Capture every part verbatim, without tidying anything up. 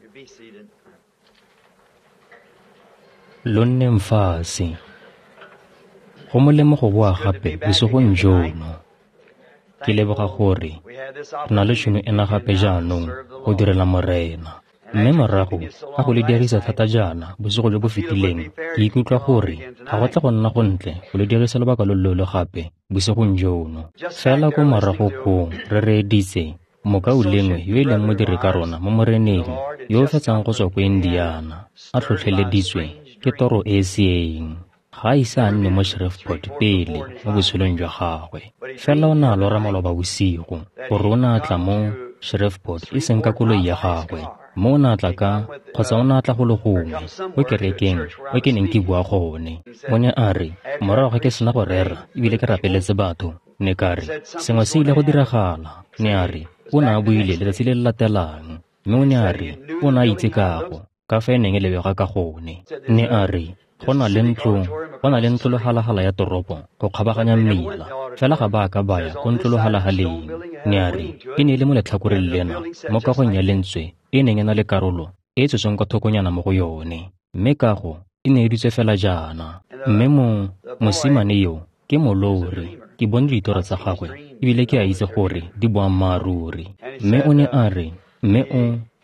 Be seated. Lo nneng fatshe. Go molemo go boa gape bosigong jono. Ke leboga gore re na le tšhono ena gape jaanong go direla Morena. Mme morago ga go le dirisa thata jaana bosigo jo bo fetileng, ke ikutlwa gore ga go tle go nna gontle go le dirisa lobaka lo loleele gape bosigong jono. Fela ko morago koo re reeditse mokaulengwe yo e leng modiri ka rona mo Moreneng yo o fetsang go tswa ko Indiana, a tlhotlheleditswe ke toro e e seeng. Ga a ise a nne mo Shreveport pele mo botshelong jwa gagwe. Fela o ne a lora maloba bosigo gore o ne a tla mo Shreveport e seng ka koloi ya gagwe, mme o ne a tla ka kgotsa o ne a tla go le gongwe ko kerekeng ko ke neng ke bua gone. O ne a re morago ga ke sena go rera ebile ke rapeletse batho, ne ka re sengwe se ile go diragala. Ne a re o ne a buile letsatsi le le latelang, mme o ne a re o ne a itse kago ka fa e neng e lebega ka gone. Ne a re go na le ntlo go na le ntlolohalahala ya toropo go kgabaganya mmila, fela ga ba a ka ba ya ko ntlolohalahaleng. Ne a re e ne e le mo letlhakoreng lena mo kagong ya lentswe e neng e na le karolo e e tswetsweng kwa thokonyana mo go yone, mme kago e ne e dutswe fela jaana. Mme mo mosimane yo ke molori, ke bone ditoro tsa gagwe ebile ke a itse gore di boammaaruri. Mme o ne a re mme o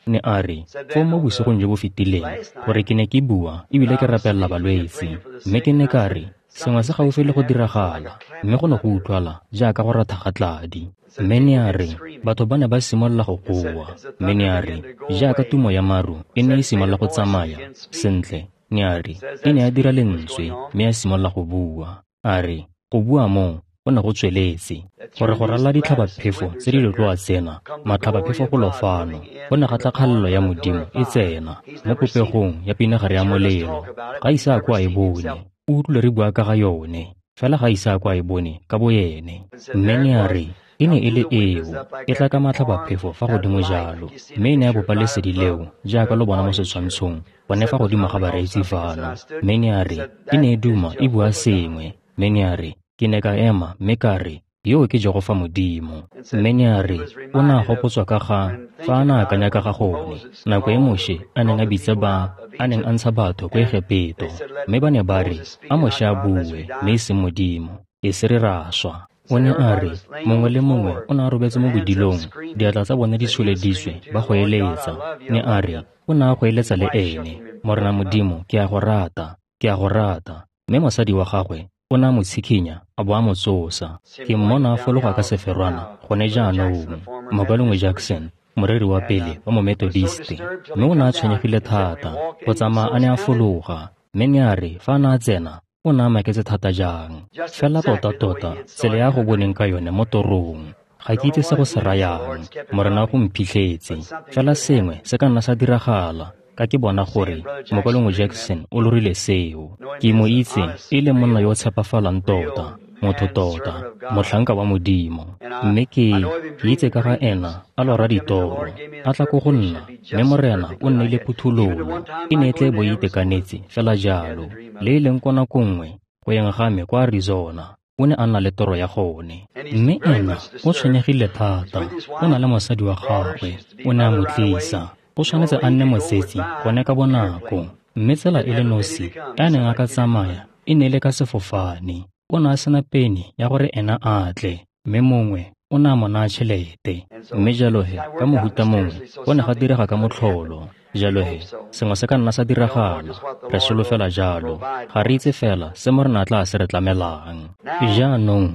ne a re foo mo bosigong jo bo fetileng gore ke ne ke bua ebile ke rapelela balwetse, mme ke ne ka re sengwe se gaufi le go diragala, mme go ne go utlwala jaaka go ratha ga tladi. Mme ne a re batho ba ne ba simolola go goa, mme ne a re jaaka tumo ya maru e ne e simolola go tsamaya sentle. Ne a re e ne a dira lentswe mme a simolola go bua. A re go bua moo go ne go tsweletse gore go ralala ditlhabaphefo tse di letloa tsena, matlhabaphefo golo fano, go ne ga tla kgalelo ya Modimo e tsena mo popegong ya pinagare ya molelo. Ga ise a ko a e bone, o utlwile re bua ka ga yone, fela ga ise a ko a e bone ka boene. Mme ne a re e ne e le eo e tla ka matlhabaphefo fa godimo jalo, mme e ne ya bopa lesedi leo jaaka lo bona mo setshwantshong gone fa godimo ga bareetsi fano. Mme ne a re e ne e duma e bua sengwe, mme ne a re ke ne ka ema mme ka re yo ke Jehofa Modimo. Mme ne a re o ne a gopotswa ka ga fa a ne a akanya ka ga gone nako e Moshe a neng a bitsa ba a neng a ntsha batho ko Egepeto, mme ba ne ba re a Moshe a bue mme e seng Modimo, e se re ra swa. O ne a re mongwe le mongwe o ne a robetse mo bodilong, diatla tsa bone di tsholeditswe ba go eletsa. Ne a re o ne a go eletsa le ene, Morena Modimo ke a go rata, ke a go rata. Mme mosadi wa gagwe o ne a mo tshikinya a bo a mo tsosa. Ke mmona a fologa ka seferwana gone jaanong, Mokaulengwe Jackson, moreri wa pele wa Momethodiste, mme o ne a tshwenyegile thata go tsamaya a ne a fologa. Mme ne a re fa a ne a tsena o ne a maketse thata jang, fela tota-tota tsela ya go boneng ka yone mo torong. Ga ke itse se go se rayang, Morena go mphitlhetse, fela sengwe se ka nna sa diragala ka ke bona gore Mokaulengwe Jackson o lorile seo. Ke mo itse e le monna yo o tshepafalang tota, motho tota, motlhanka wa Modimo. Mme ke ke itse ka ga ena a lora ditoro, a tla ko go nna, mme Morena o nneile phuthololo. E ne e tle bo e itekanetse fela jalo, le e leng ko nako nngwe go yeng ga me kwa Arizona, o ne a nna le toro ya gone. Mme ena o tshwenyegile thata, o na le mosadi wa gagwe, o ne a mo tlisa. O tshwanetse a nne motsetsi gone ka bonako, mme tsela e le nosi e a neng a ka tsamaya e ne e le ka sefofane. O ne a sena peni ya gore ena a tle, mme mongwe o ne a mo naya tšhelete. Mme jalo he ka mohuta mongwe go ne ga direga ka motlholo. Jalo he sengwe se ka nna sa diragala, re solofela jalo. Ga re itse fela se Morena a tla se re tlamelang. Jaanong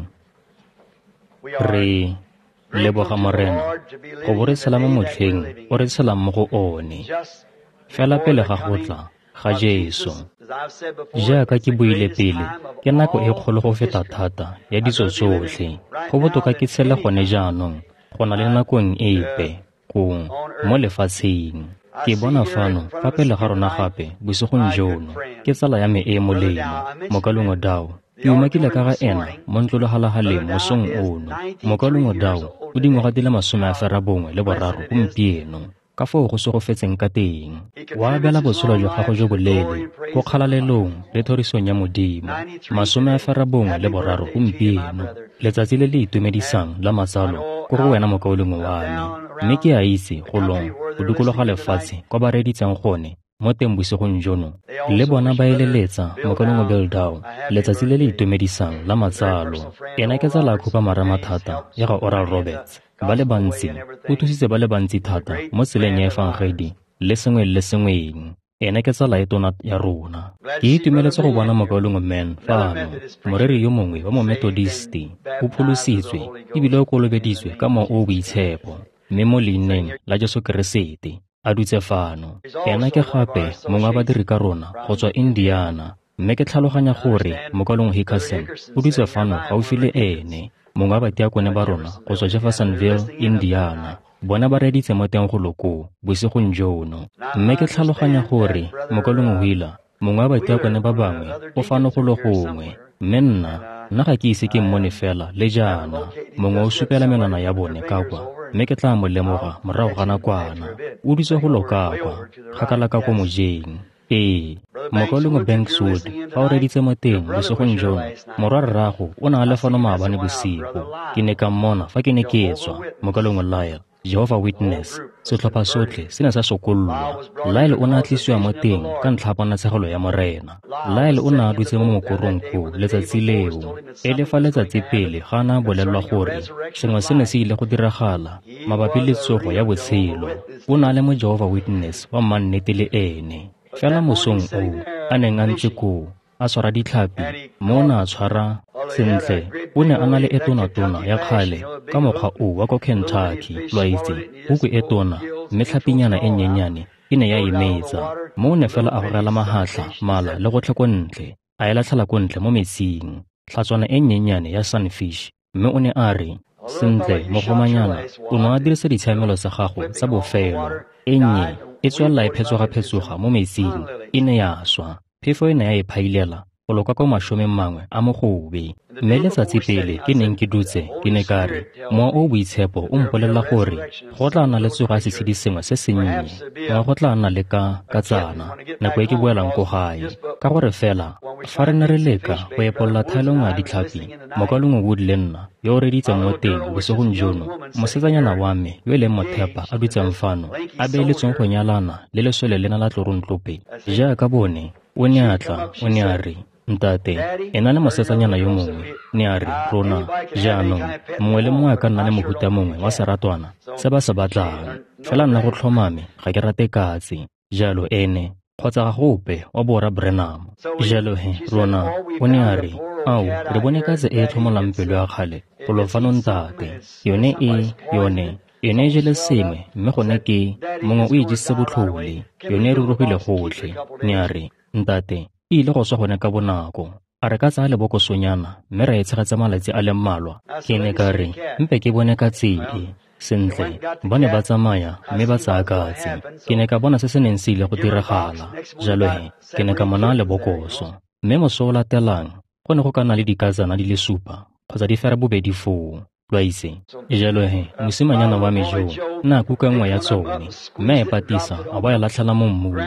re leboga Morena go bo re tshela mo motlheng o re tshelang mo go one, fela pele ga go tla ga Jesu. Jaaka ke buile pele, ke nako e kgolo go feta thata ya ditso tsotlhe. Go botoka ke tshele gone jaanong go na le nakong epe kong mo lefatsheng. Ke bona fano fa pele ga rona gape bosigong jono ke tsala ya me e e molemo, Mokaulengwe Dow. Ke umakile ka ga ena mo ntlolohalahaleng mosong ono. Mokaulengwe Dow o dingwaga di le masome a ferabongwe le boraro gompieno, ka foo go segofetseng ka teng. Wa abela botshelo jwa gago jo boleele ko kgalalelong le thorisong ya Modimo. Masome a ferabongwe le boraro gompieno, letsatsi le le itumedisang la matsalo ko go wena mokaulengwe wa me. Mme ke a itse golong go dikologa lefatshe kwa ba reeditseng gone mo teng bosigong jono. Le bona ba eleletsa mokaulengwe Bill Dow letsatsi le le itumedisang la matsalo. Ena ke tsala ya khupamarama thata ya ga Oral Roberts. Ba le bantsi, o thusitse ba le bantsi thata mo tseleng ya efangedi le sengwe le sengweng. Ena ke tsala e tona ya rona. Ke itumeletse go bona mokaulengwe Mann fano, moreri yo mongwe wa Momethodisti, o pholositswe ebile o kolobeditswe ka Mowa o o Boitshepo, mme mo leineng la Jesu Keresete a dutse fano. Ena ke gape mongwe wa badiri ka rona go tswa Indiana, mme ke tlhaloganya gore mokaulengwe Hickerson o dutse fano gaufi le ene, mongwe wa batiakone ba rona go tswa Jeffersonville, Indiana. Bona ba reeditse mo teng golo koo bosigong jono. Mme ke tlhaloganya gore mokaulengwe Wheeler, mongwe wa batiakone ba bangwe, o fano golo gongwe, mme nna nna ga ke ise ke mmone fela le jaana. Mongwe o supela menwana ya bone ka kwa, mme ke tla mo lemoga morago ga nakwana. O dutse golo ka kwa, kgakala ka ko mojeng. Ee, mokaulengwe Banks Wood, fa o reeditse mo teng bosigong jono, morwa rrago o ne a le fano maabane bosigo. Ke ne ka mmona fa ke ne ke tswa, mokaulengwe Lyle, Jehovah Witness, setlhopha sotlhe se ne sa sokollwa. Lyle o ne a tlisiwa mo teng ka ntlha ya ponatshegelo ya Morena. Lyle o ne a dutse mo mokorong koo letsatsi leo, e le fa letsatsi pele ga a ne a bolelelwa gore sengwe se ne se ile go diragala mabapi le tsogo ya botshelo. O ne a le mo Jehovah Witness wa mannete le ene. Fela mosong oo a neng a ntse koo a tshwara ditlhapi, mme o ne a tshwara sentle. O ne a na le e tona-tona ya kgale ka mokgwa oo wa ko Kentucky, lo a itse, huku e tona, mme tlhapinyana e nnyenyane e ne ya e metsa. Mme o ne fela a gogela mahatlha, mala le gotlhe ko ntle, a e latlhela ko ntle mo metsing, tlhatswana e nnyenyane ya sunfish. Mme o ne a re, sentle, mogomanyana, o ne a dirisa ditshiamelo tsa gago tsa bofelo, e nnye e tswelela e phetsoga-phetsoga mo metsing, e ne ya swa. Phefo e ne ya e phailela go loka kwa mashomeng mangwe a mogobe. Mme letsatsi pele ke neng ke dutse, ke ne ka re, Mowa o o Boitshepo o mpolelela gore go tla nna le tsogo ya setshedi sengwe se sennye, gongwe go tla nna le ka katsana nako e ke boelang ko gae. Ka gore fela fa re ne re leka go epolola thaelo nngwe ya ditlhapi, mokaulengwe Wood le nna yo o reeditseng mo teng bosigong jono, mosetsanyana wa me yo e leng mothepa a dutseng fano, a beeletsweng go nyalana le lesole lena la tlorontlope jaaka bone, o ne a tla, o ne a re, ntate, ena le mosetsanyana yo mongwe, ne a re, rona, jaanong, mongwe le mongwe a ka nna le mohuta mongwe wa seratwana se ba se batlang, fela nna go tlhomame ga ke rate katse, jalo ene, kgotsa ga gope wa borra Branham. Jalo he, rona, o ne a re, ao, re bone katse e e tlhomolang pelo ya kgale golo fano ntate, yone e, yone, yone e jele sengwe, mme gone ke, mongwe o e jesitse botlhole, yone e rurugile gotlhe. Ne a re, ntate, e ile go swa gone ka bonako. A re ka tsaya lebokosonyana mme ra e tshegetsa malatsi a le mmalwa? Ke ne ka re, mpe ke bone katse e. Sentle, ba ne ba tsamaya mme ba tsaya katse. Ke ne ka bona se se neng se ile go diragala. Jalo he, ke ne ka mo naya lebokoso. Mme moso o latelang, go ne go ka nna le dikatsana di le supa kgotsa di fera bobedi foo, lo a itse. Jalo he, mosimanyana wa me jo ne a kuka nngwe ya tsone, mme a e patisa a bo a e latlhela mo mmung.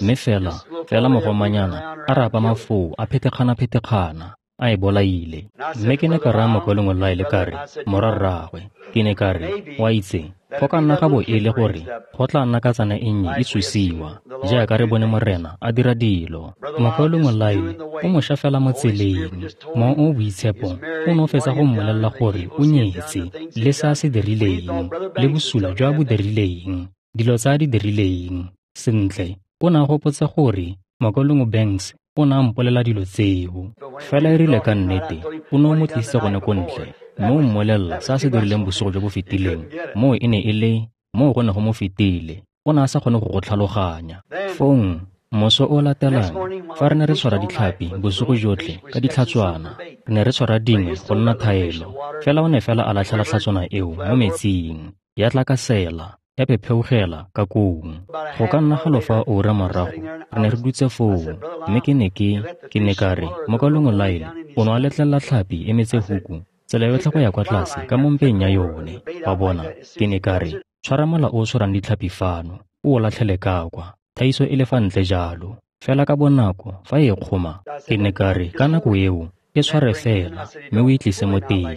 Mme fela, fela mogomanyana a rapama foo a phetekgana-phetekgana, a e bolaile. Mme ke ne ka raya mokaulengwe Lyle ka re, morwa rraagwe, ke ne ka re, wa itse, go ka nna ga bo e le gore go tla nna katsana e nnye e tsosiwa, jaaka re bone Morena a dira dilo. Mokaulengwe Lyle o mošwa fela mo tseleng. Mowa o o Boitshepo o ne o fetsa go mmolelela gore o nyetse, le se a se dirileng, le bosula jo a bo dirileng, dilo tse a di dirileng. Sentle, o ne a gopotse gore mokaulengwe Banks o ne a mpolelela dilo tseo. Fela e rile ka nnete, o ne o mo tlisitse gone ko ntle, mme o mmolelela se a se dirileng bosigo jo bo fetileng. Moo e ne e le, moo go ne go mo fetile. O ne a sa kgone go go tlhaloganya. Fong, moso o latelang, fa re ne re tshwara ditlhapi bosigo jotlhe ka ditlhatswana, re ne re tshwara dingwe go nna thaelo. Fela o ne fela a latlhela tlhatswana eo mo metsing, ya tlakasela, ya phepheugela ka kong. Go ka nna galo fa ura morago, re ne re dutse foo, mme ke ne ke, ke ne ka re, mokaulengwe Lyle, o ne a letlelela tlhapi e metse huku tsela yotlhe go ya kwa tlase ka mo mpeng ya yone. Wa bona, ke ne ka re, tshwara mola o o tshwarang ditlhapi fano, o o latlhele ka kwa, thaiso e le fa ntle jalo. Fela ka bonako fa e kgoma, ke ne ka re, ka nako eo, e tshware fela, mme o e tlise mo teng.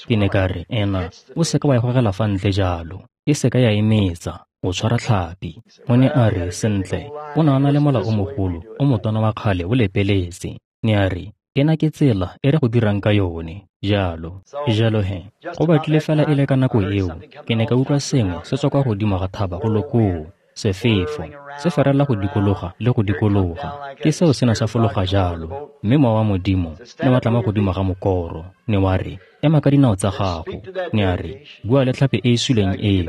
Ke ne ka re, ena, o seka wa e gogela fa ntle jalo, e seka ya e metsa, o tshwara tlhapi. O ne a re, sentle, o ne a na le mola o mogolo o motona wa kgale o lepeletse. Ne a re, ena ke tsela e re go dirang ka yone, jalo. Jalo he, go batlile fela e le ka nako eo, ke ne ka utlwa sengwe se tswa kwa godimo ga thaba go lo koo, sefefo, se ferela go dikologa le go dikologa. Ke seo se ne sa fologa jalo, mme mowa wa Modimo ne wa tla mo godimo ga mokoro, ne wa re, ema ka dinao tsa gago. Ne a re, bua le tlhapi e e suleng eo,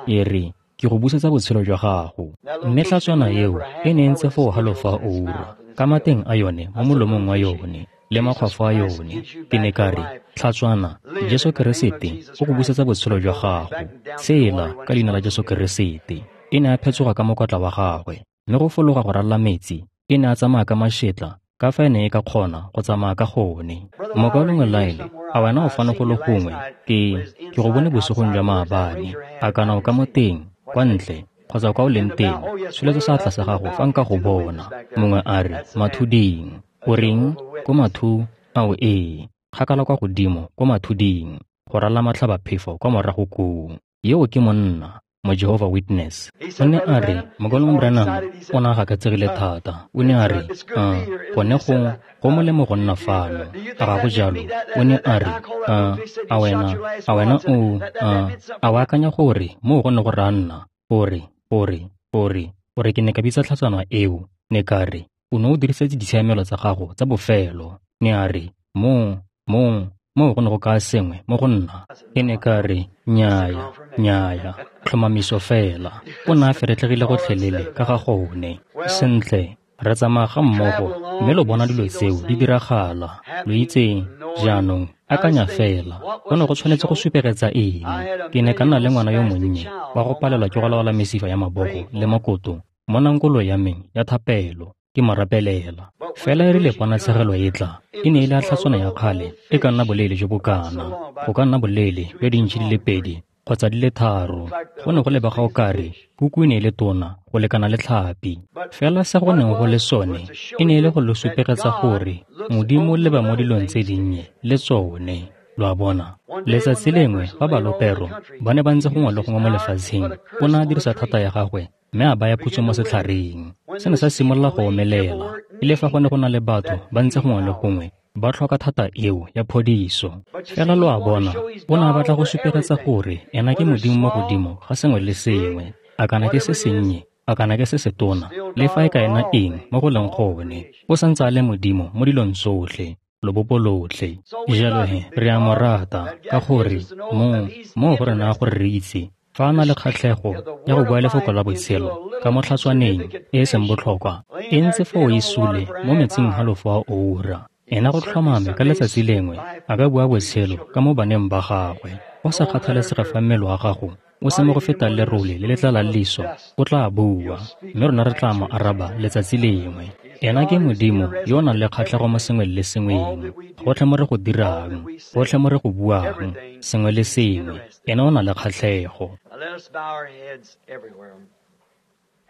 e re, ke go busetsa botshelo jwa gago. Mme tlhatswana eo e ne e ntse foo halofo a oura, ka mateng a yone mo molomong wa yone le makgwafo a yone. Ke ne ka re, tlhatswana, Jesu Keresete o go busetsa botshelo jwa gago. Tshela ka leina la Jesu Keresete. E ne a phetsoga ka mokotla wa gagwe, mme go fologa go ralala metsi, e ne a tsamaya ka mašetla ka fa e ne e ka kgona go tsamaya ka gone. Mokaulengwe Lyle, a wena o fano go le gongwe? Ke ke go bone bosigong jwa maabane. A kana o ka mo teng, kwa ntle, kgotsa kwa o leng teng, tsholetsa seatla sa gago fa nka go bona. Mongwe a re, mathuding. O reng? Ko mathu? Ao ee, kgakala kwa godimo ko mathuding, go ralala matlhabaphefo kwa morago koo. Yeo ke monna, mo Jehovah Witness. O ne a re, Mokaulengwe Branham o ne a gakatsegile thata. O ne a re, uh, gone go go molemo go nna fano. A ga go jalo? O ne a re, uh, a wena, a wena o, uh, a o akanya gore moo go ne go raya nna, gore, gore, gore, gore ke ne ka bitsa tlhatswana eo, ne ka re, o ne o dirisetse ditshiamelo tsa gago tsa bofelo. Ne a re, moo, moo, moo go ne go kaya sengwe mo go nna. Ke ne ka re, nnyaya, nnyaya, tlhomamiso fela. O ne a feretlhegile gotlhelele ka ga gone. Sentle, re tsamaya ga mmogo, mme lo bona dilo tseo di diragala. Lo itseng, jaanong, akanya fela, go ne go tshwanetse go supegetsa eng? Ke ne ka nna le ngwana yo monnye wa go palelwa ke go laola mesifa ya mabogo le makoto mo nankolo ya me ya thapelo, ke mo rapelela. Fela e rile ponatshegelo e tla, e ne e le a tlhatswana ya kgale e ka nna boleele jo bo kana, go ka nna boleele jwa dintšhi di le pedi kgotsa di le tharo. Go ne go lebega o kare kuku e ne e le tona go lekana le tlhapi. Fela se go neng go le sone e ne e le go lo supegetsa gore Modimo o leba mo dilong tse dinnye le tsone. Lo a bona? Letsatsi lengwe fa balopero ba ne ba ntse gongwe le gongwe mo lefatsheng, o ne a dirisa thata ya gagwe mme a baya phutso mo setlhareng. Se ne sa simolola go omelela, e le fa go ne go na le batho ba ntse gongwe le gongwe ba tlhoka thata eo ya phodiso. Fela lo a bona, o ne a batla go supegetsa gore ena ke Modimo mo godimo ga sengwe le sengwe, a kana ke se sennye, a kana ke se setona, le fa e ka ena eng mo go leng gone, o santse a le Modimo mo dilong tsotlhe, lobopo lotlhe. Jalo he, re a mo rata, ka gore mo mo go re naya gore re itse fa a na le kgatlhego ya go bua lefoko la botshelo ka mo tlhatswaneng e e seng botlhokwa, e ntse foo e sule mo metsing halofo a oura. Ena go tlhomame ka letsatsi lengwe a ka bua botshelo ka mo baneng ba gagwe. Go sa kgathalesege fa mmele wa gago o se mo go feta lerole le le tlalang leso, o tla bua, mme rona re tla mo araba letsatsi lengwe. Ena ke Modimo yo o nang le kgatlhego mo sengweng le sengweng, gotlhe mo re go dirang, gotlhe mo re go buang, sengwe le sengwe, ena o na le kgatlhego.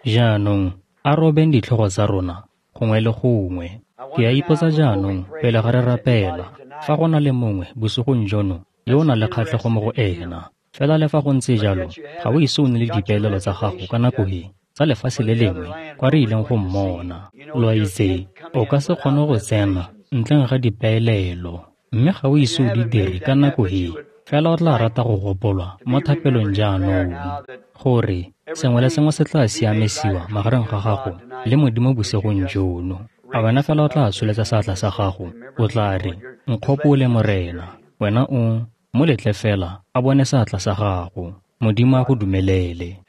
Jaanong, a robeng ditlhogo tsa rona gongwe le gongwe. Ke a ipotsa jaanong, pele ga re rapela, fa go na le mongwe bosigong jono yo o nang le kgatlhego mo go ena. Fela le fa go ntse jalo, ga o ise o nne le dipeelelo tsa gago ka nako e tsa lefatshe le lengwe kwa re ileng go mmona. Lo a itse, o ka se kgone go tsena ntleng ga dipeelelo, mme ga o ise o di dire ka nako e. Fela o tla rata go gopolwa mo thapelong jaanong, gore sengwe le sengwe se tla siamisiwa magareng ga gago le Modimo bosigong jono. A wena fela o tla tsholetsa seatla sa gago, o tla re, nkgopole Morena. Wena o mo letle fela a bone seatla sa gago. Modimo a go dumelele.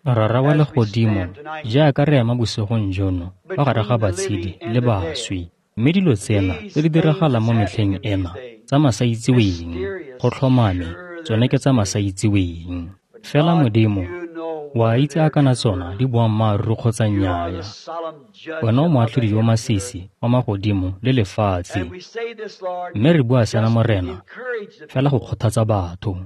Rara wa legodimo, jaaka re ema bosigong jono fa gare ga batshedi le baswi, mme dilo tsena tse di diragalang mo metlheng ena tsa masaitseweng, go tlhomame tsone ke tsa masaitseweng. Fela Modimo, wa itse a kana tsona di boammaaruri kgotsa nnyaya. Wena o moatlhodi yo masisi wa magodimo le lefatshe. Mme re bua sena Morena, fela go kgothatsa batho.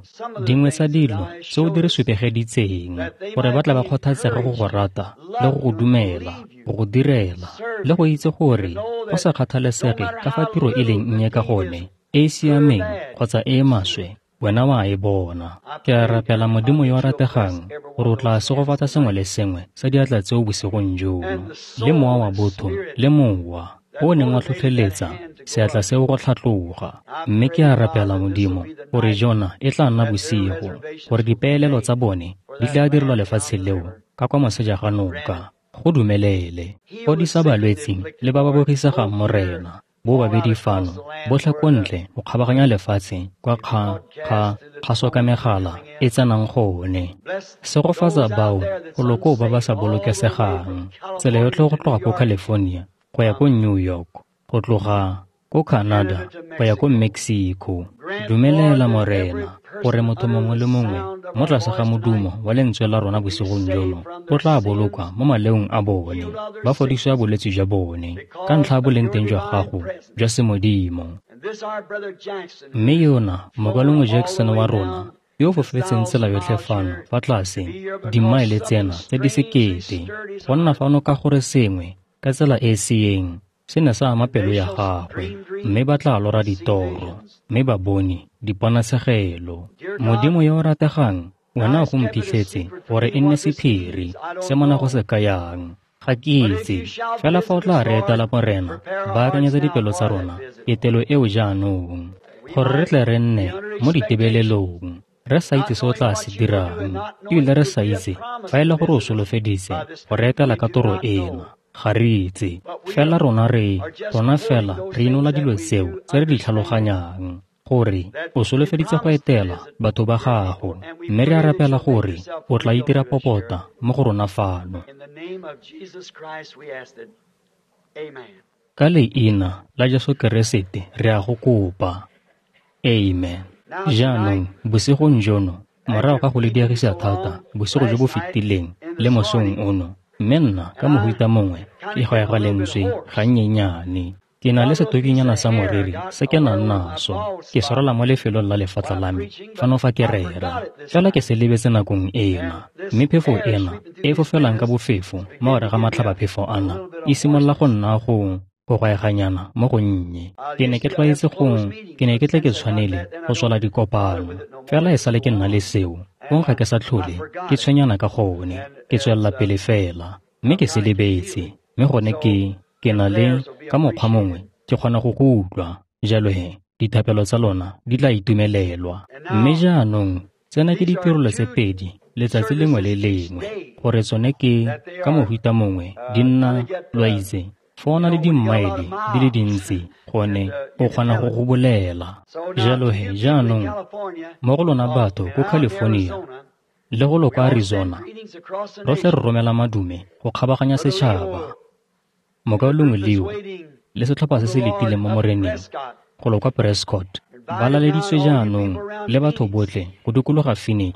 Dingwe tsa dilo tseo di re supegeditseng, gore ba tla ba kgothatsege go go rata le go go dumela, go go direla, le go itse gore go sa kgathalesege ka fa tiro e leng nnye ka gone, e e siameng kgotsa e e maswe, Wena wa e bona. Ke a rapela Modimo yo a rategang gore o tla segofatsa sengwe le sengwe sa diatla tseo bosigong jono, le mowa wa botho le mowa o o neng wa tlhotlheletsa seatla seo go tlhatloga. Mme ke a rapela Modimo gore jona e tla nna bosigo, gore dipeelelo tsa bone di tla direlwa lefatshe leo ka kwa moseja ga noka. Go dumelele. Fodisa balwetsi le ba ba bogisegang Morena, bo babedi fano, botlhe ko ntle go kgabaganya lefatshe kwa kga kga kgaso ka megala e tsenang gone. Segofatsa bao golo koo ba ba sa bolokesegang, tsela yotlhe go tloga ko California go ya ko New York, go tloga ko Canada go ya ko Mexico. Dumelela Morena gore motho mongwe le mongwe mo tlase ga modumo wa lentswe la rona bosigong jono o tla bolokwa mo maleong a bone, ba fodisiwa bolwetse jwa bone ka ntlha ya boleng teng jwa gago jwa semodimo. Mme yona mokwalongwe Jackson wa rona yo o fofetseng tsela yotlhe fano fa tlase dimmaele tsena tse di sekete go nna fano ka gore sengwe ka tsela e e seeng se ne sa ama pelo ya gagwe, mme ba tla lora ditoro, mme ba bone diponatshegelo. Modimo yo o rategang, wena o go mphitlhetse gore e nne sephiri se mona go se kayang. Ga ke itse, fela fa o tla re etela Morena, baakanyetsa dipelo tsa rona ketelo eo jaanong, gore re tle re nne mo ditebelelong, re sa itse se o tla se dirang, ebile re sa itse fa e le gore o solofeditse go re etela ka toro ena. Ga re itse, fela rona re, rona fela re inola dilo tseo tse re di tlhaloganyang, gore o solofeditse go etela batho ba gago, mme re a rapela gore o tla itira popota mo go rona fano. Ka leina la Jesu Keresete re a go kopa. Amen. Jaanong bosigong jono, morago ga go le diegisa thata bosigo jo bo fetileng le mosong ono, mme nna ka mohuta mongwe ke gwaega lentswe gannyenyane. Ke na le setokinyana sa moriri se ke nang naso, ke swarela mo lefelong la lefatla la me fano fa ke rera, fela ke se lebetse nakong ena. Mme phefo ena e e fofelang ka bofefo mo gare ga matlhabaphefo ana e simolola go nna go go gwaeganyana mo gonnye. Ke ne ke tlwaetse go ke ne ke tle ke tshwanele go tswala dikopano, fela e sale ke nna le seo fong ga ke sa tlhole ke tshwenyana ka gone, ke tswelela pele fela, mme ke se lebetse. Mme gone ke ke na le ka mokgwa mongwe ke kgona go go utlwa, jalo he dithapelo tsa lona di tla itumelelwa. Mme jaanong tsena ke ditirelo tse pedi letsatsi lengwe le lengwe, gore tsone ke ka mohuta mongwe di nna lo a itse fa o na le dimmaele di le dintsi gone o kgona go go bolela. Jalo he jaanong mo go lona batho ko California le go lo kwa Arizona, rotlhe re romela madume go kgabaganya setšhaba. Mokaulengwe Leo le setlhopha se se letileng mo Moreneng go lo kwa Prescott ba laleditswe jaanong le batho botlhe go dikologa Phoenix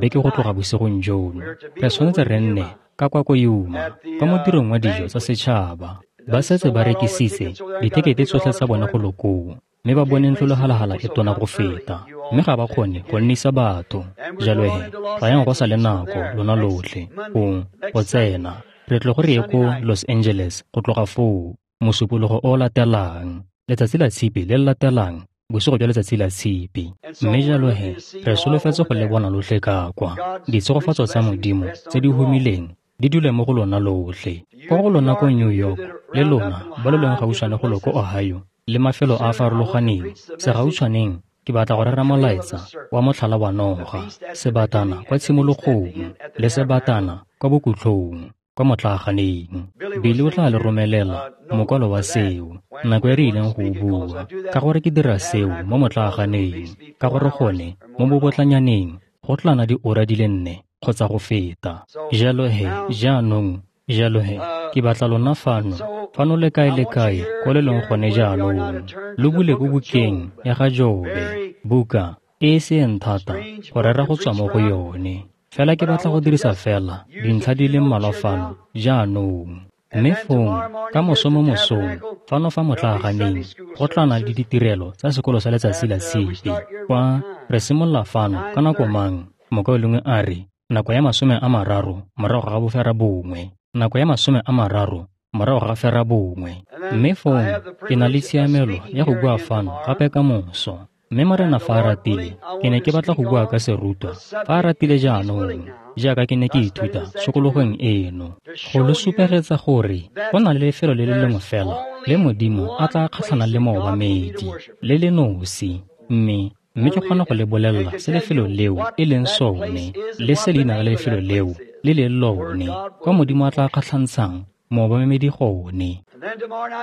beke go tloga bosigong jono. Re tshwanetse re nne ka kwa ko Yuma kwa modirong wa dijo tsa setšhaba. Ba setse ba rekisitse dithekete tsotlhe tsa bone go lo koo, mme ba bone ntlo-lehalala e tona go feta, mme ga ba kgone go nnisa batho. Jalo he tlayang go sa le nako lona lotlhe go go tsena. Re tle go re ye ko Los Angeles go tloga foo mosupologo o latelang, letsatsi la tshipi le le latelang, bosigo jwa letsatsi la tshipi. Mme jalo he re solofetse go le bona lotlhe ka kwa. Ditshegofatso tsa Modimo tse di humileng di dule mo go lona lotlhe. Kwa go lona ko New York le lona ba lo leng gautshwane go lo ko Ohio le mafelo a a farologaneng, segautshwaneng ke batla go rera molaetsa wa motlhala wa noga, sebatana kwa tshimologong le sebatana kwa bokhutlong kwa motlaaganeng. Billy o tla le romelela mokwalo wa seo nako e re ileng go o bua, ka gore ke dira seo mo motlaaganeng, ka gore gone mo bobotlanyaneng go tla nna diura di le nne kgotsa go feta. Jalo he jaanong, jalo he ke batla lona fano, fano le kae le kae ko le leng gone jaanong, lo bule ko bukeng ya ga Jobe, buka e e seng thata go rera go tswa mo go yone. Fela ke batla go dirisa fela dintlha di le mmalwa fano jaanong. Mme fong ka moso mo mosong fano fa motlaaganeng go tla nna le ditirelo tsa sekolo sa letsatsi la tshipi. Kwa re simolola fano ka nako mang? Mokaulengwe a re nako ya masome a mararo morago ga bofera bongwe, nako ya masome a mararo morago ga fera bongwe. Mme fong ke na le tshiamelo ya go bua fano gape ka moso. Mme Morena fa a ratile, ke ne ke batla go bua ka serutwa fa a ratile jaanong, jaaka ke ne ke ithuta tshokologong eno, go lo supegetsa gore go na le lefelo le le lengwe fela le Modimo a tla kgatlhanang le moobamedi, le le nosi, mme mme ke kgona go le bolelela se lefelo leo e leng sone, le se leina la lefelo leo le leng lone, kwa Modimo a tla kgatlhantshang moobamedi gone.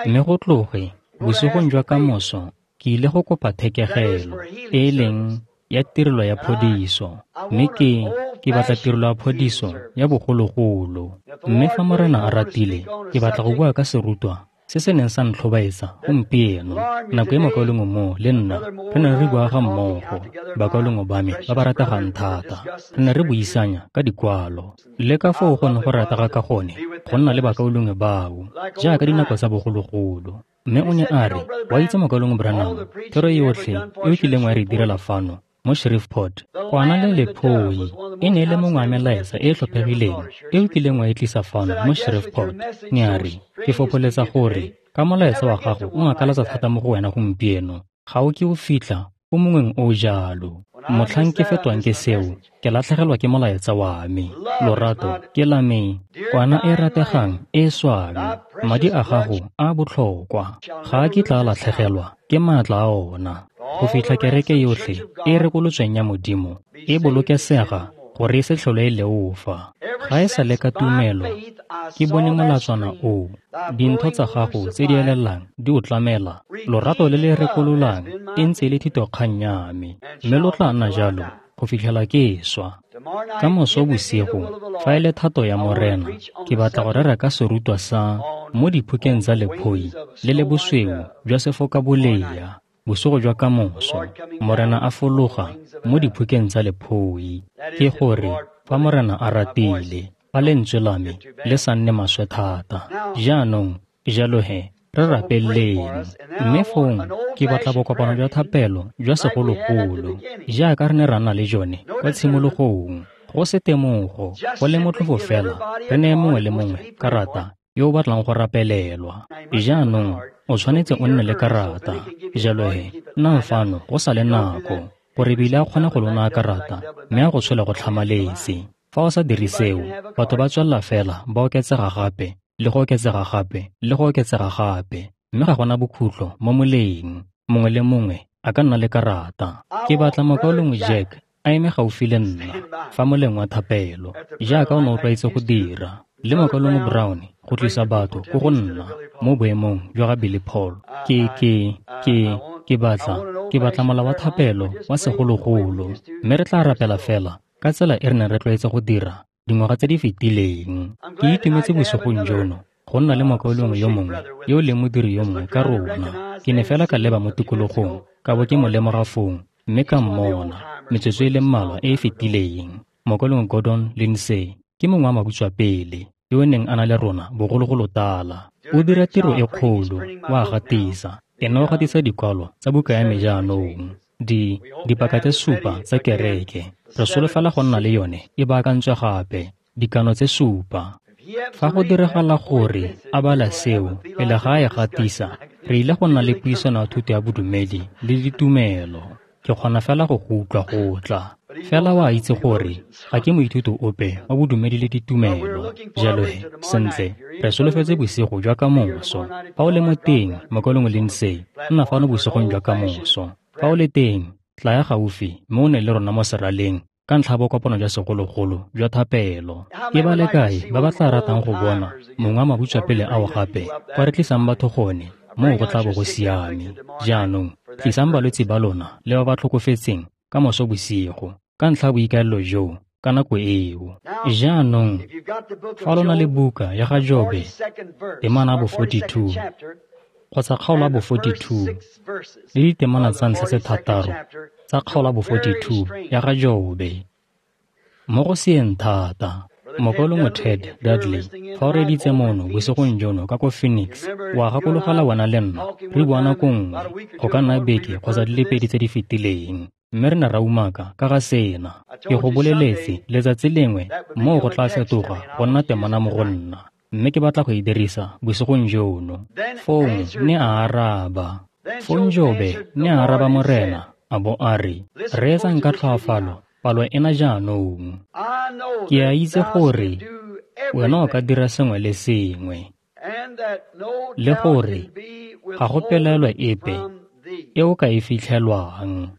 Mme go tloge bosigong jwa kamoso ke ile go kopa thekegelo e e leng ya tirelo ya phodiso, mme ke ke batla tirelo ya phodiso ya bogologolo. Mme fa Morena a ratile, ke batla go bua ka serutwa se se neng sa ntlhobaetsa gompieno. Nako e mokaulengwe mo le nna re ne re bua ga mmogo, bakaulengwe ba me ba ba rategang thata, re ne re buisanya ka dikwalo le ka foo go ne go ratega ka gone go nna le bakaulengwe bao jaaka dinako tsa bogologolo. Mme o ne a re, wa itse mokaulengwe Branham, thero yotlhe e o kileng wa re direla fano mo Shreveport, kwana le lephoi e ne e le mongwe wa melaetsa e e tlhophegileng e o kileng wa e tlisa fano mo Shreveport. Ne a re, ke fopholetsa gore ka molaetsa wa gago o ngakalatsa thata mo go wena gompieno, ga o ke o fitlha o mongweng o jalo. Motlhang ke fetwang ke seo, ke latlhegelwa ke molaetsa wa me. Lorato ke la me, kwana e rategang e swang, madi a gago a botlhokwa, ga a kitla a latlhegelwa ke maatla a ona, go fitlha kereke yotlhe e rekolotsweng ya Modimo e bolokesega gore e se tlhole e leofa. Ga e sa le ka tumelo ke bone molatswana oo, dintho tsa gago tse di elelang di o tlamela, lorato le le rekololang e ntse e le thitokgang ya me, mme lo tla nna jalo go fitlhela ke swa. Ka moso bosigo, fa e le thato ya Morena, ke batla go rera ka serutwa sa mo diphukeng tsa lephoi le le bosweu jwa sefokabolea. Bosigo jwa kamoso, Morena a fologa mo diphukeng tsa lephoi. Ke gore fa Morena a ratile, fa lentswe la me le sa nne maswe thata. Jaanong, jalo he, re rapeleng. Mme fong ke batla bokopano jwa thapelo jwa segologolo, jaaka re ne ra nna le jone kwa tshimologong. Go se temogo, go le motlhofo fela, re neye mongwe le mongwe karata yo o batlang go rapelelwa. Jaanong o tshwanetse o nne le karata. Jalo he, nnang fano go sa le nako, gore bile a kgone go lo naya karata mme a go tshole go tlhamaletse. Fa o sa dire seo, batho ba tswelela fela ba oketsega gape le go oketsega gape le go oketsega gape, mme ga gona bokhutlo mo moleng. Mongwe le mongwe a ka nna le karata. Ke batla mokaulengwe Jack a eme gaufi le nna fa moleng wa thapelo, jaaka o ne o tlwaetse go dira, le mokaulengwe Brown go tlisa batho ko go nna mo boemong jwa ga Billy Paul. Ke ke ke ke batla ke batla mola wa thapelo wa segologolo, mme re tla rapela fela ka tsela e re neng re tlwaetse go dira dingwaga tse di fetileng. Ke itumetse bosigong jono go nna le mokaulengwe yo mongwe yo leng modiri yo mongwe ka rona. Ke ne fela ka leba mo tikologong ka bo ke mo lemoga fong, mme ka mmona metsotso e le mmalwa e e fetileng. Mokaulengwe Gordon Lindsay ke mongwe wa mabutswapele yo o neng a na le rona bogologolo tala. O dira tiro e kgolo, wa gatisa. Ene o gatisa dikwalo tsa buka ya me jaanong, di dipaka tse supa tsa kereke. Re solofela go nna le yone e baakantswe gape, dikano tse supa. Fa go diragala gore a bala seo pele ga a e gatisa, re ile go nna le puisano ya thuto ya bodumedi le ditumelo. Ke kgona fela go go utlwa go tla. Fela wa itse gore ga ke moithuti ope wa bodumedi le ditumelo. Jalo he, sentle, re solofetse bosigo jwa kamoso. Fa o le mo teng, mokaulengwe Lindsay, nna fano bosigong jwa kamoso. Fa o le teng, tlaya gaufi mme o ne le rona mo seraleng ka ntlha ya bokopano jwa segologolo jwa thapelo. Ke ba le kae ba ba tla ratang go bona mongwe wa mabutswapele ao gape kwa re tlisang batho gone, moo go tla bo go siame. Jaanong, tlisang balwetse ba lona le ba ba tlhokofetseng ka moso bosigo ka ntlha ya boikaelelo joo ka nako eo. Jaanong, fa lo na le buka ya ga Jobe, temana ya bo forty-two kgotsa kgaolo ya bo forty-two le ditemana tsa ntlha tse thataro tsa kgaolo ya bo forty-two ya ga Jobe, mo go seeng thata. Mokaulengwe Ted Dudley, fa o reeditse mono bosigong jono ka ko Phoenix, wa gakologela wena le nna re bua nako nngwe, go ka nna beke kgotsa di le pedi tse di fetileng, mme re ne ra umaka ka ga sena. Ke go boleletse letsatsi lengwe moo go tla fetoga go nna temana mo go nna, mme ke batla go e dirisa bosigong jono. Fong ne a araba. Fong Jobe ne a araba Morena A bo a re, reetsang ka tlhoafalo palo ena jaanong. Ke a itse gore wena o ka dira sengwe le sengwe, le gore ga go pelaelo epe e o ka e fitlhelwang.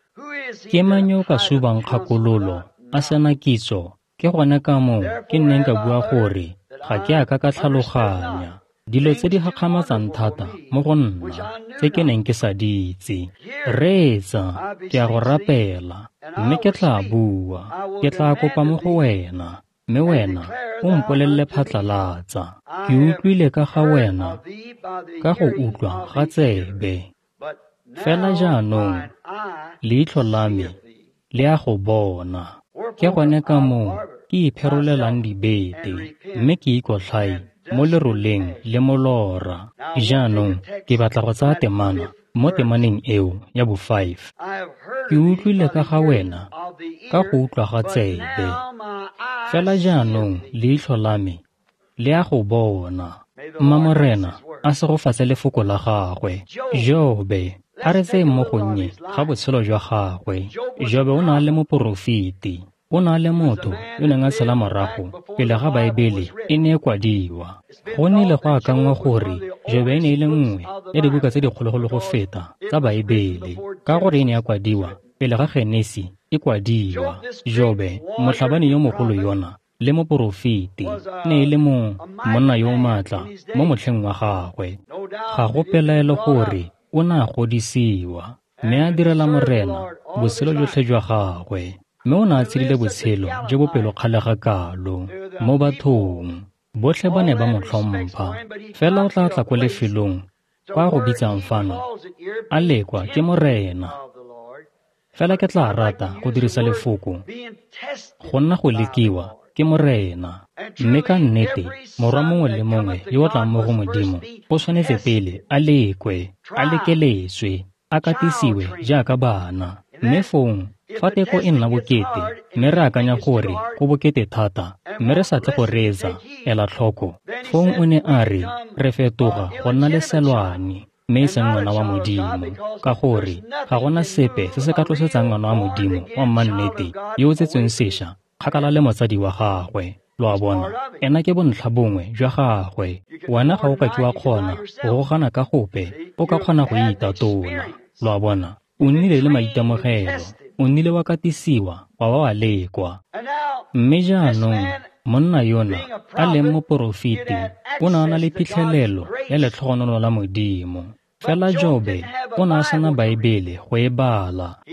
Ke mang yo o ka subang kgakololo a sena kitso? Ke gone ka moo ke nneng ka bua gore ga ke a ka ka tlhaloganya dilo tse di gakgamatsang thata mo go nna tse ke neng ke sa di itse. Reetsa, ke a go rapela, mme ke tla bua. Ke tla kopa mo go wena, mme wena o mpolelele phatlalatsa. Ke utlwile ka ga wena ka go utlwa ga tsebe, fela jaanong leitlho la me le a go bona. Ke gone ka moo ke ipherolelang dibete, mme ke ikotlhae mo leroleng le molora. Jaanong ke batla go tsaya temana mo temaneng eo ya bo five. Ke utlwile ka ga wena ka go utlwa ga tsebe, fela jaanong leitlho la me le a go bona. Mma Morena a segofatse lefoko la gagwe. Jobe, a re tseyeng mo gonnye ga botshelo jwa gagwe. Jobe o ne a le moporofeti. O ne a le motho yo neng a tshela morago pele ga Baebele e ne e kwadiwa. Go nnile go akanngwa gore Jobe e ne e le nngwe ya dibuka tse dikgologolo go feta tsa Baebele, ka gore e ne ya kwadiwa pele ga Genesi e kwadiwa. Jobe, motlhabani yo mogolo yona le moporofeti, ne e le mo monna yo o maatla mo motlheng wa gagwe. Ga go pelaelo gore o ne a godisiwa mme a direla Morena botshelo jotlhe jwa gagwe, mme o ne a tshedile botshelo jo bo pelokgale ga kalo mo bathong. Botlhe ba ne ba mo tlhompha, fela o tla tla ko lefelong kwa go bitsang fano a lekwa ke Morena. Fela ke tla rata go dirisa lefoko go nna go lekiwa ke Morena. Mme ka nnete morwa mongwe le mongwe yo o tlang mo go Modimo o tshwanetse pele a lekwe, a lekeletswe, a katisiwe jaaka bana. Mme fong fa teko e nna bokete, mme re akanya gore go bokete thata, mme re sa tle go reetsa, ela tlhoko. Fong o ne a re re fetoga go nna leselwane, mme e seng ngwana wa Modimo, ka gore ga gona sepe se se ka tlosetsang ngwana wa Modimo wa mannete yo o tsetsweng sešwa kgakala le motsadi wa gagwe. Lo a bona, ena ke bontlha bongwe jwa gagwe. Wena ga o ka ke wa kgona go gogana ka gope, o ka kgona go itatola. Lo a bona, o nnile le maitemogelo, o nnile wa katisiwa, wa ba wa lekwa. Mme jaanong monna yona a leng moporofeti o ne a na le phitlhelelo ya letlhogonolo la Modimo. Fela Jobe o ne a sena Baebele go e bala.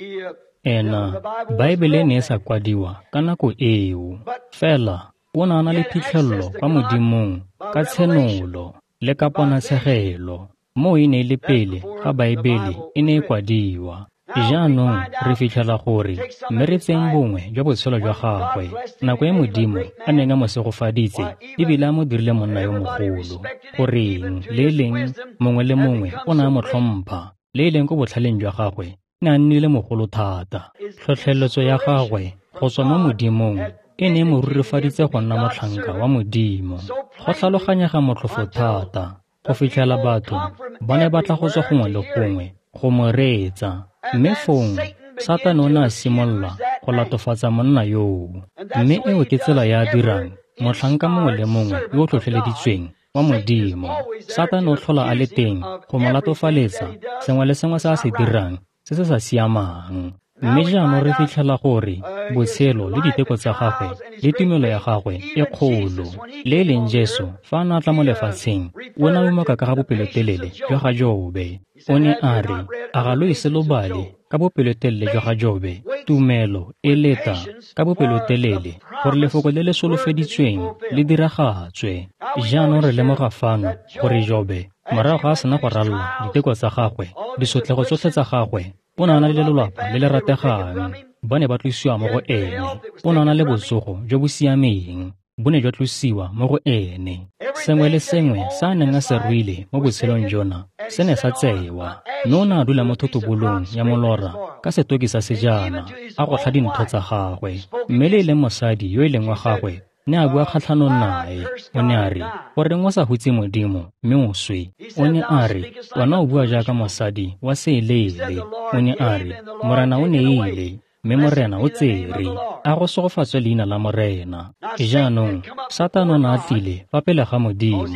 Ena Baebele e ne e sa kwadiwa ka nako eo, fela o ne a na le phitlhelelo kwa Modimong ka tshenolo le ka ponatshegelo. Moo e ne e le pele ga Baebele e ne e kwadiwa. Jaanong re fitlhela gore mme re tseyeng bongwe jwa botshelo jwa gagwe, nako e Modimo a neng a mo segofaditse ebile a mo dirile monna yo mogolo, goreng le e leng mongwe le mongwe o ne a mo tlhompha, le e leng ko botlhaleng jwa gagwe ne a nnile mogolo thata. Tlhotlheletso ya gagwe go tswa mo Modimong e ne e mo rurifaditse go nna motlhanka wa Modimo. Go tlhaloganyega motlhofo thata go fitlhela batho ba ne ba tla go tswa gongwe le gongwe go mo reetsa. Mme fong Satane o ne a simolola go latofatsa monna yoo. Mme eo ke tsela ya a dirang motlhanka mongwe le mongwe yo o tlhotlheleditsweng wa Modimo. Satane o tlhola a le teng go mo latofaletsa sengwe le sengwe se a se dirang se se sa siamang. Mme jaanong re fitlhela gore botshelo le diteko tsa gagwe le tumelo ya gagwe e kgolo. Le e leng Jesu fa a ne a tla mo lefatsheng, o ne a umaka ka ga bopelotelele jwa ga Jobe. O ne a re, a ga lo ise lo bale ka bopelotelele jwa ga Jobe? Tumelo e leta ka bopelotelele gore lefoko le le solofeditsweng le diragatswe. Jaanong re lemoga fano gore Jobe, morago ga a sena go ralala diteko tsa gagwe, disotlego tsotlhe tsa gagwe, o ne a na le lelapa le le rategang, ba ne ba tlosiwa mo go ene. O ne a na le botsogo jo bo siameng, bo ne jwa tlosiwa mo go ene. Sengwe le sengwe se a neng a se ruile mo botshelong jona se ne sa tsewa, mme o ne a dula mo thotobolong ya molora ka setoki sa sejana a gotlha dintho tsa gagwe. Mme le e leng mosadi yo e leng wa gagwe ne a bua kgatlhanong nae. O ne a re, goreng o sa hutse Modimo mme o swe? O ne a re, wena o bua jaaka mosadi wa seeleele. O ne a re, Morena o neile, mme Morena o tsere. A go segofatswe leina la Morena. Jaanong, Satane o ne a tlile fa pele ga Modimo,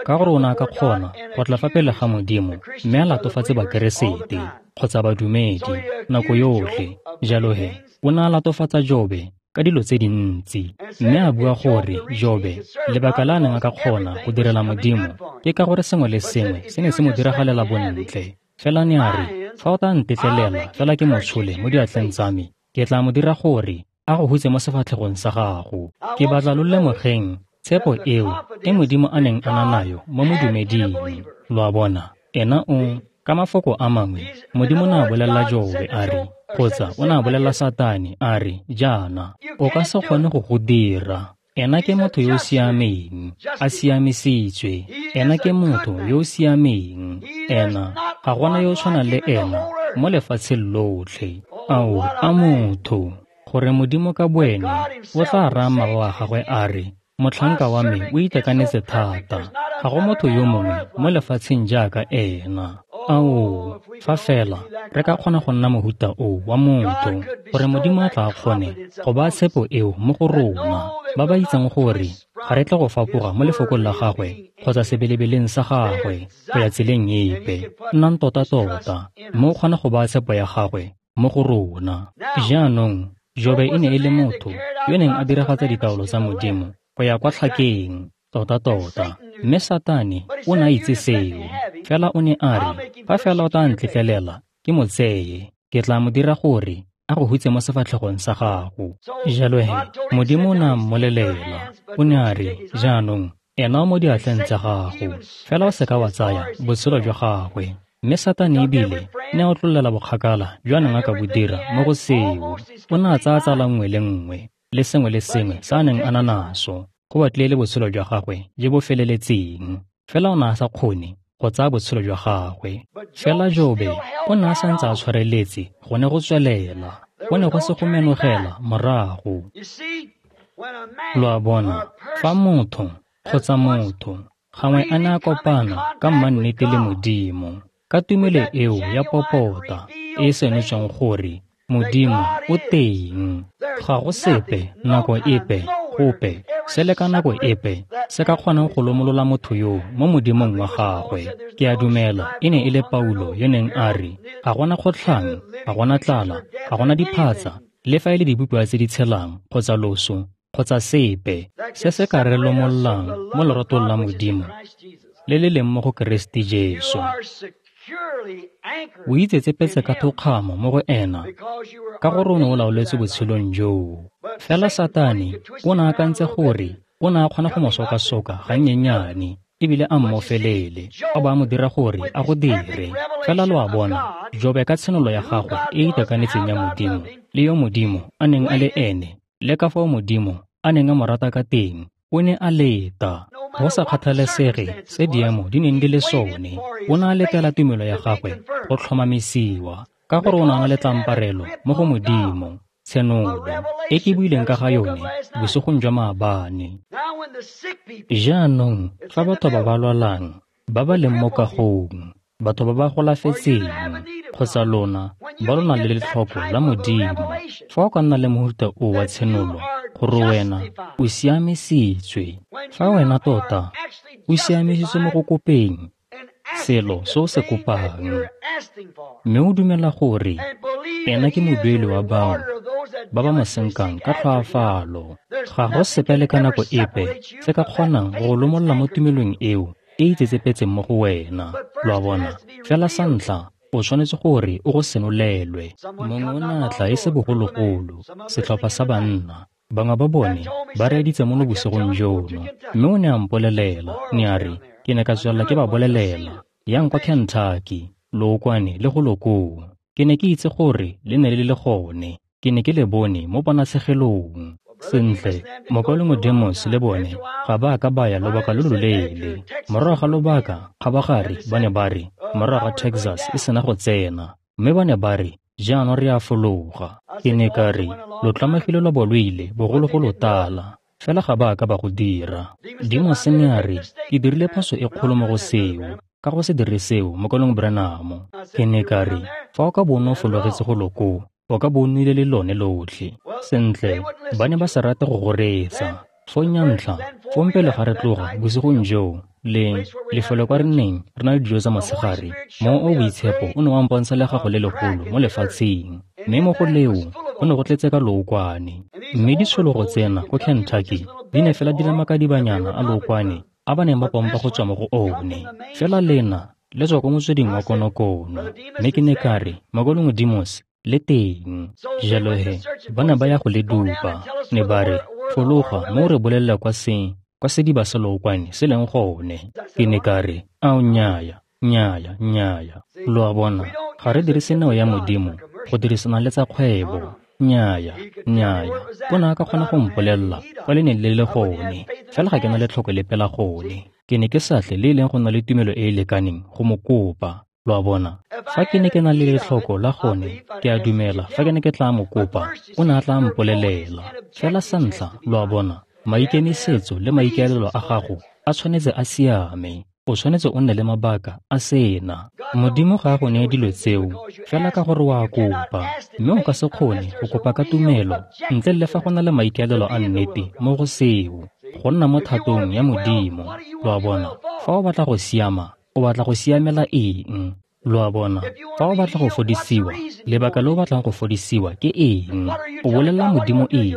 ka gore o ne a ka kgona go tla fa pele ga Modimo mme a latofatse Bakeresete kgotsa badumedi nako yotlhe. Jalo he, o ne a latofatsa Jobe ka dilo tse dintsi, mme a bua gore Jobe, lebaka la a neng a ka kgona go direla Modimo ke ka gore sengwe le sengwe se ne se mo diragalela bontle. Fela ne a re, fa o tla ntetlelela fela ke mo tshole mo diatleng tsa me, ke tla mo dira gore a go hutse mo sefatlhegong sa gago. Ke batla lo lemogeng tshepo eo e Modimo a neng a na nayo mo modumeding. Lo a bona, ena o, ka mafoko a mangwe, Modimo ne a bolelela Jobe a re, kgotsa o ne a bolelela Satane a re, jaana, o ka se kgone go go dira. Ena ke motho yo o siameng, a siamisitswe. Ena ke motho yo o siameng. Ena, ga gona yo o tshwanang le ena mo lefatsheng lotlhe. Ao, a motho, gore Modimo ka boene o tla raya mmago wa gagwe a re, motlhanka wa me o itekanetse thata, ga go motho yo mongwe mo lefatsheng jaaka ena. Ao, fa fela re ka kgona go nna mohuta o wa motho, gore Modimo a tla kgone go baya tshepo eo mo go rona, ba ba itseng gore ga re tle go fapoga mo lefokong la gagwe kgotsa sebelebeleng sa gagwe go ya tseleng epe. Nnang tota-tota, mme o kgona go baya tshepo ya gagwe mo go rona. Jaanong, Jobe e ne e le motho yo neng a diragatsa ditaolo tsa Modimo go ya kwa tlhakeng, tota-tota. Mme Satane o ne a itse seo. Fela o ne a re, fa fela o tla ntletlelela ke mo tseye, ke tla mo dira gore a go hutse mo sefatlhegong sa gago. Jalo he, Modimo o ne a mmolelela. O ne a re, jaanong, ena o mo diatleng tsa gago, fela o seka wa tsaya botshelo jwa gagwe. Mme Satane ebile ne a otlololela bokgakala jo a neng a ka bo dira mo go seo. O ne a tsaya tsala nngwe le nngwe le sengwe le sengwe se a neng a na naso, go batlile le botshelo jwa gagwe jo bo feleletseng. Fela o ne a sa kgone go tsaya botshelo jwa gagwe. Fela Jobe o ne a santse a tshwareletse go ne go tswelela, go ne go se go menogela morago. Lo a bona, fa motho kgotsa motho gangwe a ne a kopana ka mannete le Modimo, ka tumelo eo ya popota e e senotsweng gore Modimo o teng, ga go sepe nako epe gope se le ka nako epe se ka kgonang go lomolola motho yo mo Modimong wa gagwe. Ke a dumela e ne e le Paulo yo neng a re, ga gona kgotlhang, ga gona tlala, ga gona diphatsa, le fa e le dibopiwa tse di tshelang kgotsa loso kgotsa sepe se se ka re lomololang mo leratong la Modimo le le leng mo go Keresete Jesu. O itsetsepetse ka thokgamo mo go ena, ka gore o ne o laoletswe botshelong joo. Fela Satane o ne a akantse gore o ne a kgona go mo sokasoka gannyenyane ebile a mmofelele, a bo a mo dira gore a go dire. Fela lo a bona, Jobe ka tshenolo ya gagwe e e itekanetseng ya Modimo le yo Modimo a neng a le ene, le ka fao Modimo a neng a mo rata ka teng, o ne a leta. Go sa kgathalesege se diemo di neng di le sone, o ne a letela tumelo ya gagwe go tlhomamisiwa, ka gore o ne a na le tlamparelo mo go Modimo, tshenolo e ke buileng ka ga yone bosigong jwa maabane. Jaanong, fa batho ba ba lwalang, ba ba leng mo kagong, batho ba ba golafetseng, kgotsa lona ba lo nang le letlhoko la Modimo, fa o ka nna le mohuta o wa tshenolo gore wena o siamisitswe, fa wena tota o siamisitswe mo go kopeng selo se o se kopang, mme o dumela gore ena ke modueli wa bao ba ba mo senkang ka tlhoafalo, ga go sepe le ka nako epe se ka kgonang go lomolola mo tumelong eo e itsetsepetseng mo go wena. Lo a bona, fela sa ntlha o tshwanetse gore o go senolelwe. Mongwe o ne a tla e se bogologolo, setlhopha sa banna, bangwe ba bone ba reeditse mono bosigong jono, mme o ne a mpolelela, ne a re, ke ne ka tswelela ke ba bolelela, yang kwa Kentucky, lookwane le go lokoo. Ke ne ke itse gore le ne le le gone, ke ne ke le bone mo ponatshegelong. Sentle, mokaulengwe Demos le bone ga ba ka ba ya lobaka lo loleele. Morago ga lobaka, kgabagare ba ne ba re, morago ga Texas e sena go tsena, mme ba ne ba re, jaanong re a fologa. Ke ne ka re, lo tlamegile lwa bo lo ile bogologolo tala. Fela ga ba a ka ba go dira. Demos ne a re, ke dirile phoso e kgolo mo go seo, ka go se dire seo, mokolong Branham. Ke ne ka re, fa o ka bo o ne o fologetse go lo koo, o ka bo o nnile le lone lotlhe. Sentle, ba ne ba sa rate go go reetsa. Fong ya ntlha, fong pele ga re tloga bosigong joo, le lefelo kwa re neng re na le dijo tsa motshegare, Mowa o o Boitshepo o ne wa mpontsha legago le legolo mo lefatsheng, mme mo go leo go ne go tletse ka lookwane. Mme ditshologo tsena ko Kentucky di ne fela di le makadibanyana a lookwane a ba neng ba pompa go tswa mo go one. Fela lena le tswa ko motsweding wa konokono. Mme ke ne ka re, Mokolong Demos le teng. Jalo he, ba ne ba ya go le dupa. Ne ba re, fologa mme o re bolelela kwa se kwa sediba sa lookwane se leng gone. Ke ne ka re, ao nnyaya, nnyaya, nnyaya. Lo a bona, ga re dirise neo ya Modimo go dirisana le tsa kgwebo. Nnyaya, nnyaya. O ne a ka kgona go mpolelela kwa le neng le le gone, fela ga ke na letlhoko lepe la gone. Ke ne ke sa tle le e leng go nna le tumelo e e lekaneng go mo kopa. Lo a bona, fa ke ne ke na le letlhoko la gone, ke a dumela fa ke ne ke tla mo kopa, o ne a tla mpolelela. Fela sa ntlha, lo a bona, maikemisetso le maikaelelo a gago a tshwanetse a siame. O tshwanetse o nne le mabaka a sena. Modimo ga a go neye dilo tseo fela ka gore wa kopa, mme o ka se kgone go kopa ka tumelo ntle le fa go na le maikaelelo a nnete mo go seo, go nna mo thatong ya Modimo. Lo a bona, fa o batla go siama, o batla go siamela eng? Lo a bona, fa o batla go fodisiwa, lebaka le o batlang go fodisiwa ke eng? O bolelela Modimo eng?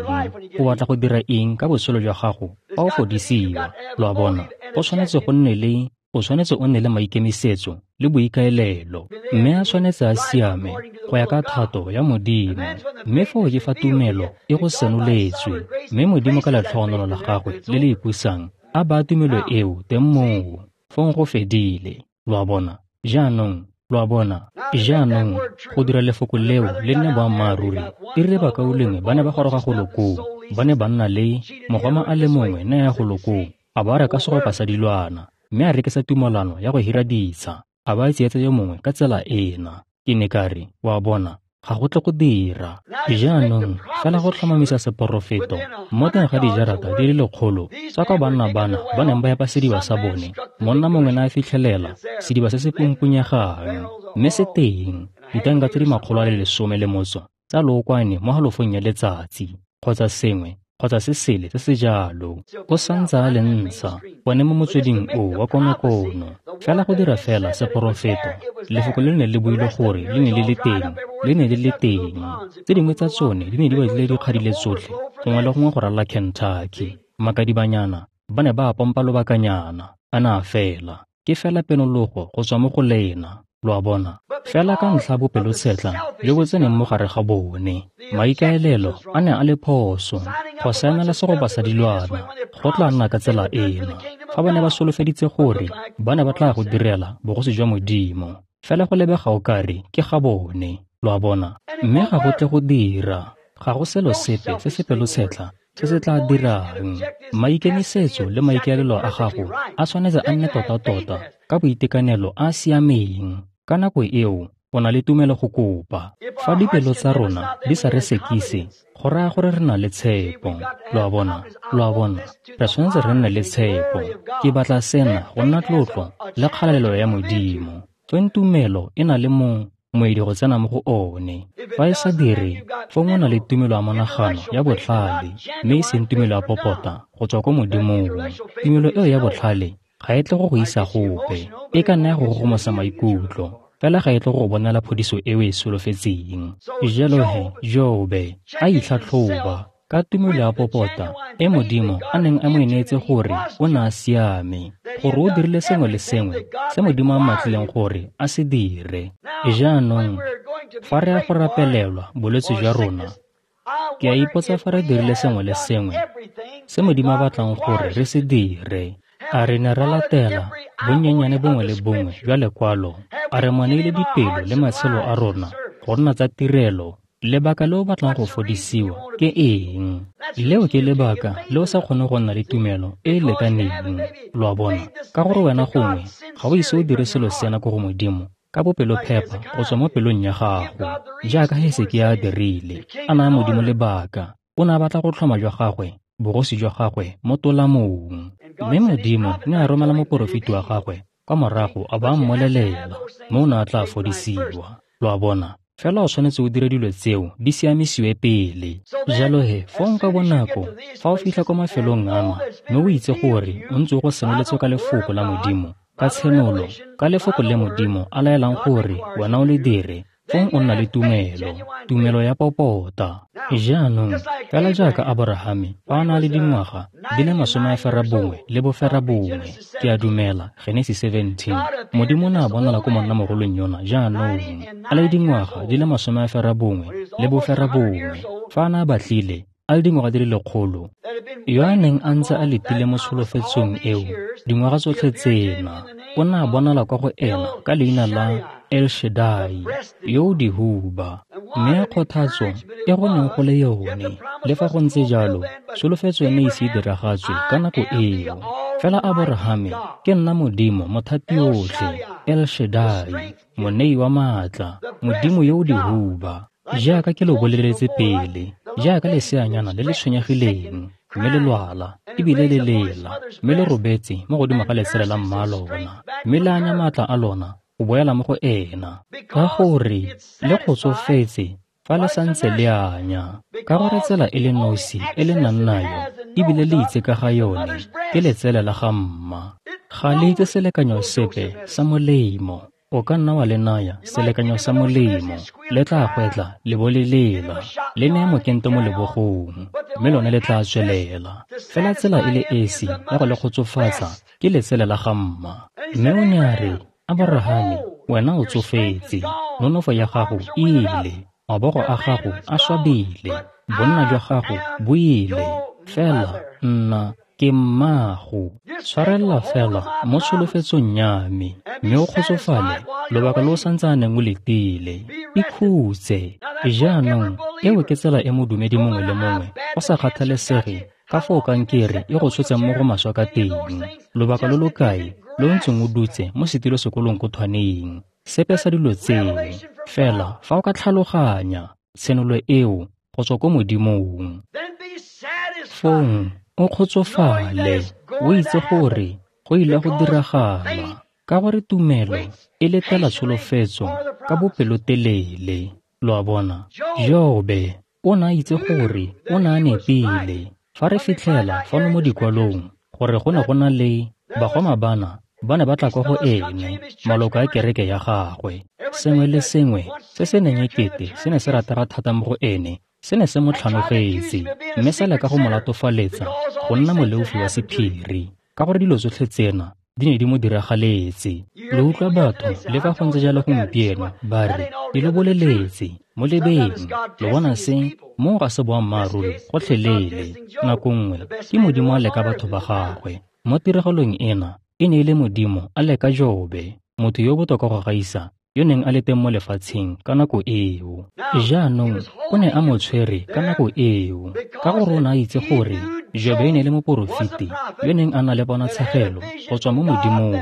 O batla go dira eng ka botshelo jwa gago fa o fodisiwa? Lo a bona, go tshwanetse go nne le o tshwanetse o nne le maikemisetso le boikaelelo, mme a tshwanetse a siame go ya ka thato ya Modimo. Mme foo ke fa tumelo e go senoletswe, mme Modimo ka letlhogonolo la gagwe le le ipusang a baya tumelo eo teng moo. Fong go fedile. Lo a bona jaanong, lo a bona jaanong, go dira lefoko leo le nne boammaaruri. E rile bakaulengwe ba ne ba goroga go lo koo, ba ne ba nna le mogoma a le mongwe ne ya go lo koo, a ba reka segopa sa dilwana, mme a rekisa tumalano ya go hira ditsha, a ba tsietsa yo mongwe ka tsela ena. Ke ne ka re, wa bona, ga go tle go dira. Jaanong, fela go tlhomamisa seporofeto mo teng ga dijarata di le lekgolo tsa kwa banna bana ba neng ba epa sediba sa bone, monna mongwe ne a fitlhelela sediba se se pumpunyegang, mme se teng ditanka tse di makgolo a le lesome le motso tsa lookwane mo halofong ya letsatsi, kgotsa sengwe kgotsa se sele se se jalo. O santse a le ntsha gone mo motsweding o wa konokono. Fela go dira fela seporofeto, lefoko le ne le buile gore le ne le le teng, le ne le le teng. Tse dingwe tsa tsone di ne di batlile di kgadile tsotlhe gongwe le gongwe go ralala Kentucky. Makadibanyana ba ne ba a pompa lobakanyana, a ne a fela. Ke fela penologo go tswa mo go lena. Lo a bona, fela ka ntlha bopelotshetlha jo bo tseneng mo gare ga bone, maikaelelo a ne a le phoso. Go saenela segopa sa dilwana go tla nna ka tsela ena. Fa ba ne ba solofeditse gore ba ne ba tla go direla bogosi jwa Modimo, fela go lebega o kare ke ga bone. Lo a bona, mme ga go tle go dira. Ga go selo sepe se se pelotshetlha se se tla dirang. Maikemisetso le maikaelelo a gago a tshwanetse a nne tota-tota ka boitekanelo a siameng. Ka nako eo, o na le tumelo go kopa. Fa dipelo tsa rona di sa re sekise, go raya gore re na le tshepo. Lo a bona, lo a bona, re tshwanetse re nne le tshepo. Ke batla sena go nna tlotlo le kgalalelo ya Modimo. Fong tumelo e na le mo moedi go tsena mo go one. Fa e sa dire, fong o na le tumelo ya monagano ya botlhale, mme e seng tumelo ya popota go tswa ko Modimong. Tumelo eo ya botlhale ga e tle go go isa gope, e ka nna ya go gogomosa maikutlo, fela ga e tle go bonela phodiso eo e solofetseng. Jalo he, Jobe a itlhatlhoba ka tumelo ya popota e Modimo a neng a mo e neetse gore o ne a siame, gore o dirile sengwe le sengwe se Modimo a mmatlileng gore a se dire. Jaanong, fa re ya go rapelelwa bolwetse jwa rona, ke a ipotsa fa re dirile sengwe le sengwe se Modimo a batlang gore re se dire. A re ne ra latela bonnyenyane bongwe le bongwe jwa lekwalo? A re mo neile dipelo le matshelo a rona go nna tsa tirelo? Lebaka le o batlang go fodisiwa ke eng? Leo ke lebaka le o sa kgone go nna le tumelo e e lekaneng. Lo a bona, ka gore wena gongwe ga o ise o dire selo sena ko go Modimo ka bopelophepa go tswa mo pelong ya gago, jaaka Hesekia a dirile, a naya Modimo lebaka. O ne a batla go tlhoma jwa gagwe bogosi jwa gagwe mo tolamong. Mme Modimo ne a romela moporofeti wa gagwe kwa morago a ba a mmolelela mme o ne a tla fodisiwa. Lo a bona? Fela o tshwanetse o dire dilo tseo di siamisiwe pele. Jalo he, fong ka bonako fa o fitlha kwa mafelong ana mme o itse gore o ntse o go senoletswe ka lefoko la Modimo, ka tshenolo, ka lefoko le Modimo a laelang gore wena o le dire, fong o nna le tumelo, tumelo ya popota. Jaanong, fela jaaka Aborahame fa a na le dingwaga di le masome a ferabongwe le boferabongwe, ke a dumela, Genesis seventeen, Modimo o ne a bonala ko monnamogolong yona jaanong, a le dingwaga di le masome a ferabongwe le boferabongwe, fa a ne a batlile a le dingwaga di le lekgolo, yo a neng a ntse a letile mo tsholofetsong eo dingwaga tsotlhe tsena, o ne a bonala kwa go ena ka leina la El Shaddai, yo o dihuba. Mme kgothatso e go neng go le yone, le fa go ntse jalo, tsholofetso e ne ise e diragatswe ka nako eo. Fela Aborahame, ke nna Modimo Mothatiotlhe, El Shaddai, monei wa maatla, Modimo yo o dihuba. Jaaka ke lo boleletse pele, jaaka leseanyana le le tshwenyegileng, mme le lwala, ebile le lela, mme le robetse mo godimo ga letsele la mma lona, mme le anya maatla a lona go boela mo go ena, ka gore le kgotsofetse fa le santse le anya, ka gore tsela e le nosi e le nang nayo ebile le itse ka ga yone ke letsele la ga mma. Ga le itse selekanyo sepe sa molemo. O ka nna wa le naya selekanyo sa molemo, le tla gwetla le bo le lela, le neye mokento mo lebogong, mme lone le tla tswelela. Fela tsela e le esi ya go le kgotsofatsa ke letsele la ga mma. Mme o ne a re, Aborahame, wena o tsofetse, nonofo ya gago e ile, mabogo a gago a swabile, bonna jwa gago bo ile, fela nna ke mmago. Tshwarelela fela mo tsholofetsong ya me, mme o kgotsofale lobaka lo o santsaneng o letile. Ikhutse. Jaanong, eo ke tsela e modumedi mongwe le mongwe, go sa kgathalesege ka foo kankere e go tshotseng mo go maswe ka teng, lobaka lo lo kae lo ntseng o dutse mo setilosekolong ko thwaneng, sepe sa dilo tseo. Fela fa o ka tlhaloganya tshenolo eo go tswa ko Modimong, fong o kgotsofale, o itse gore go ile go diragala, ka gore tumelo e letela tsholofetso ka bopelotelele. Lo a bona? Jobe o ne a itse gore o ne a nepile. Fa re fitlhela fano mo dikwalong gore go ne go na le bagoma bana ba ne ba tla kwa go ene, maloko a kereke ya gagwe, sengwe le sengwe se se neng ekete se ne se ratega thata mo go ene, se ne se mo tlhanogetse, mme sa leka go mo latofaletsa go nna moleofi wa sephiri, ka gore dilo tsotlhe tsena di ne di mo diragaletse. Le utlwa batho le fa go ntse jalo gompieno ba re, di lo boleletse, mo lebeng, lo bona se, moo ga se boammaaruri gotlhelele. Nako nngwe ke Modimo a leka batho ba gagwe. Mo tiragalong ena e ne e le Modimo a leka Jobe, motho yo botoka go gaisa yo neng a le teng mo lefatsheng ka nako eo. Jaanong o ne a mo tshwere ka nako eo, ka gore o ne a itse gore Jobe e ne e le moporofeti yo neng a na le ponatshegelo go tswa mo Modimong,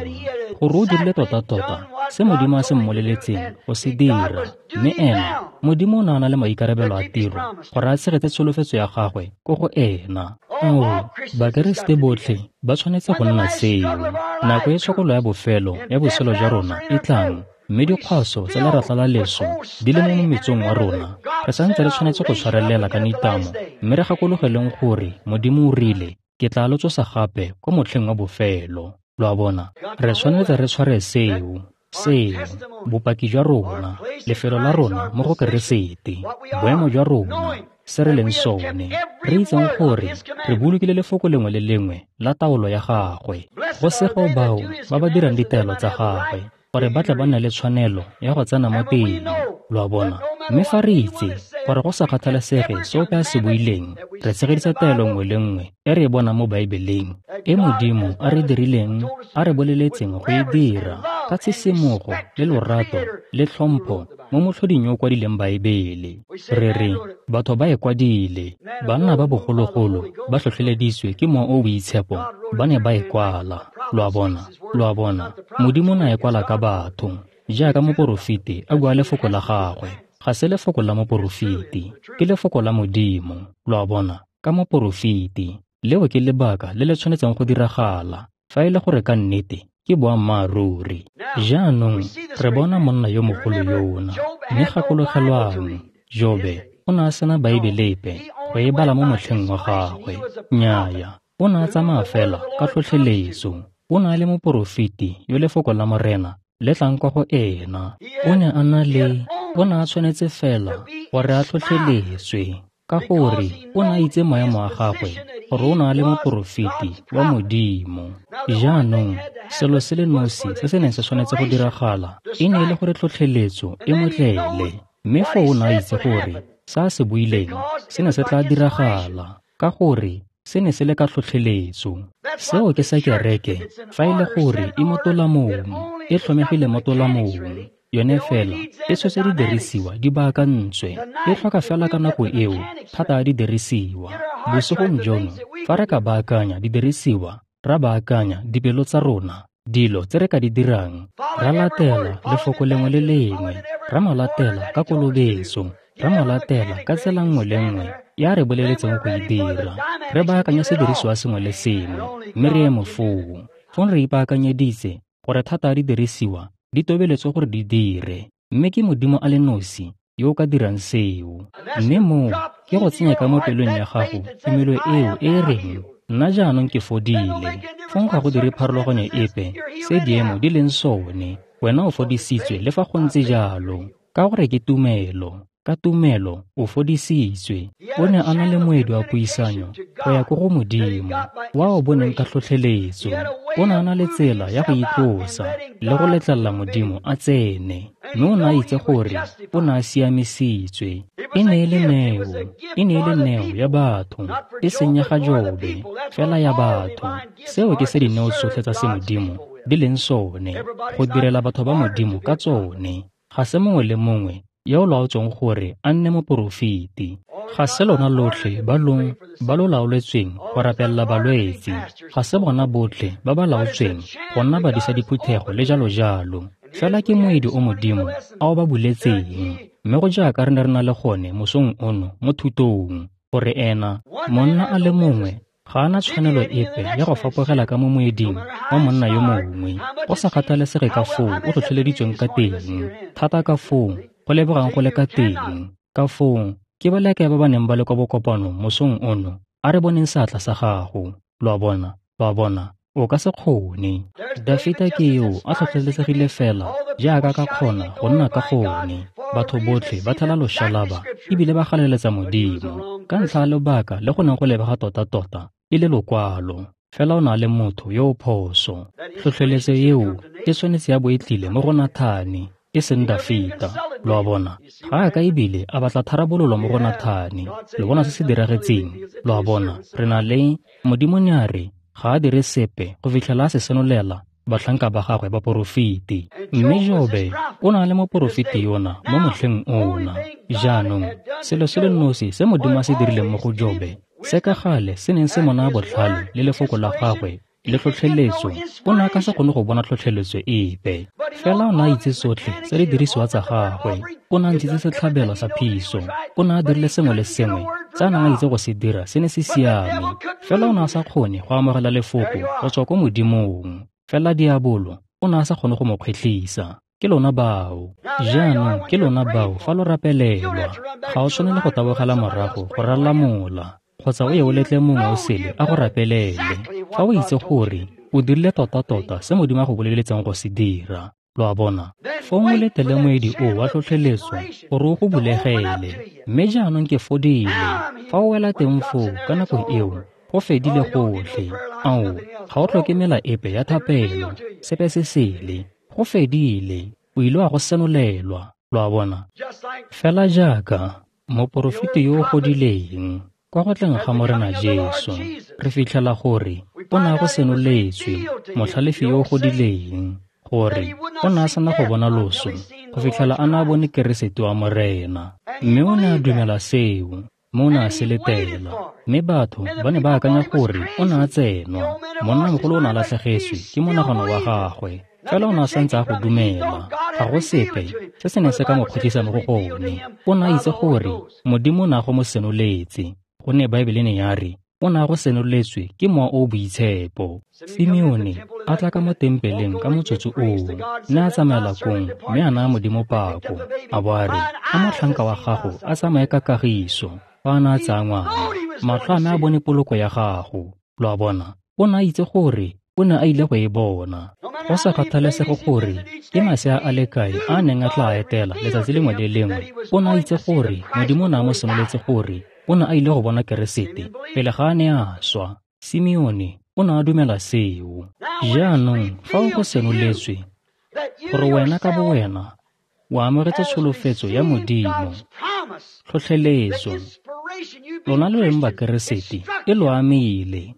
gore o dirile tota-tota se Modimo a se mmoleletseng go se dira. Mme ena, Modimo o ne a na le maikarabelo a tiro gore a tshegetse tsholofetso ya gagwe ko go ena. Ao, Bakeresete botlhe ba tshwanetse go nna seo. Nako e tshokolo ya bofelo ya botshelo jwa rona e tlang, mme dikgwaso tsa leratla la leso di le mo mometsong wa rona, re santse re tshwanetse go tshwarelela ka nitamo, mme re gakologeleng gore Modimo o rile, ke tla lo tsosa gape kwa motlheng wa bofelo. Lo a bona? Re tshwanetse re tshware seo, seo, bopaki jwa rona, lefelo la rona mo go Keresete, boemo jwa rona, se re leng sone, re itseng gore re bolokile lefoko lengwe le lengwe la taolo ya gagwe. Go sego bao ba ba dirang ditaelo tsa gagwe, gore ba tle ba nne le tshwanelo ya go tsena mo teng. Lo a bona? Mme fa re itse gore go sa kgathalesege se ope a se buileng, re tshegedisa taelo nngwe le nngwe e re e bonang mo Baebeleng, e Modimo a re dirileng, a re boleletseng go e dira, ka tshisimogo le lorato le tlhompho mo motlhoding yo o kwadileng Baebele. Re re, batho ba e kwadile, banna ba bogologolo ba tlhotlheleditswe ke Mowa o o Boitshepo, ba ne ba e kwala. Lo a bona? Lo a bona? Modimo o ne a e kwala ka batho, jaaka moporofeti a bua lefoko la gagwe. Ga se lefoko la moporofeti, ke lefoko la Modimo. Lo a bona? ka moporofeti. Leo ke lebaka le le tshwanetseng go diragala, fa e le gore ka nnete ke boammaaruri. Jaanong re bona monna yo mogolo yona, mme gakologelwang, Jobe o ne a sena Baebele epe go e bala mo motlheng wa gagwe. Nnyaya, o ne a tsamaya fela ka tlhotlheletso. O ne a le moporofeti yo lefoko la Morena le tlang kwa go ena. O ne a na le, o ne a tshwanetse fela gore a tlhotlheletswe, ka gore o ne a itse maemo a gagwe gore o ne a le moporofeti wa Modimo. Jaanong, selo se le nosi se se neng se tshwanetse go diragala e ne e le gore tlhotlheletso e mo tlele, mme foo o ne a itse gore se a se buileng se ne se tla diragala, ka gore se ne se le ka tlhotlheletso. Seo ke sa kereke, fa e le gore e mo tolamong, e tlhomegile mo tolamong, yone fela e tshotse didirisiwa di baakantswe, e tlhoka fela ka nako eo thata ya didirisiwa. Bosigong jono, fa re ka baakanya didirisiwa, ra baakanya dipelo tsa rona, dilo tse re ka di dirang, ra latela lefoko lengwe le lengwe, ra mo latela ka kolobetso, ra mo latela ka tsela nngwe le nngwe ya re boleletseng go e dira, re baakanya sedirisiwa sengwe le sengwe, mme re eme foo. Fong re ipaakanyeditse gore thata ya didirisiwa di tobeletswe gore di dire, mme ke Modimo a le nosi yo o ka dirang seo. Mme moo ke go tsenya ka mo pelong ya gago tumelo eo e e reng, nna jaanong ke fodile. Fong ga go dire pharologanyo epe se diemo di leng sone, wena o fodisitswe le fa go ntse jalo, ka gore ke tumelo. Ka tumelo o fodisitswe. O ne a na le moedi wa puisanyo go ya ko go Modimo, wa o boneng ka tlhotlheletso. O ne a na le tsela ya go itlosa le go letlelela Modimo a tsene, mme o ne a itse gore o ne a siamisitswe. E ne e le neo, e ne e le neo ya batho, e seng ya ga Jobe, fela ya batho. Seo ke se dineo tsotlhe tsa semodimo di leng sone, go direla batho ba Modimo ka tsone. Ga se mongwe le mongwe yo o laotsweng gore a nne moporofeti. Ga se lona lotlhe ba lo ba lo laoletsweng go rapelela balwetse. Ga se bona botlhe ba ba laotsweng go nna badisa diphuthego le jalo jalo. Fela ke moedi o Modimo a o ba buletseng. Mme go jaaka re ne re na le gone mosong ono mo thutong, gore ena monna a le mongwe ga a na tshwanelo epe ya go fapogela ka mo moeding wa monna yo mongwe, go sa kgathalesege ka foo o tlhotlheleditsweng ka teng, thata ka foo go lebegang go le ka teng. Ka foo ke ba leke ba ba neng ba le kwa bokopanong mosong ono, a re boneng seatla sa gago. Lo a bona, lo a bona, o ka se kgone. Dafita ke yo a tlhotlheletsegile fela jaaka ka kgona go nna ka gone. Batho botlhe ba thela loshalaba ebile ba galeletsa Modimo ka ntlha ya lebaka le go neng go lebega tota-tota e le lokwalo. Fela o na le motho yo o phoso. Tlhotlheletso eo e tshwanetse ya bo e tlile mo go Nathane, e seng Dafita. Lo a bona, ga a ka ebile a batla tharabololo mo go Nathane. Lo bona se se diragetseng. Lo a bona, re na le Modimo ne a re ga a dire sepe go fitlhela a se senolela batlhanka ba gagwe ba porofeti. Mme Jobe o na le moporofeti yona mo motlheng ona. Jaanong selo se le nosi se Modimo a se dirileng mo go Jobe, se ka gale se neng se mo naya botlhale le lefoko la gagwe le tlhotlheletso, o ne a ka se kgone go bona tlhotlheletso epe. Fela o ne a itse tsotlhe tse di dirisiwa tsa gagwe. O ne a ntshitse setlhabelo sa phiso. O ne a dirile sengwe le sengwe tse a neng a itse go se dira se ne se siame. Fela o ne a sa kgone go amogela lefoko go tswa ko Modimong. Fela diabolo o ne a sa kgone go mo kgwetlhisa. Ke lona bao. Jaanong ke lona bao fa lo rapelelwa. Ga o tshwanele go tabogela morago go ralala mola, kgotsa o ye o letle mongwe o sele a go rapelele. Fa o itse gore o dirile tota-tota se Modimo a go boleletseng go se dira. Lo a bona, fong o letele moedi o wa tlhotlheletso gore o go bulegele. Mme jaanong ke fodile. Fa o wela teng foo ka nako eo, go fedile gotlhe. Ao, ga o tlhoke mela epe ya thapelo, sepe se sele. Go fedile, o ile wa go senolelwa. Lo a bona, fela jaaka moporofeti yo o godileng kwa go tleng ga Morena Jesu, re fitlhela gore o ne a go senoletswe, motlhalefi yo o godileng, gore o ne a sena go bona loso go fitlhela a ne a bone Keresete wa Morena. Mme o ne a dumela seo, mme o ne a se letela. Mme batho ba ne ba akanya gore o ne a tsenwa. Monnamogolo o ne a latlhegetswe ke monagano wa gagwe, fela o ne a santse a go dumela. Ga go sepe se se neng se ka mo kgotlisa mo go gone. O ne a itse gore Modimo o ne a go mo senoletse. Gonne Baebele ne ya re o ne a go senoletswe ke Mowa o o Boitshepo. Simeone a tla ka mo tempeleng ka motsotso oo, ne a tsamaela kong mme a naya Modimo pako, a bo a re, a motlhanka wa gago a tsamaye ka kagiso, fa a ne a tsaya ngwana. Matlho a me a bone poloko ya gago. Lo a bona, o ne a itse gore o ne a ile go e bona. Go sa kgathalesege gore ke masea a le kae a a neng a tla etela letsatsi lengwe le lengwe, o ne a itse gore Modimo o ne a mo senoletse gore o ne a ile go bona Keresete pele ga a ne a swa. Simeone o ne a dumela seo. Jaanong fa o go senoletswe gore wena ka bowena o amogetse tsholofetso ya Modimo, tlhotlheletso, lona lo leng Bakeresete e lo amile.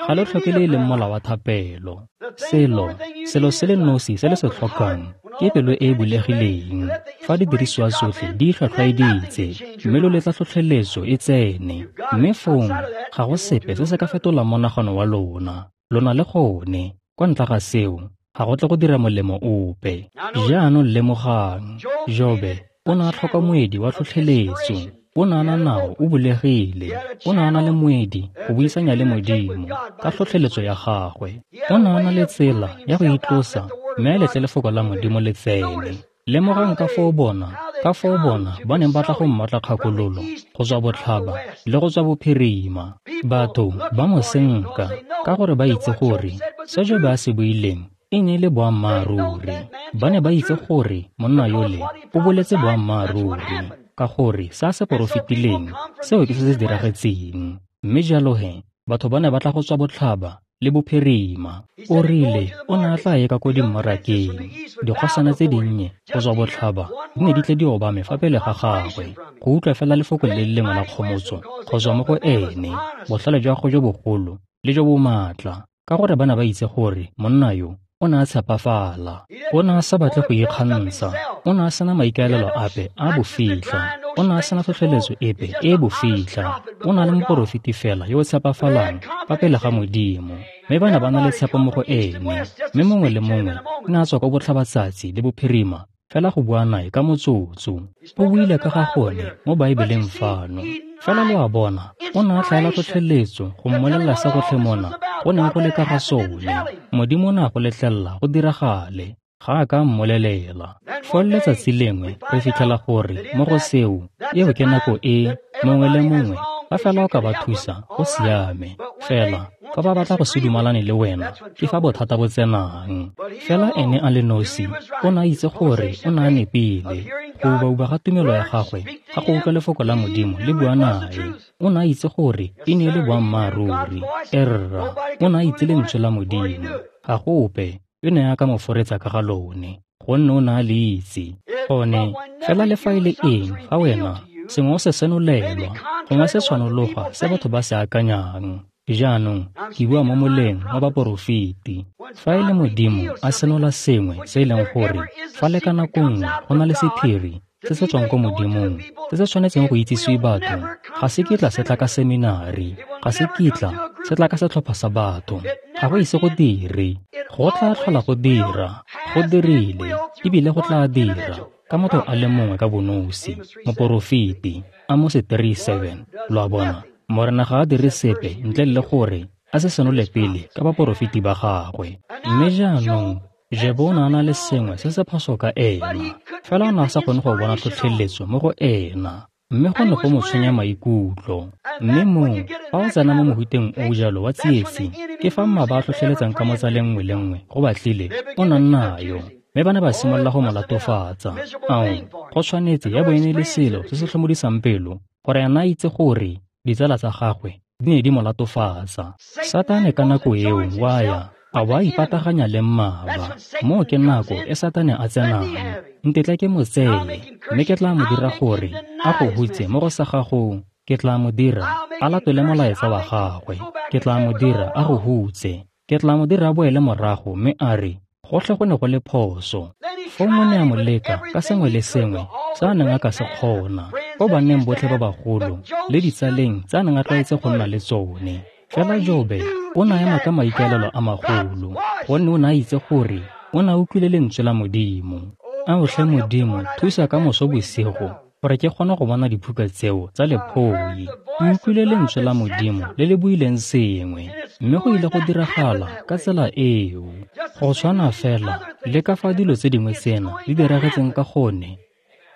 Ga lo tlhoke le e leng mola wa thapelo. Selo, selo se le nosi se le se tlhokang ke pelo e e bulegileng. Fa didirisiwa tsotlhe di itlhwatlhwaeditse mme lo letla tlhotlheletso e tsene, mme fong ga go sepe se se ka fetolang monagano wa lona. Lo na le gone. Kwa ntle ga seo, ga go tle go dira molemo ope. Jaanong lemogang, Jobe o ne a tlhoka moedi wa tlhotlheletso. O ne a na nao o bulegile. O ne a na le moedi go buisanya le Modimo ka tlhotlheletso ya gagwe. O ne a na le tsela ya go itlosa mme a letle lefoko la Modimo le tsene. Lemogang ka foo bona, ka foo bona ba neng ba tla go mmatla kgakololo go tswa botlhaba le go tswa bophirima. Batho ba mo senka ka gore ba itse gore se Jobe a se buileng e ne e le boammaaruri. Ba ne ba itse gore monna yole o boletse boammaaruri, ka gore se a se porofetileng seo ke se se diragetseng. Mme jalo he, batho ba ne ba tla go tswa botlhaba le bophirima. O rile o ne a tla ye ka ko dimmarakeng. Dikgosana tse dinnye go tswa botlhaba di ne di tle di obame fa pele ga gagwe go utlwa fela lefoko le le lengwe la kgomotso go tswa mo go ene, botlhale jwa gagwe jo bogolo le jo bo maatla, ka gore ba ne ba itse gore monna yo o ne a tshepafala. O ne a sa batle go ikgantsha. O ne a sena maikaelelo ape a bofitlha. O ne a sena tlhotlheletso epe e e bofitlha. O ne a le moporofeti fela yo o tshepafalang fa pele ga Modimo. Mme ba ne ba na le tshepo mo go ene. Mme mongwe le mongwe o ne a tswa kwa botlhabatsatsi le bophirima fela go bua nae ka motsotso. O buile ka ga gone mo Baebeleng fano. Fela lo a bona, o ne a tlhaela tlhotlheletso go mmolelela se gotlhe mona go neng go le ka ga sone. Modimo o ne a go letlelela go diragale. Ga a ka mmolelela. Foo letsatsi lengwe re fitlhela gore mo go seo, eo ke nako e mongwe le mongwe fa fela o ka ba thusa go siame. Fela fa ba batla go se dumalane le wena, ke fa bothata bo tsenang. Fela ene a le nosi o ne a itse gore o ne a nepile. Go ubauba ga tumelo ya gagwe ga go utlwa lefoko la Modimo le bua nae. O ne a itse gore e ne e le boammaaruri. Erra, o ne a itse lentswe la Modimo. Ga go ope yo ne a ka mo foretsa ka ga lone, gonne o ne a le itse. Gone, fela le fa e le eng fa wena sengwe o se senolelwa, gongwe se tshwanologa se batho ba se akanyang. Jaanong ke bua mo moleng wa baporofeti. Fa e le Modimo a senola sengwe se e leng gore fa le ka nako nngwe go na le sephiri se se tswang ko Modimong se se tshwanetseng go itsisiwe batho, ga se kitla se tla ka seminari, ga se kitla se tla ka setlhopha sa batho, ga go ise go dire. Go tla tlhola go dira, go dirile, ebile go tla dira ka motho a le mongwe ka bonosi, moporofeti. Amose three seven. Lo a bona, Morena ga a dire sepe ntle le gore a se senole pele ka baporofeti ba gagwe. Mme jaanong Jobe o ne a na le sengwe se se phoso ka ena, fela o ne a sa kgone go bona tlhotlheletso mo go ena, mme go ne go mo tshwenya maikutlo. Mme moo, fa o tsena mo mohuteng o jalo wa tsietsi, ke fa mmaba a tlhotlheletsang ka mo tsaleng nngwe le nngwe go batlile o nang nayo. Mme ba ne ba simolola go mo latofatsa. Ao, go tshwanetse ya bo e ne le selo se se tlhomodisang pelo gore ena a itse gore ditsala tsa gagwe di ne di mo latofatsa. Satane ka nako eo wa ya a bo a ipataganya le mmaba. Moo ke nako e Satane a tsenang. Ntetla ke mo tseye, mme ke tla mo dira gore a go hutse mo go sa gago. Ke tla mo dira a latole molaetsa wa gagwe. Ke tla mo dira a go hutse. Ke tla mo dira a boele morago mme a re gotlhe go ne go le phoso. Foo mo ne a mo leka ka sengwe le sengwe se a neng a ka se kgona, ko banneng botlhe ba bagolo le ditsaleng tse a neng a tlwaetse go nna le tsone. Fela Jobe o ne a ema ka maikaelelo a magolo, gonne o ne a itse gore o ne a utlwile lentswe la Modimo. Ao tlhe Modimo, thusa ka moso bosigo gore ke kgone go bona diphuka tseo tsa lephoi. Ke utlwile lentswe la Modimo le le buileng sengwe, mme go ile go diragala ka tsela eo. Go tshwana fela le ka fa dilo tse dingwe tsena di diragetseng ka gone,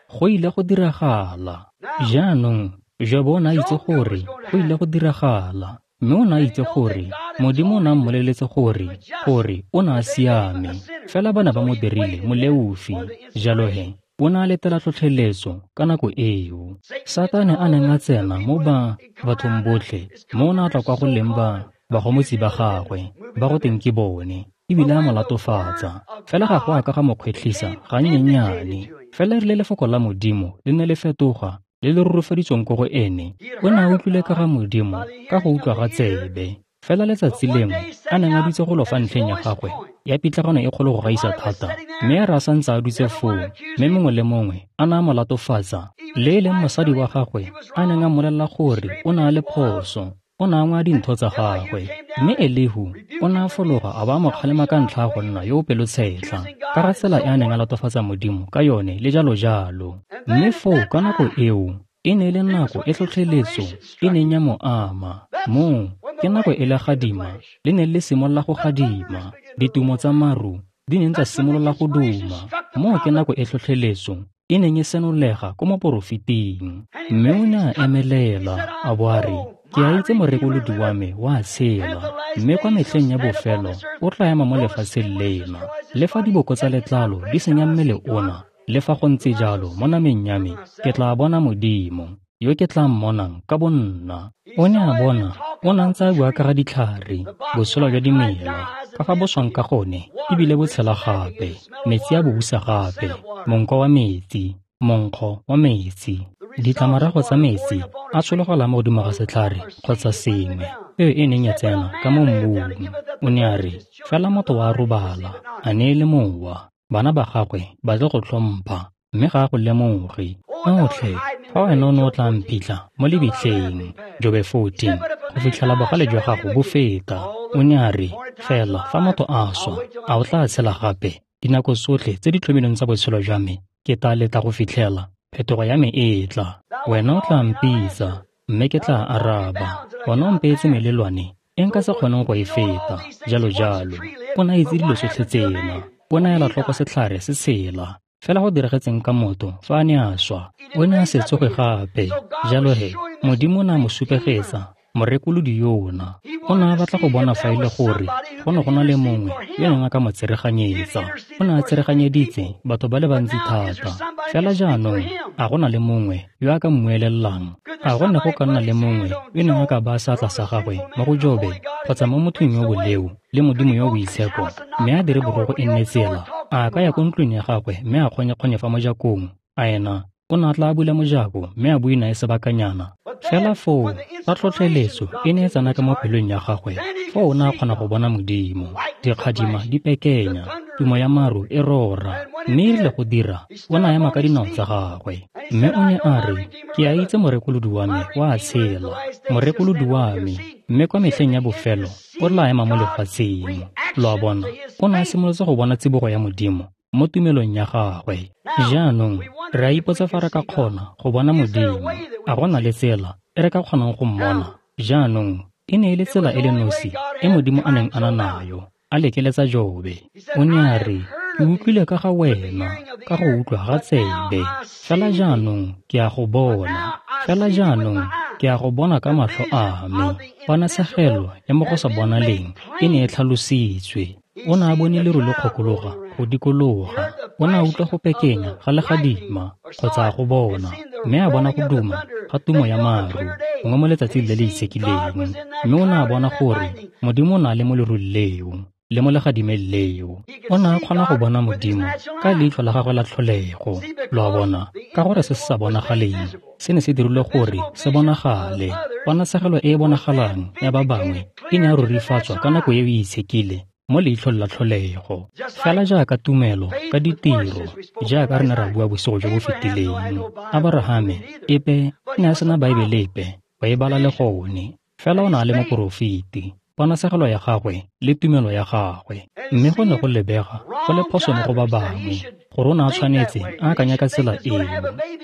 go ile go diragala. Jaanong Jobo o ne a itse gore go ile go diragala, mme o ne a itse gore Modimo o ne a mmoleletse gore gore o ne a siame, fela ba ne ba mo dirile moleofi. Jalo he o ne a letela tlhotlheletso ka nako eo. Satane a neng a tsena mo ba bathong botlhe, mo o ne a tla kwa go leng ba bagomotsi ba gagwe ba go teng ke bone, ebile a mo latofatsa. Fela ga go a ka ga mo kgwetlhisa gannyennyane. Fela erile lefoko la Modimo le ne le fetoga le le rurifaditsweng ko go ene, o ne a utlwile ka ga Modimo ka go utlwa ga tsebe. Fela letsatsi lengwe a neng a dutse golo fa ntlheng ya gagwe ya pitlagano e kgolo go gaisa thata, mme a re a santse a dutse foo, mme mongwe le mongwe a ne a mo latofatsa, le e leng mosadi wa gagwe a neng a mmolelela gore o ne a le phoso, o ne a ngwaya dintho tsa gagwe. Mme Elihu o ne a fologa a ba a mo kgalema ka ntlha ya go nna yo o pelotshetlha, ka ga tsela e a neng a latofatsa Modimo ka yone le jalo jalo. Mme foo ka nako eo e ne e le nako e tlhotlheletso e neng ya mo ama. Moo ke nako e le gadima le ne le simolola go gadima, ditumo tsa maru di neng tsa simolola go duma. Moo ke nako e tlhotlheletso e neng e senolega ko moporofeting. Mme o ne a emelela a bo a re, ke a itse morekolodi wa me wa tshela, mme kwa metlheng ya bofelo o tla ema mo lefatsheng lena. Le fa diboko tsa letlalo di senya mmele ona, le fa go ntse jalo mo nameng ya me ke tla bona Modimo, yo ke tla mmonang ka bonna. O ne a bona, o ne a ntse a bua ka ga ditlhare, botshelo jwa dimela, ka fa bo swang ka gone, ebile bo tshela gape, metsi a bo busa gape, monko wa metsi, monkgo wa metsi, ditlamorago tsa metsi a tshologela mo godimo ga setlhare kgotsa sengwe, peo e neng ya tsena ka mo mmung. O ne a re, fela motho wa robala, a ne e le mowa, bana ba gagwe ba tle go tlhompha, mme ga a go lemoge. Otlhe, fa wena o ne o tla mphitlha mo lebitleng, Jobe fourteen, go fitlhela bogale jwa gago bo feta. O ne a re, fela fa motho a swa, a o tla tshela gape? Dinako tsotlhe tse di tlhomilweng tsa botshelo jwa me, ke tla letla go fitlhela phetogo ya me e tla. Wena o tla mpitsa, mme ke tla araba. Wena o mpeetse melelwane e nka se kgoneng go e feta, jalo jalo. O ne a itse dilo tsotlhe tsena. O ne a ela tlhoko setlhare se tshela. Fela go diragetseng ka motho fa a ne a swa, o ne a se tsoge gape. Jalo he, Modimo o ne a mo supegetsa morekolodi yona. O ne a batla go bona fa e le gore go ne go na le mongwe yo neng a ka mo tsereganyetsa. O ne a tsereganyeditse batho ba le bantsi thata. Fela jaanong a go na le mongwe yo a ka mmuelelelang? A go ne go ka nna le mongwe yo neng a ka baya seatla sa gagwe mo go Jobe kgotsa mo mothong yo boleo le Modimo yo boitshepo, mme a dire borogo e nne tsela? A ka ya ko ntlong ya gagwe mme a kgonye-kgonye fa mojakong? A ena o ne a tla bula mojako mme a bue nae sebakanyana? Fela foo fa tlhotlheletso e ne e tsena ka mo pelong ya gagwe, foo o ne a kgona go bona Modimo. Dikgadima di pekenya, tumo ya maru e rora, mme e rile go dira, o ne a ema ka dinao tsa gagwe. Mme o ne a re, ke a itse morekolodi wa me wa tshela, morekolodi wa me, mme kwa metlheng ya bofelo o tla ema mo lefatsheng. Lo a bona, o ne a simolotse go bona tsibogo ya Modimo mo tumelong ya gagwe. Jaanong re a ipotsa fa re ka kgona go bona Modimo. A go na le tsela e re ka kgonang go mmona? Jaanong e ne e le tsela e le nosi e Modimo a neng a na nayo, a lekeletsa Jobe. O ne a re, ke utlwile ka ga wena ka go utlwa ga tsebe, fela jaanong ke a go bona, fela jaanong ke a go bona ka matlho a me. Ponatshegelo ya mo go sa bonaleng e ne e tlhalositswe. O ne a bone leru le kgokologa go dikologa, o ne a utlwa go pekenya ga legadima kgotsa a go bona, mme a bona go duma ga tumo ya maru gongwe mo letsatsing le le itshekileng. Mme o ne a bona gore Modimo o ne a le mo lerung leo le mo legadimeng leo. O ne a kgona go bona Modimo ka leitlho la gagwe la tlholego. Lo a bona, ka gore se se sa bonagaleng se ne se dirilwe gore se bonagale. Ponatshegelo e e bonagalang ya ba bangwe e ne ya rurifatswa ka nako eo e itshekile mo leitlhong la tlholego. Fela jaaka tumelo ka ditiro, jaaka re ne ra bua bosigo jo bo fetileng, Aborahame epe ne a sena Baebele epe go e bala le gone, fela o ne a le moporofeti. Ponatshegelo ya gagwe le tumelo ya gagwe. Mme go ne go lebega go le phoso mo go ba bangwe gore o ne a tshwanetse a akanya ka tsela eo,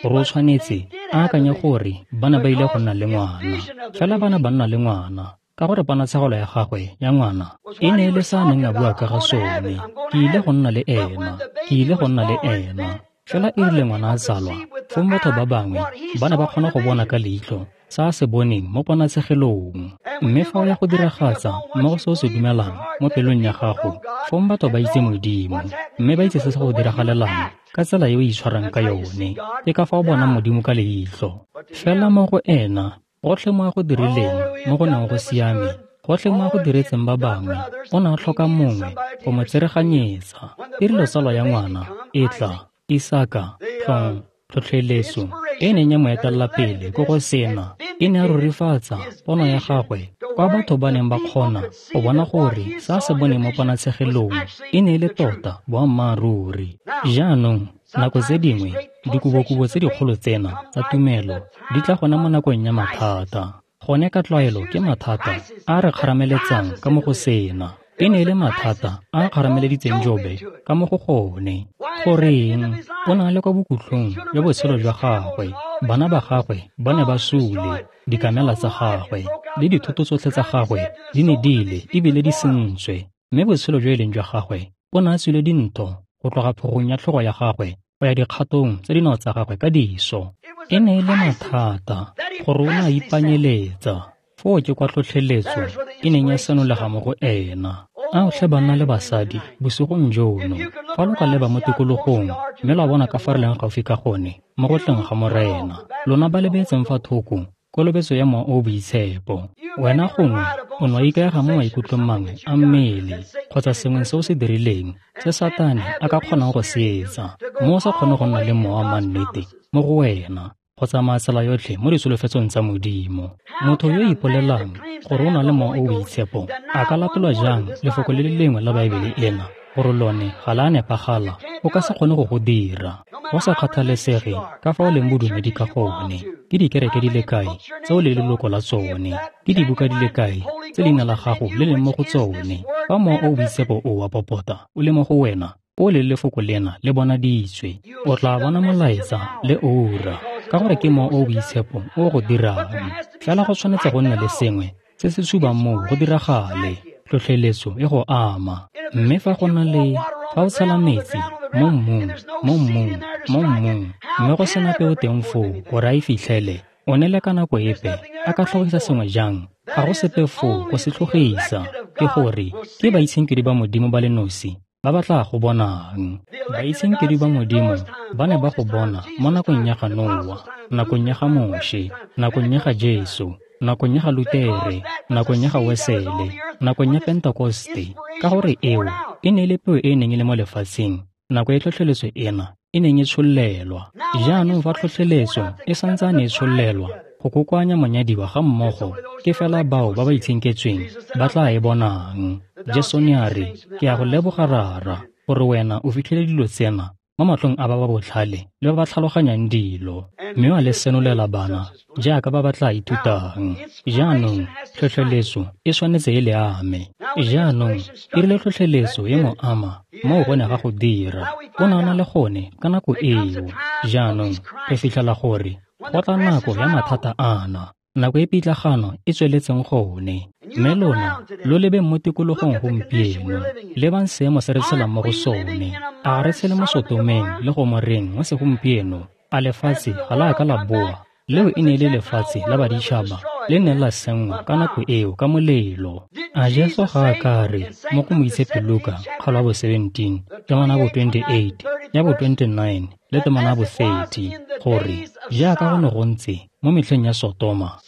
gore o tshwanetse a akanye gore ba ne ba ile go nna le ngwana. Fela ba ne ba nna le ngwana ka gore ponatshegelo ya gagwe ya ngwana e ne e le sa a neng a bua ka ga sone. Ke ile go nna le ena, ke ile go nna le ena. Fela e rile ngwana a tsalwa, fong batho ba bangwe ba ne ba kgona go bona ka leitlho sa a se boneng mo ponatshegelong. Mme fa o ya go diragatsa mo go se o se dumelang mo pelong ya gago, fong batho ba itse Modimo, mme ba itse se se go diragalelang ka tsela e o itshwarang ka yone. Ke ka fa o bonang Modimo ka leitlho. Fela mo go ena, gotlhe mo a go dirileng mo go neng go siame, gotlhe mo a go diretseng ba bangwe, o ne a tlhoka mongwe go mo tsereganyetsa. E rile tsalo ya ngwana e tla, Isaka, tlong, tlhotlheletso e neng ya mo etelela pele ko go sena, e ne a rurifatsa pono ya gagwe kwa batho ba neng ba kgona go bona gore sa se boneng mo ponatshegelong e ne e le tota boammaaruri. Jaanong, nako tse dingwe dikobokobo tse dikgolo tsena tsa tumelo di tla gona mo nakong ya mathata. Gone ka tlwaelo ke mathata a re kgarameletsang ka mo go sena. E ne e le mathata a a kgarameleditseng Jobe ka mo go gone. Goreng? O ne a le kwa bokhutlong jwa botshelo jwa gagwe. Bana ba gagwe ba ne ba sule, dikamela tsa gagwe le dithoto tsotlhe tsa gagwe di ne di ile ebile di sentswe. Mme botshelo jo e leng jwa gagwe o ne a tswile dintho go tloga phogong ya tlhogo ya gagwe go ya dikgatong tse dinao tsa gagwe ka diso. E ne e le mathata gore o ne a ipanyeletsa. Foo ke kwa tlhotlheletso e neng ya senolega mo go ena. A otlhe banna le basadi bosigong jono, fa lo ka leba mo tikologong mme lwa bona ka fa re leng gaufi ka gone mo go tleng ga Morena, lona ba lebetseng fa thoko kolobetso ya Mowa o o Boitshepo. Wena gongwe o ne wa ikaega mo maikutlong mangwe a mmele kgotsa sengwe se o se dirileng se Satane a ka kgonang go se etsa, mo o sa kgone go nna le mowa wa mannete mo go wena go tsamaya tsela yotlhe mo ditsholofetsong tsa Modimo. Motho yo o ipolelang gore o na le Mowa o o Boitshepo a ka latolwa jang lefoko le le lengwe la Baebele ena gore lone ga la nepagala? O ka se kgone go go dira. Go sa kgathalesege ka fa o leng bodumedi ka gone, ke dikereke di le kae tse o le leloko la tsone, ke dibuka di le kae tse leina la gago le leng mo go tsone, fa Mowa o o Boitshepo o wa popota o le mo go wena, o le lefoko lena le bonaditswe, o tla bona molaetsa le oura, ka gore ke Mowa o o Boitshepo o go dirang. Fela go tshwanetse go nna le sengwe se se tshubang moo go diragale, tlhotlheletso e go ama. Mme fa go na le, fa o tshela metsi mo mmung, mo mmung, mo mmung, mme go sena peo teng foo gore a e fitlhele, o ne le ka nako epe a ka tlhogisa sengwe jang? Ga go sepe foo go se tlhogisa. Ke gore ke baitshenkedi ba Modimo ba le nosi ba ba tla go bonang. Baitshenkedi ba Modimo ba ne ba go bona mo nakong ya ga Noa, nakong ya ga Moshe, nakong ya ga Jesu, nakong ya ga Lutere, nakong ya ga Wesele, nakong ya Pentekoste, ka gore eo e ne e le peo e e neng e le mo lefatsheng nako e tlhotlheletso ena e neng e tshollelwa. Jaanong fa tlhotlheletso e santsane e tshollelwa go kokoanya monyadiwa ga mmogo, ke fela bao ba ba itshenketsweng ba tla e bonang. Jesu ne a re, ke a go leboga Rara gore wena o fitlhele dilo tsena mo matlhong a ba ba botlhale le ba ba tlhaloganyang dilo, mme wa le senolela bana jaaka ba ba tla ithutang. Jaanong tlhotlheletso e tshwanetse e le ame. Jaanong e rile tlhotlheletso e mo ama moo go ne ga go dira, o ne a na le gone ka nako eo. Jaanong re fitlhela gore go tla nako ya mathata ana, nako e pitlagano e tsweletseng gone. Mme lona lo lebeng mo tikologong gompieno, lebang seemo se re tshelang mo go sone. A re tshele mo Sotomeng le Gomoreng mo segompieno? A lefatshe ga la ka la boa? Leo e ne e le lefatshe la baditšhaba le neng la senngwa ka nako eo ka molelo. A Jesu ga a ka re mo go Moitshepi Luka kgaolo ya bo seventeen, temana ya bo twenty-eight, ya bo twenty-nine le temana ya bo thirty gore jaaka go ne go ntse mo metlheng ya Sotoma,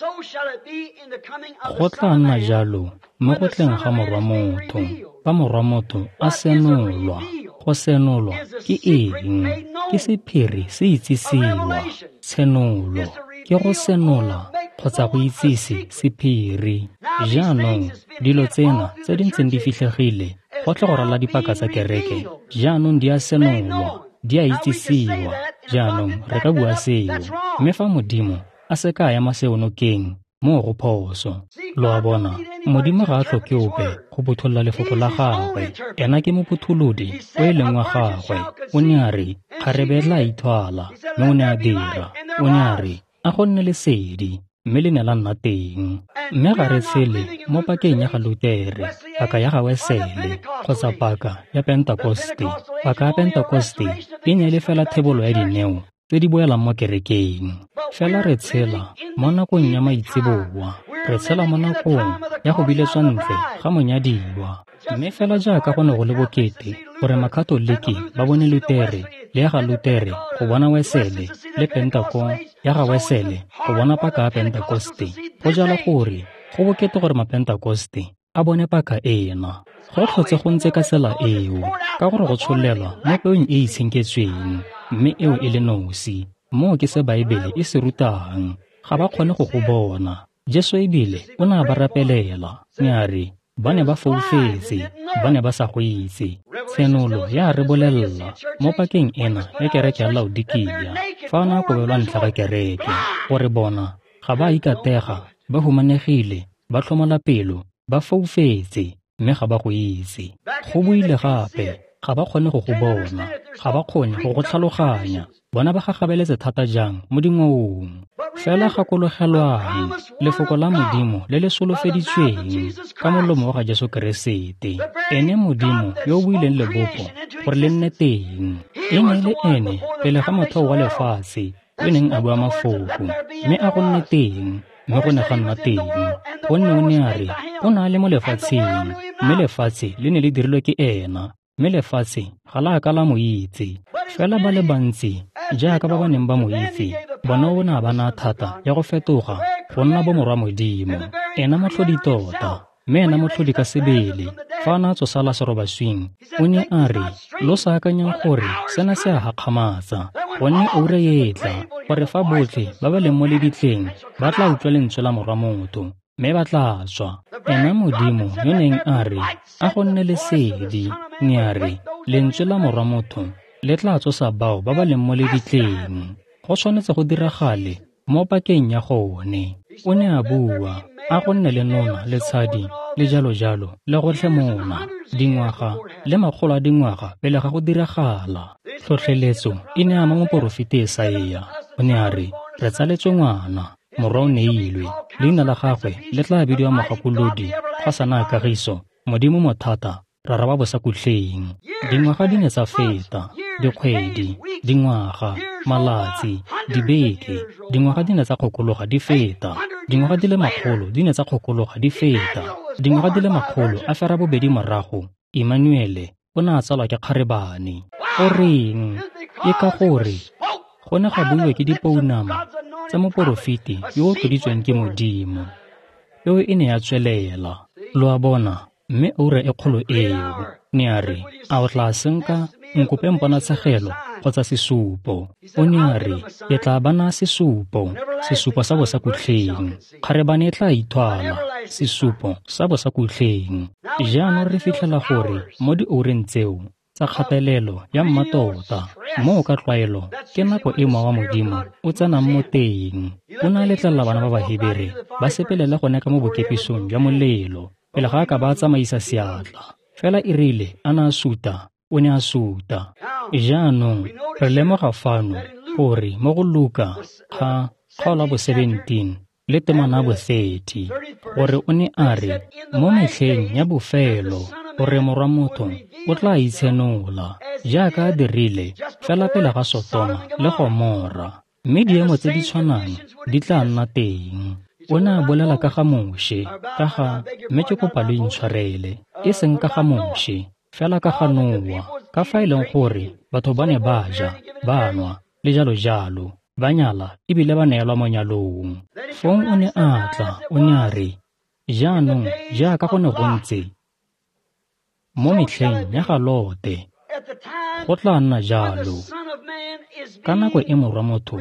go tla nna jalo mo go tleng ga Morwa Motho. Fa Morwa Motho a senolwa, go senolwa ke eng? Ke sephiri se itsisiwa. Tshenolo ke go senola kgotsa go itsise sephiri. Jaanong dilo tsena tse di ntseng di fitlhegile gotlhe go ralala dipaka tsa kereke jaanong di a senolwa, di a itsisiwa. Jaanong re ka bua seo. Mme fa Modimo a se ka a ema seo nokeng Moo go phoso. Lo a bona, Modimo ga a tlhoke ope go phuthulola lefoko la gagwe. Ena ke mophutholodi o e leng wa gagwe. O ne a re, kgarebe e tla ithwala, mme o ne a dira. O ne a re, a go nne lesedi, mme le ne la nna teng. Mme ga re tshele mo pakeng ya ga Lutere, paka ya ga Wesele, kgotsa paka ya Pentekoste. Paka ya Pentekoste e ne e le fela thebolo ya dineo tse di boelang mo kerekeng. Fela re tshela mo nakong ya maitseboa, re tshela mo nakong ya go biletswa ntle ga monyadiwa. Mme fela jaaka go ne go le bokete gore Makatoliki ba bone Lutere le ya ga Lutere go bona Wesele le Pentekoste ya ga Wesele go bona paka ya Pentekoste, go jalo gore go bokete gore Mapentekoste a bone paka ena. Go tlhotse go ntse ka tsela eo, ka gore go tsholelwa mo peong e e itshenketsweng, mme eo e le nosi. Moo ke se Baebele e se rutang. Ga ba kgone go go bona. Jesu ebile o ne a ba rapelela, ne a re ba ne ba foufetse, ba ne ba sa go itse. Tshenolo ya re bolelela mo pakeng ena ya kereke ya Laodikia, fa a ne a kobelwa ntlha ga kereke, gore bona ga ba ikatega, ba humanegile, ba tlhomola pelo, ba foufetse, mme ga ba go itse. Go buile gape, ga ba kgone go go bona, ga ba kgone go go tlhaloganya. Bona ba gagabeletse thata jang mo dingwaong. Fela gakologelwang lefoko la Modimo le le solofeditsweng ka molomo wa ga Jesu Keresete, ene Modimo yo o buileng lebopo gore le nne teng. E ne e le ene pele ga motheo wa lefatshe yo neng a bua mafoko, mme a go nne teng, mme go ne ga nna teng. Gonne o ne a re o ne a le mo lefatsheng, mme lefatshe le ne le dirilwe ke ena, mme lefatshe ga la ka la mo itse. Fela ba le bantsi jaaka ba ba neng ba mo itse, bona o ne a ba naya thata ya go fetoga go nna bomorwa Modimo. Ena motlhodi tota, mme ena motlhodi ka sebele. Fa a ne a tsosa Lasaro baswing, o ne a re, lo sa akanyang gore sena se a gakgamatsa, gonne oura e tla gore fa botlhe ba ba leng mo lebitleng ba tla utlwa lentswe la Morwa Motho, mme ba tla tswa. Ena Modimo yo neng a re, a go nne lesedi, ne a re, lentswe la Morwa Motho le tla tsosa bao ba ba leng mo lebitleng. Go tshwanetse go diragale mo pakeng ya gone. O ne a bua, a go nne le nona le tshadi le jalo jalo le gotlhe mona, dingwaga le makgolo a dingwaga pele ga go diragala. Tlhotlheletso e ne ama moporofeti Esaia. O ne a re, re tsaletswe ngwana, morwa o neilwe, leina la gagwe le tla bidiwa Mogakolodi, Kgosana ya Kagiso, Modimo Mothata, Rara wa Bosakhutleng. Dingwaga di ne tsa feta, dikgwedi, dingwaga, malatsi, dibeke, dingwaga di ne tsa kgokologa di feta, dingwaga di le makgolo di ne tsa kgokologa di feta, dingwaga di le makgolo a fera bobedi morago, Emmanuele o ne a tsalwa ke kgarebane. Goreng? Ke ka gore go ne ga buiwa ke dipounama tsa moporofeti yo o tloditsweng ke Modimo. Peo e ne ya tswelela. Lo a bona, mme oura e kgolo eo, ne a re, a o tla senka nkope mponatshegelo kgotsa sesupo? O ne a re, ke tla ba naya sesupo, sesupo sa bosakhutleng. Kgarebane e tla ithwala, sesupo sa bosakhutleng. Jaanong re fitlhela gore mo dioureng tseo tsa kgatelelo ya mmatota, moo ka tlwaelo ke nako e mowa wa Modimo o tsenang mo teng. O ne a letlelela bana ba Bahebere ba sepelele gone ka mo bokepisong jwa molelo pele ga a ka ba tsamaisa seatla. Fela e rile a ne a suta, o ne a suta. Jaanong re lemoga fano gore mo go Luka ga kgaolo ya bo seventeen le temana ya bo thirty, gore o ne a re mo metlheng ya bofelo gore Morwa Motho o tla itshenola jaaka a dirile fela pele ga Sotoma le Gomora, mme diemo tse di tshwanang di tla nna teng. O ne a bolela ka ga Moshe, ka ga, mme ke kopa lo intshwarele, e seng ka ga Moshe, fela ka ga Noa, ka fa e leng gore batho ba ne ba ja, ba nwa, le jalo jalo, ba nyala ebile ba neelwa mo nyalong. Fong o ne a tla, o ne a re, jaanong jaaka go ne go ntse mo metlheng ya ga Lote, go tla nna jalo ka nako e Morwa Motho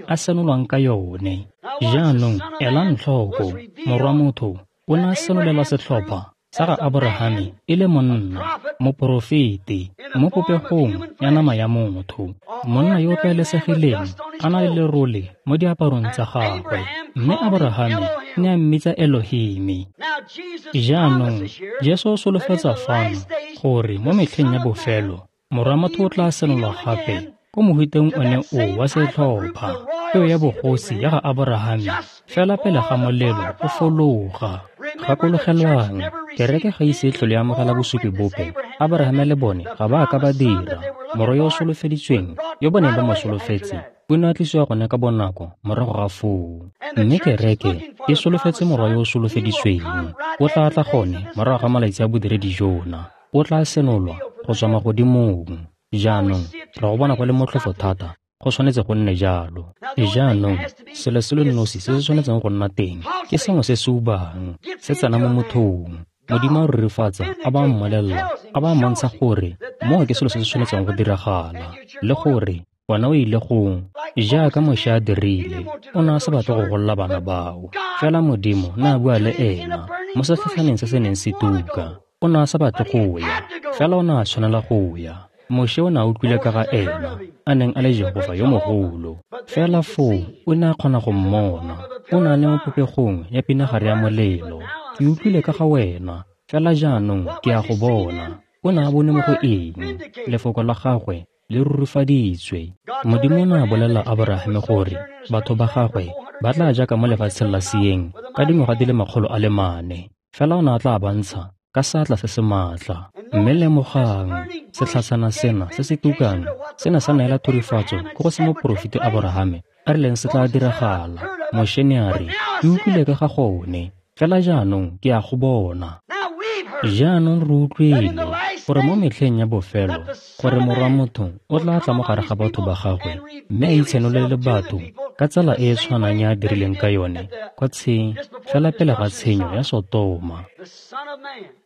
a senolwang ka yone. Jaanong elang tlhoko, Morwa Motho o ne a senolelwa setlhopha sa ga Aborahame e le monna, moporofeti, mo popegong ya nama ya motho, monna yo o tlwaelesegileng a na le lerole mo diaparong tsa gagwe. Mme Aborahame ne a mmitsa Elohimi. Jaanong Jesu o solofetsa fano gore mo metlheng ya bofelo Morwa motho o tla senolwa gape ko mohuteng one o wa setlhopha, peo ya bogosi ya ga Aborahame, fela pele ga molelo o fologa. Gakologelwang, kereke ga ise e tlhole e amogela bosupi bope. Aborahame le bone ga ba a ka ba dira. Morwa yo o solofeditsweng, yo ba neng ba mo solofetse, o ne a tlisiwa gone ka bonako morago ga foo. Mme kereke e solofetse morwa yo o solofeditsweng. O tla tla gone morago ga malatsi a bodiredi jona. O tla senolwa go tswa magodimong. Jaanong re go bona go le motlhofo thata, go tshwanetse go nne jalo. Jaanong selo se le nosi se se tshwanetseng go nna teng ke sengwe se se ubang, se tsena mo mothong. Modimo a rurifatsa, a ba mmolelela, a ba mmontsha gore moo ke selo se se tshwanetseng go diragala, le gore wena o ile go jaaka Moshe a dirile. O ne a sa batle go golola bana bao, fela Modimo ne a bua le ena mo setlhatlhaneng se se neng se tuka. O ne a sa batle go ya, fela o ne a tshwanela go ya. Moshe o ne a utlwile ka ga ena, a neng a le Jehofa yo mogolo. Fela foo o ne a kgona go mmona. O ne a le mo popegong ya pinagare ya molelo. Ke utlwile ka ga wena, fela jaanong ke a go bona. O ne a bone mo go eng? Lefoko la gagwe le rurifaditswe. Modimo o ne a bolelela Aborahame gore batho ba gagwe ba tla jaaka mo lefatsheng la seeng ka dingwaga di le makgolo a le mane. Fela o ne a tla ba ntsha ka seatla se se maatla. Mme lemogang, setlhatshana sena se se tukang se ne sa neela thurifatso ko go se moporofeti Aborahame a rileng se tla diragala. Moshe ne a re, ke utlwile ka ga gone, fela jaanong ke a go bona. Jaanong re utlwile gore mo metlheng ya bofelo gore Morwa motho o tla tla mo gare ga batho ba gagwe mme a itshenolele batho ka tsela e e tshwanang ya a dirileng ka yone kwa tsheng fela pele ga tshenyo ya Sotoma.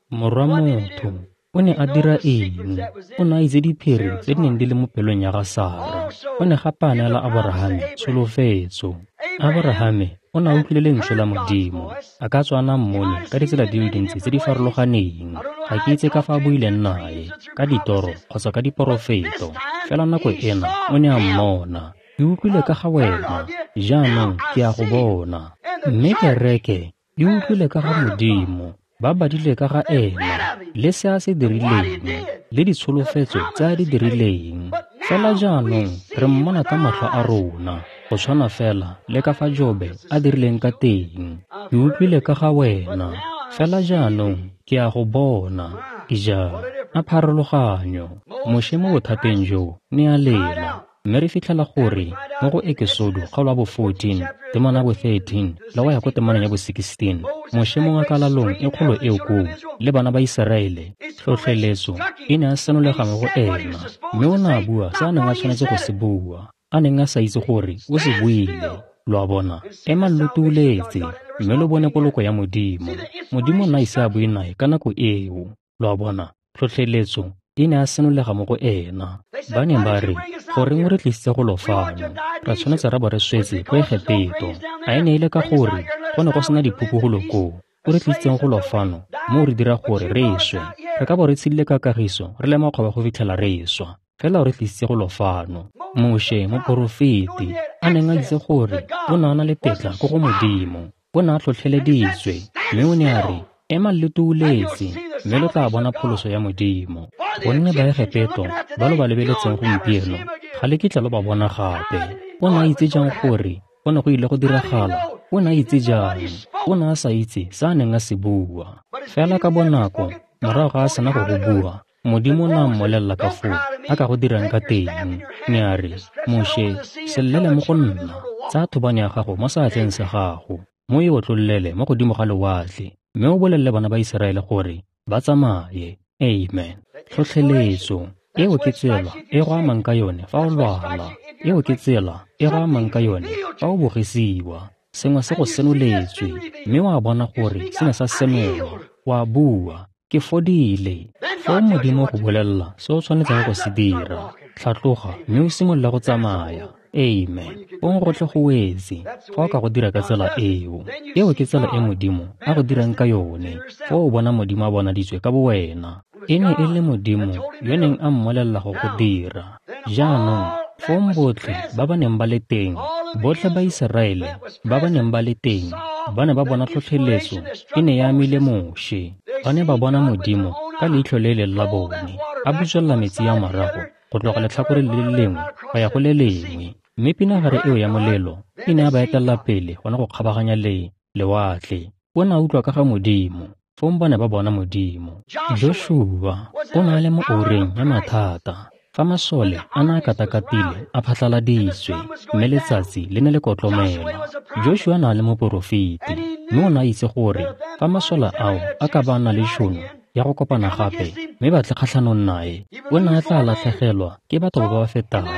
Morwa motho o ne a dira eng? O ne a itse diphiri tse di neng di le mo pelong ya ga Sara. O ne gape a neela Aborahame tsholofetso. Aborahame o ne a utlwile lentswe la Modimo. A ka tswa a na mmone ka ditsela di le dintsi tse di farologaneng. Ga ke itse ka fa a buileng nae, ka ditoro kgotsa ka diporofeto. Fela nako ena o ne a mmona. Ke utlwile ka ga wena, jaanong ke a go bona. Mme kereke e utlwile ka ga Modimo. Ba badile ka ga ena, le se a se dirileng, le ditsholofetso tse a di dirileng. Fela jaanong re mmona ka matlho a rona, go tshwana fela le ka fa Jobe a dirileng ka teng. Ke utlwile ka ga wena, fela jaanong ke a go bona. Ija, a pharologanyo. Moshe mo bothateng jo ne a lela. Mme re fitlhela gore mo go Ekesodo kgaolo ya bo fourteen, temana ya bo thirteen le go ya ko temaneng ya bo sixteen, Moshe mo ngakalalong e kgolo eo koo le bana ba Iseraele, tlhotlheletso e ne a senolega mo go ena, mme o ne a bua se a neng a tshwanetse go se bua, a neng a sa itse gore o se buile. Lo a bona, emang lo tuuletse mme lo bone poloko ya Modimo. Modimo o ne a ise a bue nae ka nako eo. Lo a bona, tlhotlheletso e ne a senolega mo go ena. Ba ne ba re, goreng o re tlisitse go lo fano? Re tshwanetse ra bo re swetse ko Egepeto. A e ne e le ka gore go ne go sena diphupu golo koo? O re tlisitseng go lo fano mo re dira gore re swe. Re ka bo re tshedile ka kagiso re le makgoba go fitlhela re swa. Fela o re tlisitse go lo fano. Moshe moporofeti a neng a itse gore o ne a na le tetla ko go Modimo, o ne a tlhotlheleditswe, mme o ne a re, emang le tuuletse mme lo tla bona pholoso ya Modimo. Gonne Baegepeto ba lo ba lebeletseng gompieno ga le kitla lo ba bona gape. O ne a itse jang gore go ne go ile go diragala? O ne a itse jang? O ne a sa itse se a neng a se bua. Fela ka bonako morago ga a sena go go bua, Modimo o ne a mmolelela ka foo a ka go dirang ka teng. Ne a re, Moshe, se llele mo go nna. Tsaya thobane ya gago mo seatleng sa gago, mo e otlollele mo godimo ga lewatle, mme o bolelele bana ba Iseraele gore ba tsamaye. Amen. Tlhotlheletso eo ke tsela e go amang ka yone fa o lwala. Eo ke tsela e go amang ka yone fa o bogisiwa. Sengwe se go senoletswe, mme wa bona gore se ne sa senolwa. Wa bua, ke fodile. Foo Modimo go bolelela se o tshwanetseng go se dira. Tlhatloga mme o simolola go tsamaya. Amen. Fong gotlhe go wetse fa o ka go dira ka tsela eo. Eo ke tsela e Modimo a go dirang ka yone. Fa o bona Modimo a bonaditswe ka bowena. E ne e le Modimo yo neng a mmolelela go go dira. Jaanong fong botlhe ba ba neng ba le teng Botlhe ba Iseraele ba ba neng ba le teng ba ne ba bona tlhotlheletso e ne ya amile Moshe. Ba ne ba bona Modimo ka leitlho le leng la bone a butswelela metsi a morago go tloga letlhakoreng le le lengwe go ya go le lengwe, mme pinagare eo ya molelo e ne ya ba etelela pele gone go kgabaganya le lewatle. O ne a utlwa ka ga Modimo, fong ba ne ba bona Modimo. Joshua o ne a le mo oureng ya mathata fa masole a ne a katakatile a phatlaladitswe mme letsatsi le ne le kotlomela. Joshua ne a le moporofeti mme o ne a itse gore fa masole ao a ka ba na le tšhono ya go kopana gape mme ba tle kgatlhanong nae, o ne a tla latlhegelwa ke batho ba ba fetang.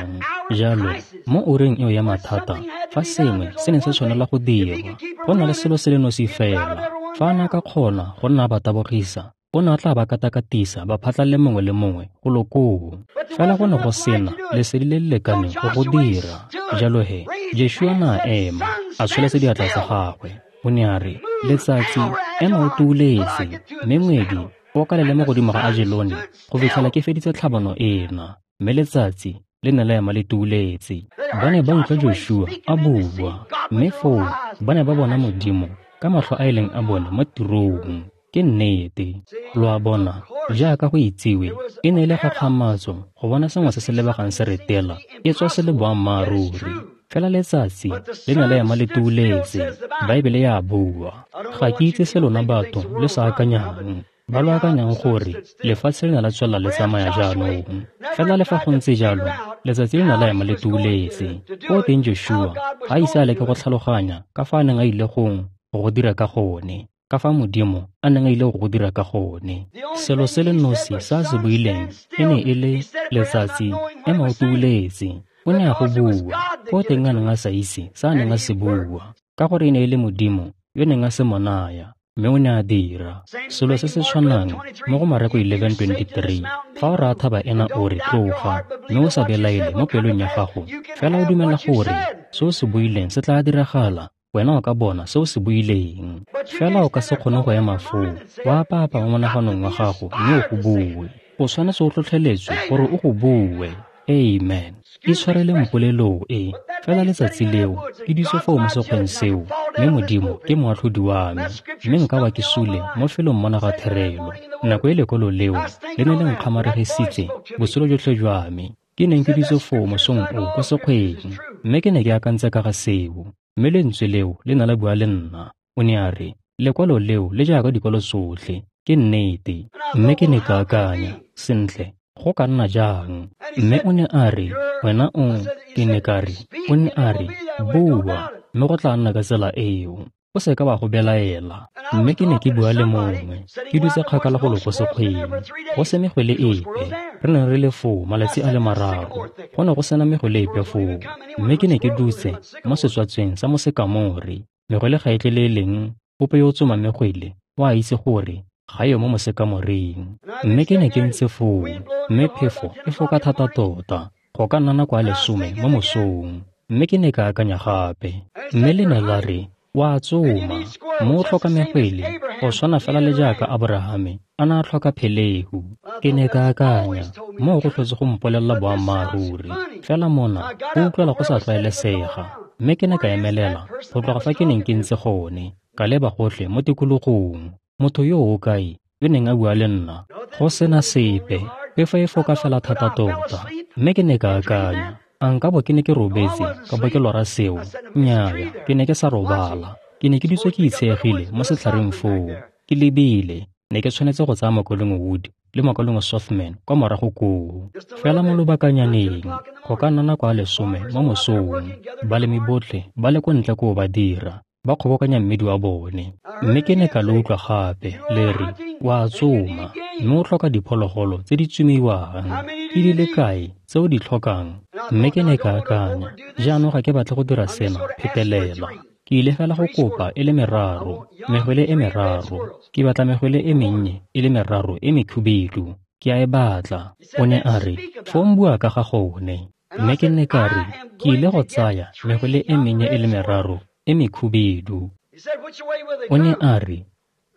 Jalo mo oureng eo ya mathata, fa sengwe se ne se tshwanela go dirwa, go na le selo se le nosi fela. Fa a ne a ka kgona go nna a ba tabogisa, o ne a tla ba katakatisa ba phatlalle mongwe le mongwe go lo koo. Fela go ne go sena lesedi le le lekaneng go go dira. Jalo he, Joshua ne a ema, a tsholetsa diatla tsa gagwe. O ne a re, letsatsi ema o tuuletse, mme ngwedi o kalele mo godimo ga Ajelone go fitlhela ke feditse tlhabano ena. Mme letsatsi le ne la ema le tuuletse. Ba ne ba utlwa Joshua a bua, mme foo ba ne ba bona Modimo ka matlho a e leng a bone mo tirong. Ke nnete. Lo a bona, jaaka go itsiwe, e ne e le kgakgamatso go bona sengwe se se lebegang se retela e tswa se le boammaaruri. Fela letsatsi le ne la ema le tuuletse. Baebele ya bua. Ga ke itse se lona batho le sa akanyang, ba lo akanyang gore lefatshe le ne la tswelela le tsamaya jaanong. Fela le fa go ntse jalo, letsatsi le ne la ema le tuuletse. Ko teng Joshua ga a ise a leke go tlhaloganya ka fa a neng a ile gong go go dira ka gone, ka fa Modimo a neng a ile go go dira ka gone. Selo se le nosi se a se buileng e ne e le letsatsi ema o tuuletse. O ne a go bua, ko teng a neng a sa itse se a neng a se bua, ka gore e ne e le Modimo yo neng a se mo naya, mme o ne a dira. Selo se se tshwanang mo go Mareko eleven twenty-three, fa o raya thaba ena o re tloga, mme o sa belaele mo pelong ya gago, fela o dumela gore se o se buileng se tla diragala, wena o ka bona se o se buileng. Fela o ka se kgone go ema foo, wa apaapa mo monaganong wa gago mme o go bue. O tshwanetse o tlhotlheletswe gore o go bue. Amen. Itshwareleng polelo e, fela letsatsi leo ke dutse foo mo sekgweng seo, mme Modimo ke moatlhodi wa me, mme nka ba ke sule mo felong mona ga therelo. Nako e lekwalo leo le ne le nkgamaregisitse botshelo jotlhe jwa me. Ke neng ke dutse foo mosong o ko sekgweng, mme ke ne ke akantse ka ga seo, mme lentswe leo le ne la bua le nna. O ne a re, lekwalo leo le jaaka dikwalo tsotlhe, ke nnete. Mme ke ne ka akanya, sentle, go ka nna jang? Mme o ne a re, wena o, ke ne ka re, o ne a re, bua, mme go tla nna ka tsela eo. O se ka wa go belaela. Mme ke ne ke bua le mongwe, ke dutse kgakala go lo ko sekgweng, go se megwele epe. Re ne re le foo malatsi a le mararo, go ne go sena megwele epe foo. Mme ke ne ke dutse mo setswatsweng sa mosekamore. Megwele ga e tle le e leng ope yo o tsomang megwele o a itse gore ga yo mo mosekamoreng. Mme ke ne ke ntse foo, mme phefo e foka thata tota, go ka nna nako ya lesome mo mosong. Mme ke ne ka akanya gape, mme le ne la re, wa tsoma, mo o tlhoka megwele, go tshwana fela le jaaka Aborahame a ne a tlhoka phelehu. Ke ne ka akanya, moo go tlhotse go mpolelela boammaaruri, fela mona go utlwela go sa tlwaelesega. Mme ke ne ka emelela go tloga fa ke neng ke ntse gone, ka leba gotlhe mo tikologong. Motho yo o kae yo neng a bua le nna? Go sena sepe, phefo e foka fela thata tota. Mme ke ne ka akanya, a nka bo ke ne ke robetse ka bo ke lora seo? Nnyaa, ke ne ke sa robala. Ke ne ke dutse ke itsheegile mo setlhareng foo, ke lebile. Ne ke tshwanetse go tsaya Mokaulengwe Wood le Mokaulengwe Sothmann kwa morago koo. Fela mo lobakanyaneng, go ka nna nako ya lesome mo mosong, balemi botlhe ba le ko ntle koo ba dira, ba kgobokanya mmidi wa bone. Mme ke ne ka lo utlwa gape le re, wa tsoma, mme o tlhoka diphologolo tse di tsomiwang. Ke di le kae tse o di tlhokang? Mme ke ne ka akanya, jaanong ga ke batle go dira sena phetelela. Ke ile fela go kopa e le meraro, megwele e meraro. Ke batla megwele e mennye e le meraro e mekhubidu. Ke a e batla. O ne a re, fong bua ka ga gone. Mme ke ne ka re, ke ile go tsaya megwele e mennye e le meraro e mekhubidu. O ne a re,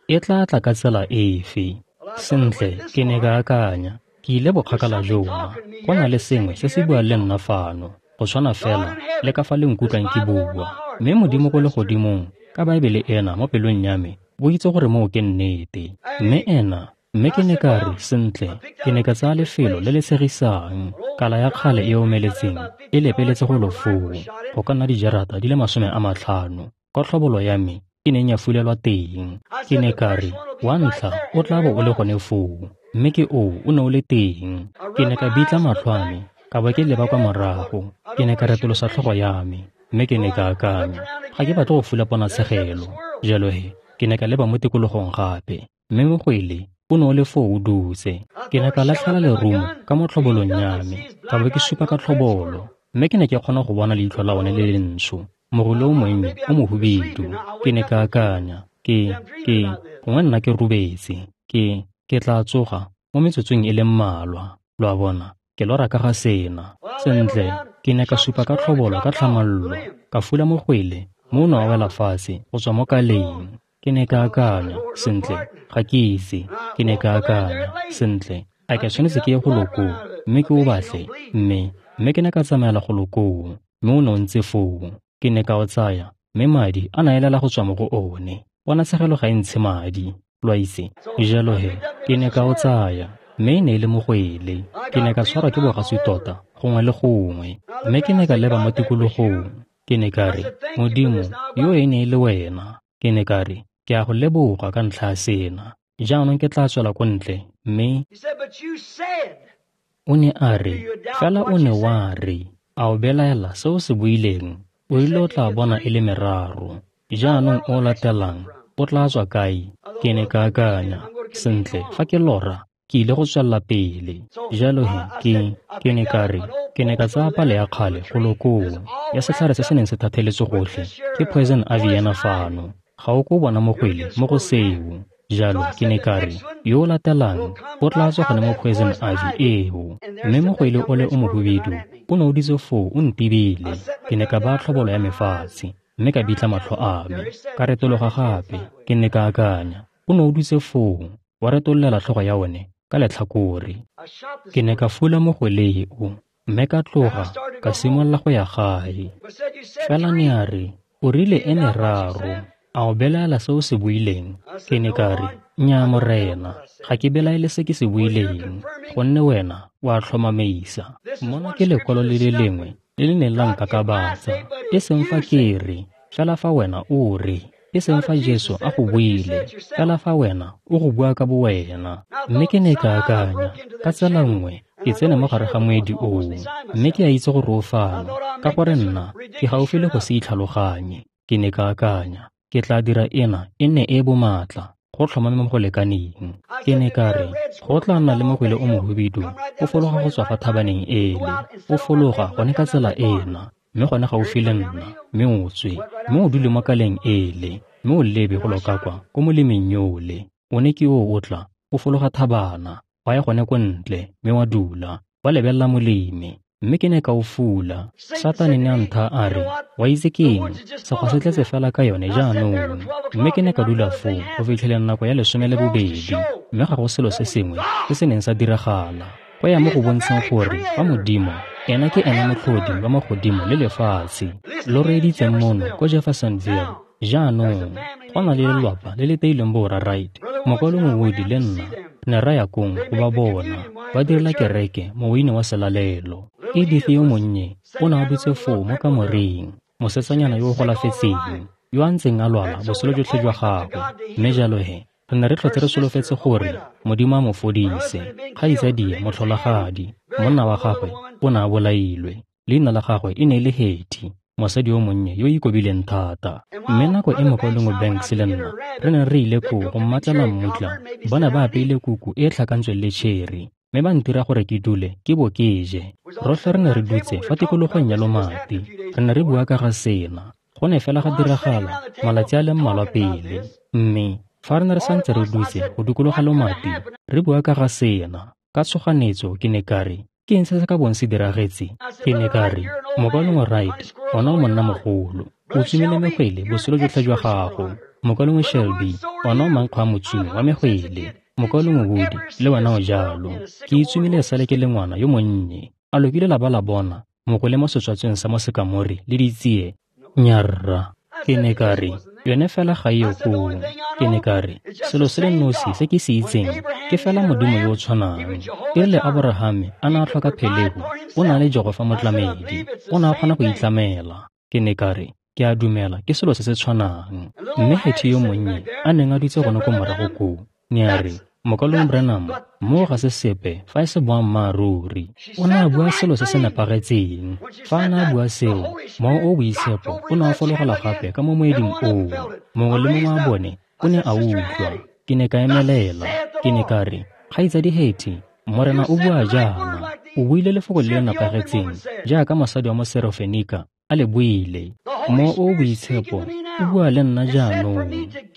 e tla tla ka tsela efe? Sentle, ke ne ka akanya, ke ile bokgakala jona. Go na le sengwe se se buang le nna fano. go tshwana fela le ka fa le nkutlwang ke bua. Mme Modimo ko legodimong, ka Baebele ena mo pelong ya me, bo itse gore moo ke nnete. Mme ena, mme ke ne ka re, sentle, ke ne ka tsaya lefelo le le tshegisang, kala ya kgale e omeletseng e lepeletse golo foo, go ka nna dijarata di le masome a matlhano, kwa tlhobolo ya me e neng ya fulelwa teng. Ke ne ka re, wa ntlha o tla bo o le gone foo, mme ke oo o ne o le teng. Ke ne ka bitla matlho a me, ka bo ke leba kwa morago, ke ne ka retolosa tlhogo ya me, mme ke ne ka akanya, ga ke batle go fula ponatshegelo. Jalo he, ke ne ka leba mo tikologong gape, mme mogwele o ne o le foo o dutse. Ke ne ka latlhela lerumo ka mo tlhobolong ya me, ka bo ke supa ka tlhobolo, mme ke ne ke kgona go bona leitlho la one le lentsho, mogolo o monnye o mohubedu. Ke ne ka akanya, ke, ke, gongwe nna ke robetse, ke, ke tla tsoga mo metsotsong e le mmalwa. Lo a bona, ke lora ka ga sena. Sentle, ke ne ka supa ka tlhobolo ka tlhamallo, ka fula mogwele, mme o ne wa wela fatshe go tswa mo kaleng. Ke ne ka akanya, sentle, ga ke itse. Ke ne ka akanya, sentle, a ke tshwanetse ke ye golo koo, mme ke o batle, mme, mme ke ne ka tsamaela golo koo, mme o ne o ntse foo. Ke ne ka o tsaya, mme madi a na elela go tswa mo go one. Ponatshegelo ga e ntshe madi, lo a itse. Jalo he, ke ne ka o tsaya, mme e ne e le mogwele. Ke ne ka tshwarwa ke bogatsu tota, gongwe le gongwe, mme ke ne ka leba mo tikologong. Ke ne ka re, Modimo, yo e ne e le wena. Ke ne ka re, ke a go leboga ka ntlha ya sena. Jaanong ke tla tswela ko ntle, mme o ne a re, fela o ne wa re, a o belaela se o se buileng, o ile o tla bona e le meraro. Jaanong o latelang, o tla tswa kae? Ke ne ka akanya, sentle, fa ke lora, ke ile go tswella pele. Jalo he, ke, ke ne ka re, ke ne ka tsaya pale ya kgale golo koo, ya setlhare se se neng se thatheletswe gotlhe, ke poison ivy ena fano. Ga o ko bona mogwele mo go seo. Jalo ke ne ka re, yo o latelang o tla tswa gone mo poison ivy eo. Mme mogwele o le o mohubedu o ne o dutse foo o ntibile. Ke ne ka baya tlhobolo ya me fatshe, mme ka bitla matlho a me, ka retologa gape. Ke ne ka akanya, o ne o dutse foo, wa retololela tlhogo ya one ka letlhakore. Ke ne ka fula mogwele o, mme ka tloga ka simolola go ya gae. Fela ne a re, o rile e meraro. A o belaela se o se buileng? Ke ne ka re, nnyaa Morena, ga ke belaele se ke se buileng, gonne wena o a tlhomamisa. Mona ke lekwalo le le lengwe le le neng la nkakabatsa, e seng fa ke re, fela fa wena o re, e seng fa Jesu a go buile, fela fa wena o go bua ka bowena. Mme ke ne ka akanya, ka tsela nngwe, ke tsene mo gare ga moedi oo, mme ke a itse gore o fano, ka gore nna ke gaufi le go se itlhaloganye. Ke ne ka akanya, ke tla dira ena e nne e bomatla, go tlhomame mo go lekaneng. Ke ne ka re, go tla nna le mogwele o mohubedu, o fologa go tswa fa thabaneng ele, o fologa gone ka tsela ena, mme gone gaufi le nna, mme o tswe, mme o dule mo kaleng ele, mme o lebe go loka kwa ko molemeng yole. O ne ke o o tla, o fologa thabana, wa ya gone ko ntle, mme wa dula, wa lebelela moleme. Mme ke ne ka o fula. Satane ne a ntha a re, wa itse ke eng, sekgwa se tletse fela ka yone jaanong. Mme ke ne ka dula foo go fitlheleng nako ya lesome le bobedi, mme ga go selo se sengwe se se neng sa diragala. Go ya mo go bontsheng gore fa Modimo, ena ke ena motlhodi wa magodimo le lefatshe. Lo reeditseng mono ko Jeffersonville. Jaanong, go na le lelwapa le le teilweng borra Wright, mokwalo Woody le nna, ne ra ya kong go ba bona, ba direla kereke moweine wa selalelo. Edith yo monnye o ne a dutse foo mo kamoreng, mosetsanyana yo o golafetseng, yo a ntseng a lwala botshelo jotlhe jwa gagwe. Mme jalo he, re ne re tlhotse re solofetse gore Modimo a mo fodise. Kgaitsadie motlholagadi, monna wa gagwe o ne a bolailwe. Leina la gagwe e ne e le Hetty, mosadi yo monnye yo o ikobileng thata. Mme nako e mokwalengwe Banks le nna re ne re ile koo go mmatlela mmutla, ba ne ba apeile kuku e e tlhakantsweng le tšheri, mme ba ntira gore ke dule ke bo ke je. Rotlhe re ne re dutse fa tikologong ya lomati, re ne re bua ka ga sena. Go ne fela ga diragala malatsi a le mmalwa pele, mme fa re ne re santse re dutse go dikologa lomati re bua ka ga sena, ka tshoganetso ke ne ka re, ke eng se se ka bong se diragetse? Ke ne ka re, mokwalengwe Wright, ona o monna mogolo, o tsomile megwele botshelo jotlhe jwa gago. Mokwalengwe Shelby, ona o mankgo a motsomi wa megwele. Mokwalengwe Woody, le wena o jalo. Ke itsomile sale ke le ngwana yo monnye. A lo kile la ba la bona mogole mo setswatsweng sa mosekamore le ditsie? Nnyaa rra. Ke ne ka re, yone fela ga e yo koo. Ke ne ka re, selo se le nosi se ke se itseng ke fela Modimo yo o tshwanang. E rile Aborahame a ne a tlhoka phelehu, o ne a le Jehofa Motlamedi, o ne a kgona go itlamela. Ke ne ka re, ke a dumela ke selo se se tshwanang. Mme Hattie yo monnye a neng a dutse gone ko morago koo, ne a re, Mokaulengwe Branham, moo ga se sepe fa e se boammaaruri. O ne a bua selo se se nepagetseng. Fa a ne a bua seo, Mowa o o Boitshepo o ne wa fologela gape ka mo moeding oo. Mongwe le mongwe wa bone o ne a utlwa. Ke ne ka emelela. Ke ne ka re, Kgaitsadi Hattie, Morena o bua jaana. O buile lefoko le le nepagetseng jaaka mosadi wa Moserofenika a le buile. Mowa o o Boitshepo o bua le nna jaanong,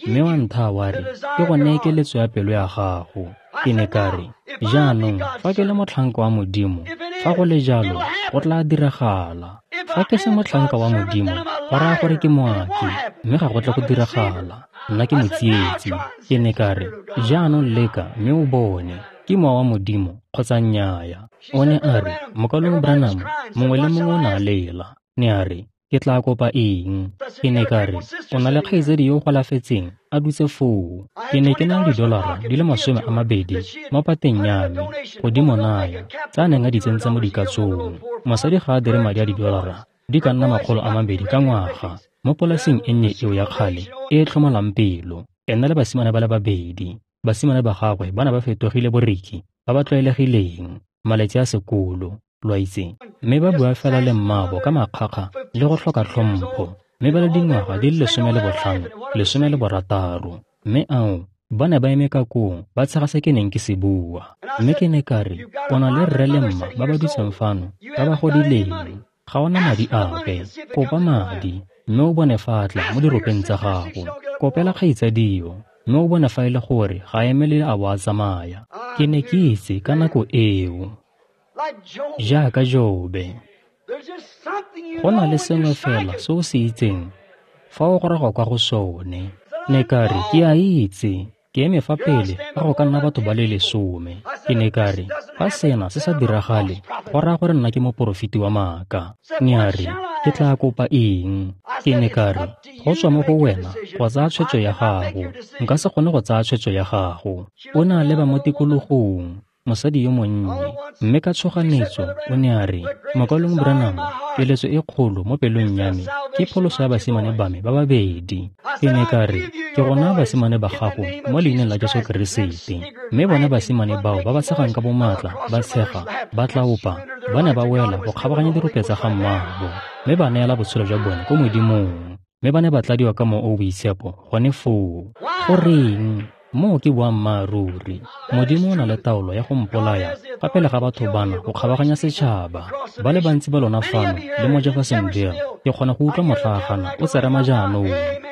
mme wa nthaya wa re ke go neye keletso ya pelo ya gago. Ke ne ka re, jaanong fa ke le motlhanka wa Modimo, fa go le jalo go tla diragala. Fa ke se motlhanka wa Modimo, go raya gore ke moaki, mme ga go tle go diragala. Nna ke motsietsi. Ke ne ka re, jaanong leka mme o bone, ke Mowa wa Modimo kgotsa nnyaa. O ne a re, Mokaulengwe Branham, mongwe le mongwe o ne a lela. Ne a re, ke tla kopa eng? Ke ne ka re, o na le kgaitsadi yo o golafetseng a dutse foo. Ke ne ke na le didolara di le masome a mabedi mo pateng ya me go di mo naya, tse a neng a di tsentse mo dikatsong. Mosadi ga a dire madi a didolara di ka nna makgolo a mabedi ka ngwaga mo polaseng e nnye eo ya kgale e e tlhomolang pelo. Ena le basimane ba le babedi. Basimane ba gagwe ba ne ba fetogile boriki ba ba tlwaelegileng malatsi a sekolo, lo a itse, mme ba bua fela le mmaabo ka makgakga le go tlhoka tlhompho, mme ba le dingwaga di le lesome le botlhano, lesome le borataro. Mme ao, ba ne ba eme ka koo ba tshega se ke neng ke se bua. Mme ke ne ka re, o na le rre le mma ba ba dutseng fano ba ba godileng, ga o na madi ape, kopa madi, mme o bone fa a tla mo diropeng tsa gago. Kopela kgaitsadio, mme o bone fa e le gore ga a emelele a bo a tsamaya. Ke ne ke itse ka nako eo, jaaka Jobe, go na le sengwe fela se o se itseng fa o goroga kwa go sone. Ne ka re, ke a itse, ke eme fa pele ga go ka nna batho ba le lesome. Ke ne ka re, fa sena se sa diragale, go raya gore nna ke moporofeti wa maaka. Ne a re, ke tla kopa eng? Ke ne ka re, go tswa mo go wena go tsaya tshwetso ya gago. Nka se kgone go tsaya tshwetso ya gago. O ne a leba mo tikologong, mosadi yo monnye, mme ka tshoganetso o ne a re, Mokaulengwe Branham, keletso e kgolo mo pelong ya me ke pholoso ya basimane ba me ba babedi. Ke ne ka re, ke go naya basimane ba gago mo leineng la Jesu Keresete. Mme bone basimane bao ba ba tshegang ka bomatla, ba tshega, ba tlaopa, ba ne ba wela go kgabaganya dirope tsa ga mmaabo, mme ba neela botshelo jwa bone ko Modimong, mme ba ne ba tladiwa ka Mowa o o Boitshepo gone foo. Goreng? Moo ke boammaaruri. Modimo o na le taolo ya go mpolaya fa pele ga batho bana go kgabaganya setšhaba. Ba le bantsi ba lona fano le mo Jeffersonville, ke kgona go utlwa motlhaagana o tserema jaanong.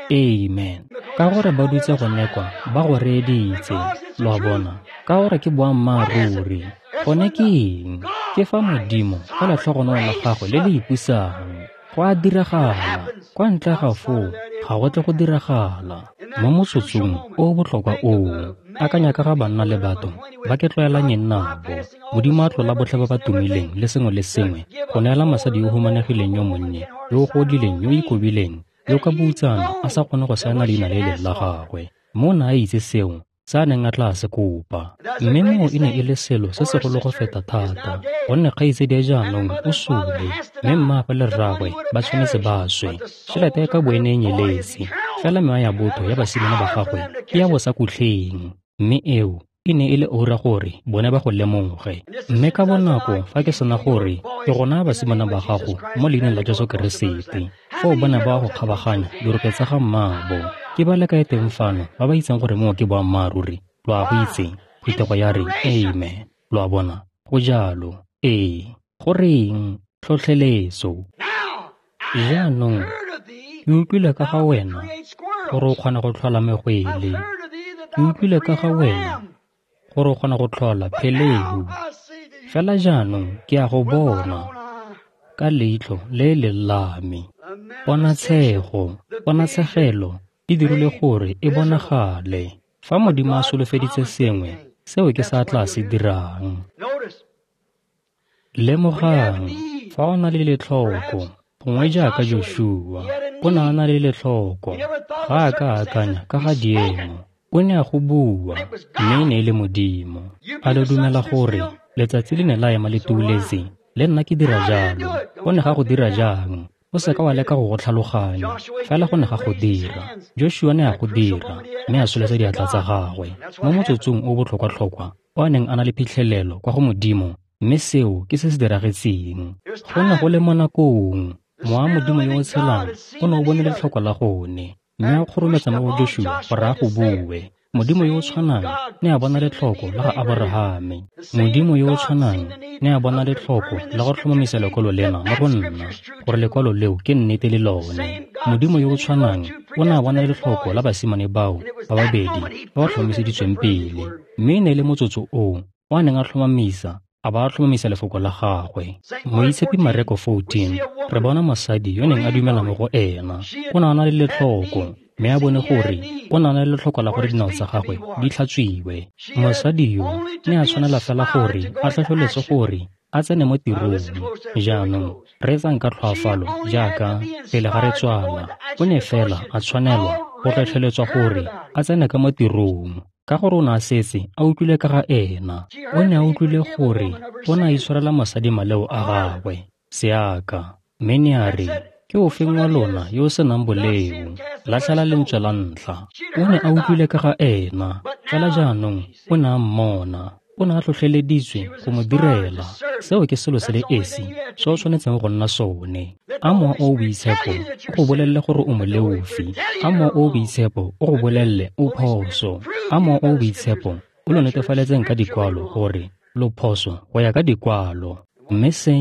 Amen. Ka gore ba dutse gone kwa, ba go reeditse. Lo a bona, ka gore ke boammaaruri. Gone ke eng? Ke fa Modimo ka letlhogonolo la gagwe le le ipusang. Go a diragala. Kwa ntle ga foo, ga go tle go diragala. Mo motsotsong o o botlhokwa oo, akanya ka ga banna le batho ba ke tlwaelanyeng nabo. Modimo a tlola botlhe ba ba tumileng le sengwe le sengwe go neela mosadi yo o humanegileng yo monnye, yo o godileng, yo o ikobileng, yo ka boutsana a sa kgone go saena leina le e leng la gagwe. Mo o ne a itse seo se a neng a tla se kopa. Mme moo e ne e le selo se segolo go feta thata, gonne kgaitsadi ya jaanong o sule, mme mmaagwe le rraagwe ba tshwanetse ba swe. Tšhelete ya ka bo e ne e nyeletse, fela mewa ya botho ya basimane ba gagwe ke ya bosakutleng. Mme eo e ne e le oura gore bone ba go lemoge. Mme ka bonako fa ke sena gore ke go naya basimane ba gago mo leineng la Jesu Keresete, foo ba ne ba go kgabaganya dirope tsa ga mmaabo. Ke ba le kae teng fano ba ba itseng gore moo ke boammaaruri? Lo a go itse. Phuthego ya re, amen. Lo a bona, go jalo. Ee, goreng? Tlhotlheletso. Jaanong, ke utlwile ka ga wena gore o kgona go tlhola megwele. Ke utlwile ka ga wena gore o kgona go tlhola phelehu. Fela jaanong ke a go bona ka leitlho le le la me. Ponatshego, ponatshegelo e dirile gore e bonagale. Fa Modimo a solofeditse sengwe, seo ke sa tla se dirang. Lemogang, Fa o na le letlhoko, gongwe jaaka Joshua, o ne a na le letlhoko, ga a ka a akanya ka ga diemo. O ne a go bua, mme e ne e le Modimo. A lo dumela gore letsatsi le ne la ema le tuuletse? Le nna ke dira jalo. Go ne ga go dira jang? O seka wa leka go go tlhaloganya, fela go ne ga go dira. Joshua ne a go dira, mme a tsholetsa diatla tsa gagwe mo motsotsong o botlhokwa-tlhokwa o a neng a na le phitlhelelo kwa go Modimo, mme seo ke se se diragetseng. Go ne go le mo nakong, Mowa wa Modimo yo o tshelang o ne o bone letlhoko la gone, mme a kgorometsa mo go Joshua gore a go bue. Modimo yo o tshwanang ne a bona letlhoko la ga Aborahame. Modimo yo o tshwanang ne a bona letlhoko la go tlhomamisa lekwalo lena mo go nna, gore lekwalo leo ke nnete le lone. Modimo yo o tshwanang o ne a bona letlhoko la basimane bao ba babedi ba ba tlhomamiseditsweng pele, mme e ne e le motsotso oo o a neng a tlhomamisa a ba a tlhomamisa lefoko la gagwe. Moitshepi Mareko fourteen, re bona mosadi yo neng a dumela mo go ena. O ne a na le letlhoko, mme a bone gore o ne a na le letlhoko la gore dinao tsa gagwe di tlhatswiwe. Mosadi yo ne a tshwanela fela gore a tlhotlheletswe gore a tsene mo tirong. Jaanong reetsang ka tlhoafalo jaaka pele ga re tswala. O ne fela a tshwanelwa go tlhotlheletswa gore a tsene ka mo tirong, ka gore o ne a setse a utlwile ka ga ena. O ne a utlwile gore o ne a itshwarela mosadi maleo a gagwe, seaka, mme ne a re, ke ofeng wa lona yo o senang boleo? Latlhela lentswe la ntlha. O ne a utlwile ka ga ena, fela jaanong o ne a mmona. O ne a tlhotlheleditswe go mo direla. Seo ke selo se le esi se o tshwanetseng go nna sone. A Mowa o o Boitshepo o go bolelele gore o moleofi. A Mowa o o Boitshepo o go bolelele o phoso. A Mowa o o Boitshepo o lo netefaletseng ka dikwalo gore lo phoso go ya ka dikwalo. Mme se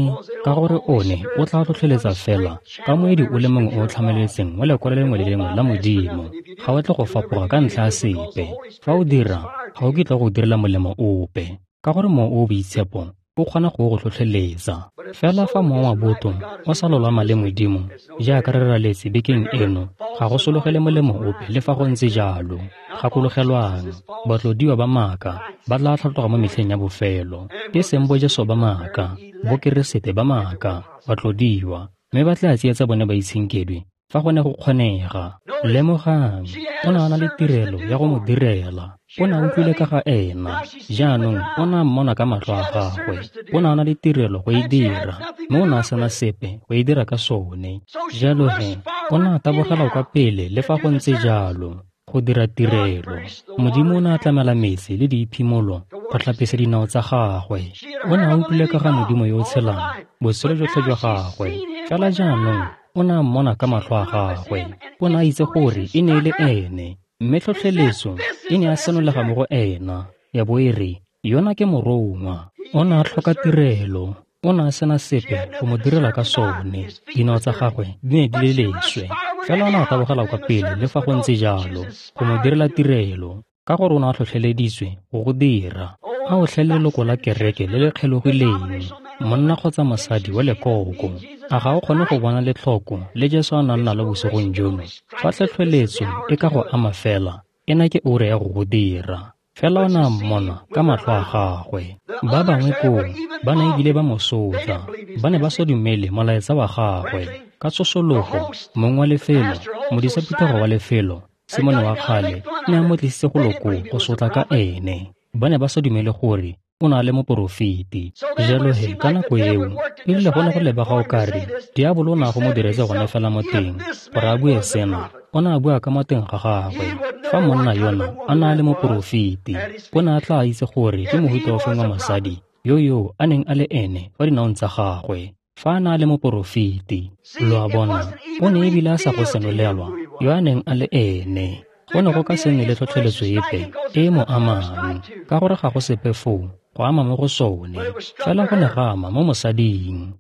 ka gore one o tla tlhotlheletsa fela ka moedi o le mongwe o o tlhamaletseng wa lekwalo lengwe le lengwe la Modimo. Ga o tle go fapoga ka ntlha ya sepe. Fa o dira, ga o kitla go direla molemo ope, ka gore Mowa o o Boitshepo o kgona go go tlhotlheletsa. Fela fa mowa wa botho o sa lolama le Modimo, jaaka re raletse bekeng eno, ga go sologele molemo ope le fa go ntse jalo. Gakologelwang, batlodiwa ba maaka ba tla tlhatloga mo metlheng ya bofelo. Ke seng bo Jesu ba maaka, bo Keresete ba maaka, batlodiwa, mme ba tla tsietsa bone baitshenkedwi fa go ne go kgonega. Lemogang, o ne a na le tirelo ya go mo direla. O ne a utlwile ka ga ena, jaanong o ne a mmona ka matlho a gagwe. O ne a na le tirelo go e dira, mme o ne a sena sepe go e dira ka sone. Jalo he, o ne a tabogela kwa pele le fa go ntse jalo, go dira tirelo. Modimo o ne a tlamela metsi le diiphimolo go tlhapisa dinao tsa gagwe. O ne a utlwile ka ga Modimo yo o tshelang botshelo jotlhe jwa gagwe, fela jaanong o ne a mmona ka matlho a gagwe. O ne a itse gore e ne e le ene, mme tlhotlheletso e ne ya senolega mo go ena, ya bo e re, yona ke morongwa. O ne a tlhoka tirelo, o ne a sena sepe go mo direla ka sone. Dinao tsa gagwe di ne di le leswe, fela o ne a tabogela kwa pele le fa go ntse jalo go mo direla tirelo, ka gore o ne a tlhotlheleditswe go go dira. A o tlhe leloko la kereke le le kgelogileng, monna kgotsa mosadi wa lekoko, a ga o kgone go bona letlhoko le Jesu a nang nalo bosigong jono? Fa tlhotlheletso e ka go ama fela, ena ke ura ya go go dira. Fela o ne a mmona ka matlho a gagwe. Ba bangwe koo ba ne ebile ba mo sotla, ba ne ba sa dumele molaetsa wa gagwe. Ka tshosologo, mong wa lefelo, modisa phuthego wa lefelo, Simone wa kgale, ne a mo tlisitse go loko go sotla ka ene. Ba ne ba sa dumele gore o na le moporofeti. Jalo he, ka nako eo, e rile go ne go lebega o kare diabolo o ne a go mo diretse gone fela mo teng gore a bue sena. O ne a bua ka mo teng ga gagwe. Fa monna yona a na le moporofeti, o ne a tla itse gore ke mohuta ofeng wa mosadi yo yo a neng a le ene fa dinaong tsa gagwe. Fa a na le moporofeti, lo a bona, o ne ebile a sa go senolelwa yo a neng a le ene. Go ne go ka se nne le tlhotlheletso epe e e mo amang, ka gore ga go sepe foo go ama mo go sone, fela go ne ga ama mo mosading.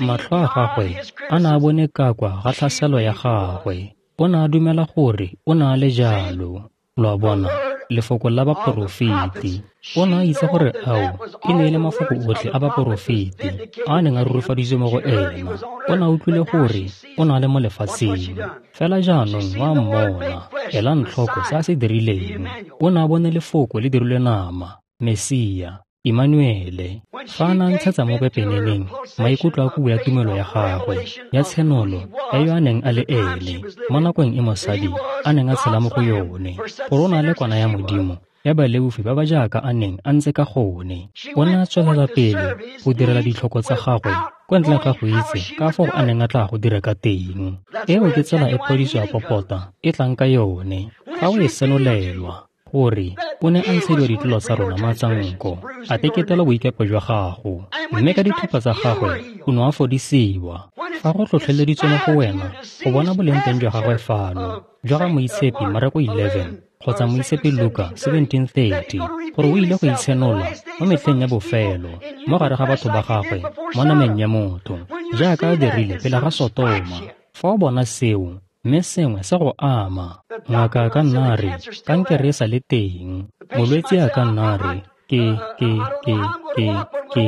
Matlho a gagwe a ne a bone ka kwa ga tlhaselo ya gagwe. O ne a dumela gore o ne a le jalo. Lo a bona, lefoko la baporofeti. O ne a itse gore ao e ne e le mafoko otlhe a baporofeti a a neng a rurifaditswe mo go ena. O ne a utlwile gore o ne a le mo lefatsheng, fela jaanong wa mmona. Elang tlhoko se a se dirileng. O ne a bone lefoko le dirilwe nama, Mesia. Emmanuele. Fa a ne a ntshetsa mo pepeneneng maikutlo a kubu ya tumelo ya gagwe ya tshenolo ya yo a neng a le ene mo nakong e mosadi a neng a tshela mo go yone, gore o ne a le kwana ya Modimo ya baleofi ba ba jaaka a neng a ntse ka gone. O ne a tswelela pele go direla ditlhoko tsa gagwe kwa ntle ga go itse ka fao a neng a tla go dira ka teng. Eo ke tsela e phodiso ya popota e tlang ka yone, fa o e senolelwa gore o ne a ntshediwa ditlolo tsa rona matsanko, a teketelwa boikepo jwa gago, mme ka dithupa tsa gagwe o ne a fodisiwa. Fa go tlhotlheleditswe mo go wena go bona boleng teng jwa gagwe fano, jwa ga Moitshepi Mareko eleven kgotsa Moitshepi Luka seventeen thirty, gore o ile go itshenola mo metlheng ya bofelo mo gare ga batho ba gagwe mo nameng ya motho, jaaka a dirile pele ga Sotoma. Fa o bona seo, mme sengwe se go ama, ngaka a ka nna a re kankere e sa le teng, molwetse a ka nna a re ke ke ke ke ke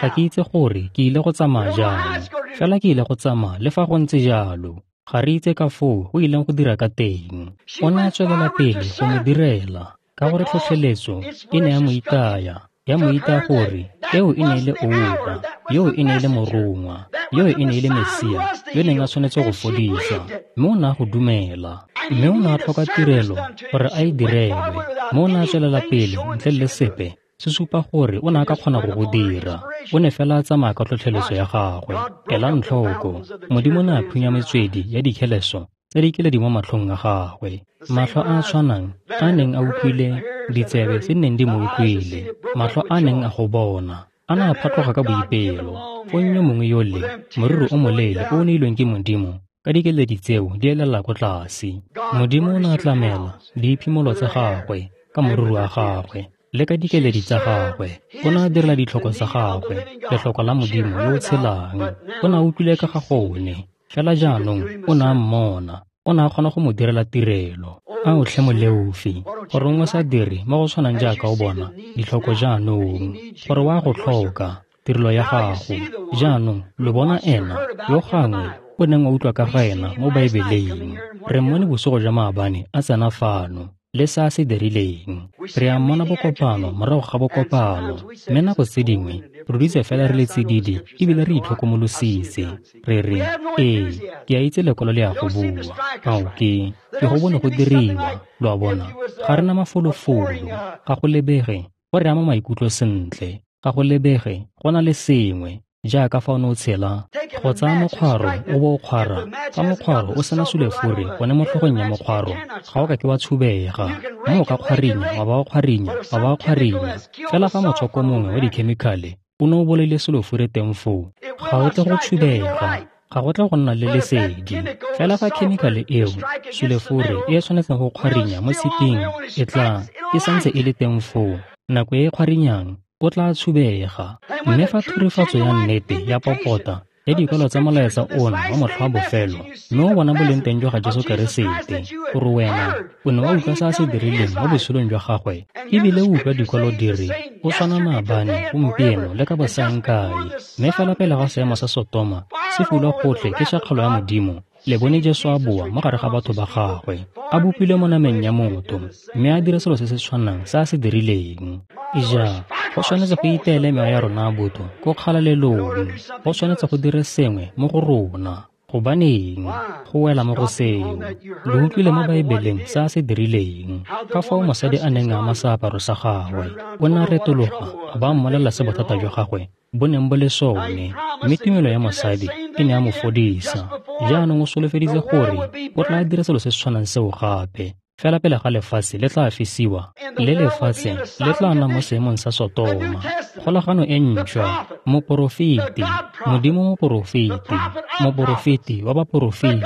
ga ke itse gore ke ile go tsamaya jang, fela ke ile go tsamaya le fa go ntse jalo. Ga re itse ka foo go ileng go dira ka teng. O ne a tswelela pele go mo direla ka gore tlhotlheletso e ne ya mo itaya, ya mo itaya gore eo e ne e le oura, yo e ne e le morongwa, yo e ne e le Mesia yo neng a tshwanetse go fodisa, mme o ne a go dumela. Mme o ne a tlhoka tirelo gore a e direlwe, mme o ne a tswelela pele ntle le sepe se supa gore o ne a ka kgona go go dira. O ne fela a tsamaya ka tlhotlheletso ya gagwe. Elang tlhoko, Modimo ne a phunya metswedi ya dikheleso tse di keledi mo matlhong a gagwe, matlho a a tshwanang a neng a utlwile, ditsebe tse neng di mo utlwile, matlho a neng a go bona a ne a phatloga ka boipelo. Fong yo mongwe yole, moriri o moleele o o neilweng ke Modimo, ka dikeledi tseo di elela ko tlase. Modimo o ne a tlamela diiphimolo tsa gagwe ka moriri wa gagwe le ka dikeledi tsa gagwe. O ne a direla ditlhoko tsa gagwe, letlhoko la Modimo yo o tshelang. O ne a utlwile ka ga gone, fela jaanong o ne a mmona, o ne a kgona go mo direla tirelo. A o tlhe moleofi, gore o sa dire mo go tshwanang jaaka o bona ditlhoko jaanong, gore wa go tlhoka tirelo ya gago. Jaanong lo bona ena yo gangwe o neng wa utlwa ka ga ena mo Baebeleng. Re mmone bosigo jwa maabane a tsena fano le se a se dirileng. Re a mmona bokopano morago ga bokopano, mme nako tse dingwe re dutse fela re le tsididi ebile re itlhokomolositse. Re re, ee, ke a itse lekwalo le ya go bua, ao ke ke go bone go diriwa. Lo a bona, ga re na mafolofolo, ga go lebege go re ama maikutlo sentle, ga go lebege go na le sengwe jaaka fa o ne o tshela go tsaya mokgwaro o bo o kgwara. Fa mokgwaro o sena sulefure gone mo tlhogong ya mokgwaro, ga o ka ke wa tshubega, mme o ka kgwarinya wa ba o kgwarinya wa ba o kgwarinya. Fela fa motswako mongwe wa dikhemikhale o ne o bolaile sulefure teng foo, ga o tle go tshubega, ga go tle go nna le lesedi. Fela fa khemikhale eo sulefure e e tshwanetseng go kgwarinya mo tshiping e tla e santse e le teng foo, nako e e kgwarinyang o tla tshubega. Mme fa thurifatso ya nnete ya popota ya dikwalo tsa molaetsa ona wa motlha wa bofelo, mme o bona boleng teng jwa ga Jesu Keresete, gore wena o ne wa utlwa se a se dirileng mo botshelong jwa gagwe, ebile o utlwa dikwalo di re o tshwana maabane, gompieno le ka bosaengkae. Mme fela pele ga seemo sa Sotoma se fulwa gotlhe ke tšhakgalo ya Modimo, le bone Jesu a boa mo gare ga batho ba gagwe, a bopilwe mo nameng ya motho, mme a dira selo se se tshwanang se a se dirileng. Ija, go tshwanetse go iteele mewa ya rona botho ko kgalalelong, go tshwanetse go dire sengwe mo go rona. Gobaneng go wela mo go seo? Lo utlwile mo Baebeleng se a se dirileng, ka fao mosadi a neng a ama seaparo sa gagwe, o ne a retologa a ba mmolelela se bothata jwa gagwe bo neng bo le sone, mme tumelo ya mosadi e ne ya mo fodisa. Jaanong o solofeditse gore o tla dira selo se se tshwanang seo gape, fela pele ga lefatshe le tla fisiwa, le lefatshe le tla nna mo seemong sa Sotoma. Kgolagano e ntšhwa, moporofeti, Modimo moporofeti, moporofeti wa baporofeti,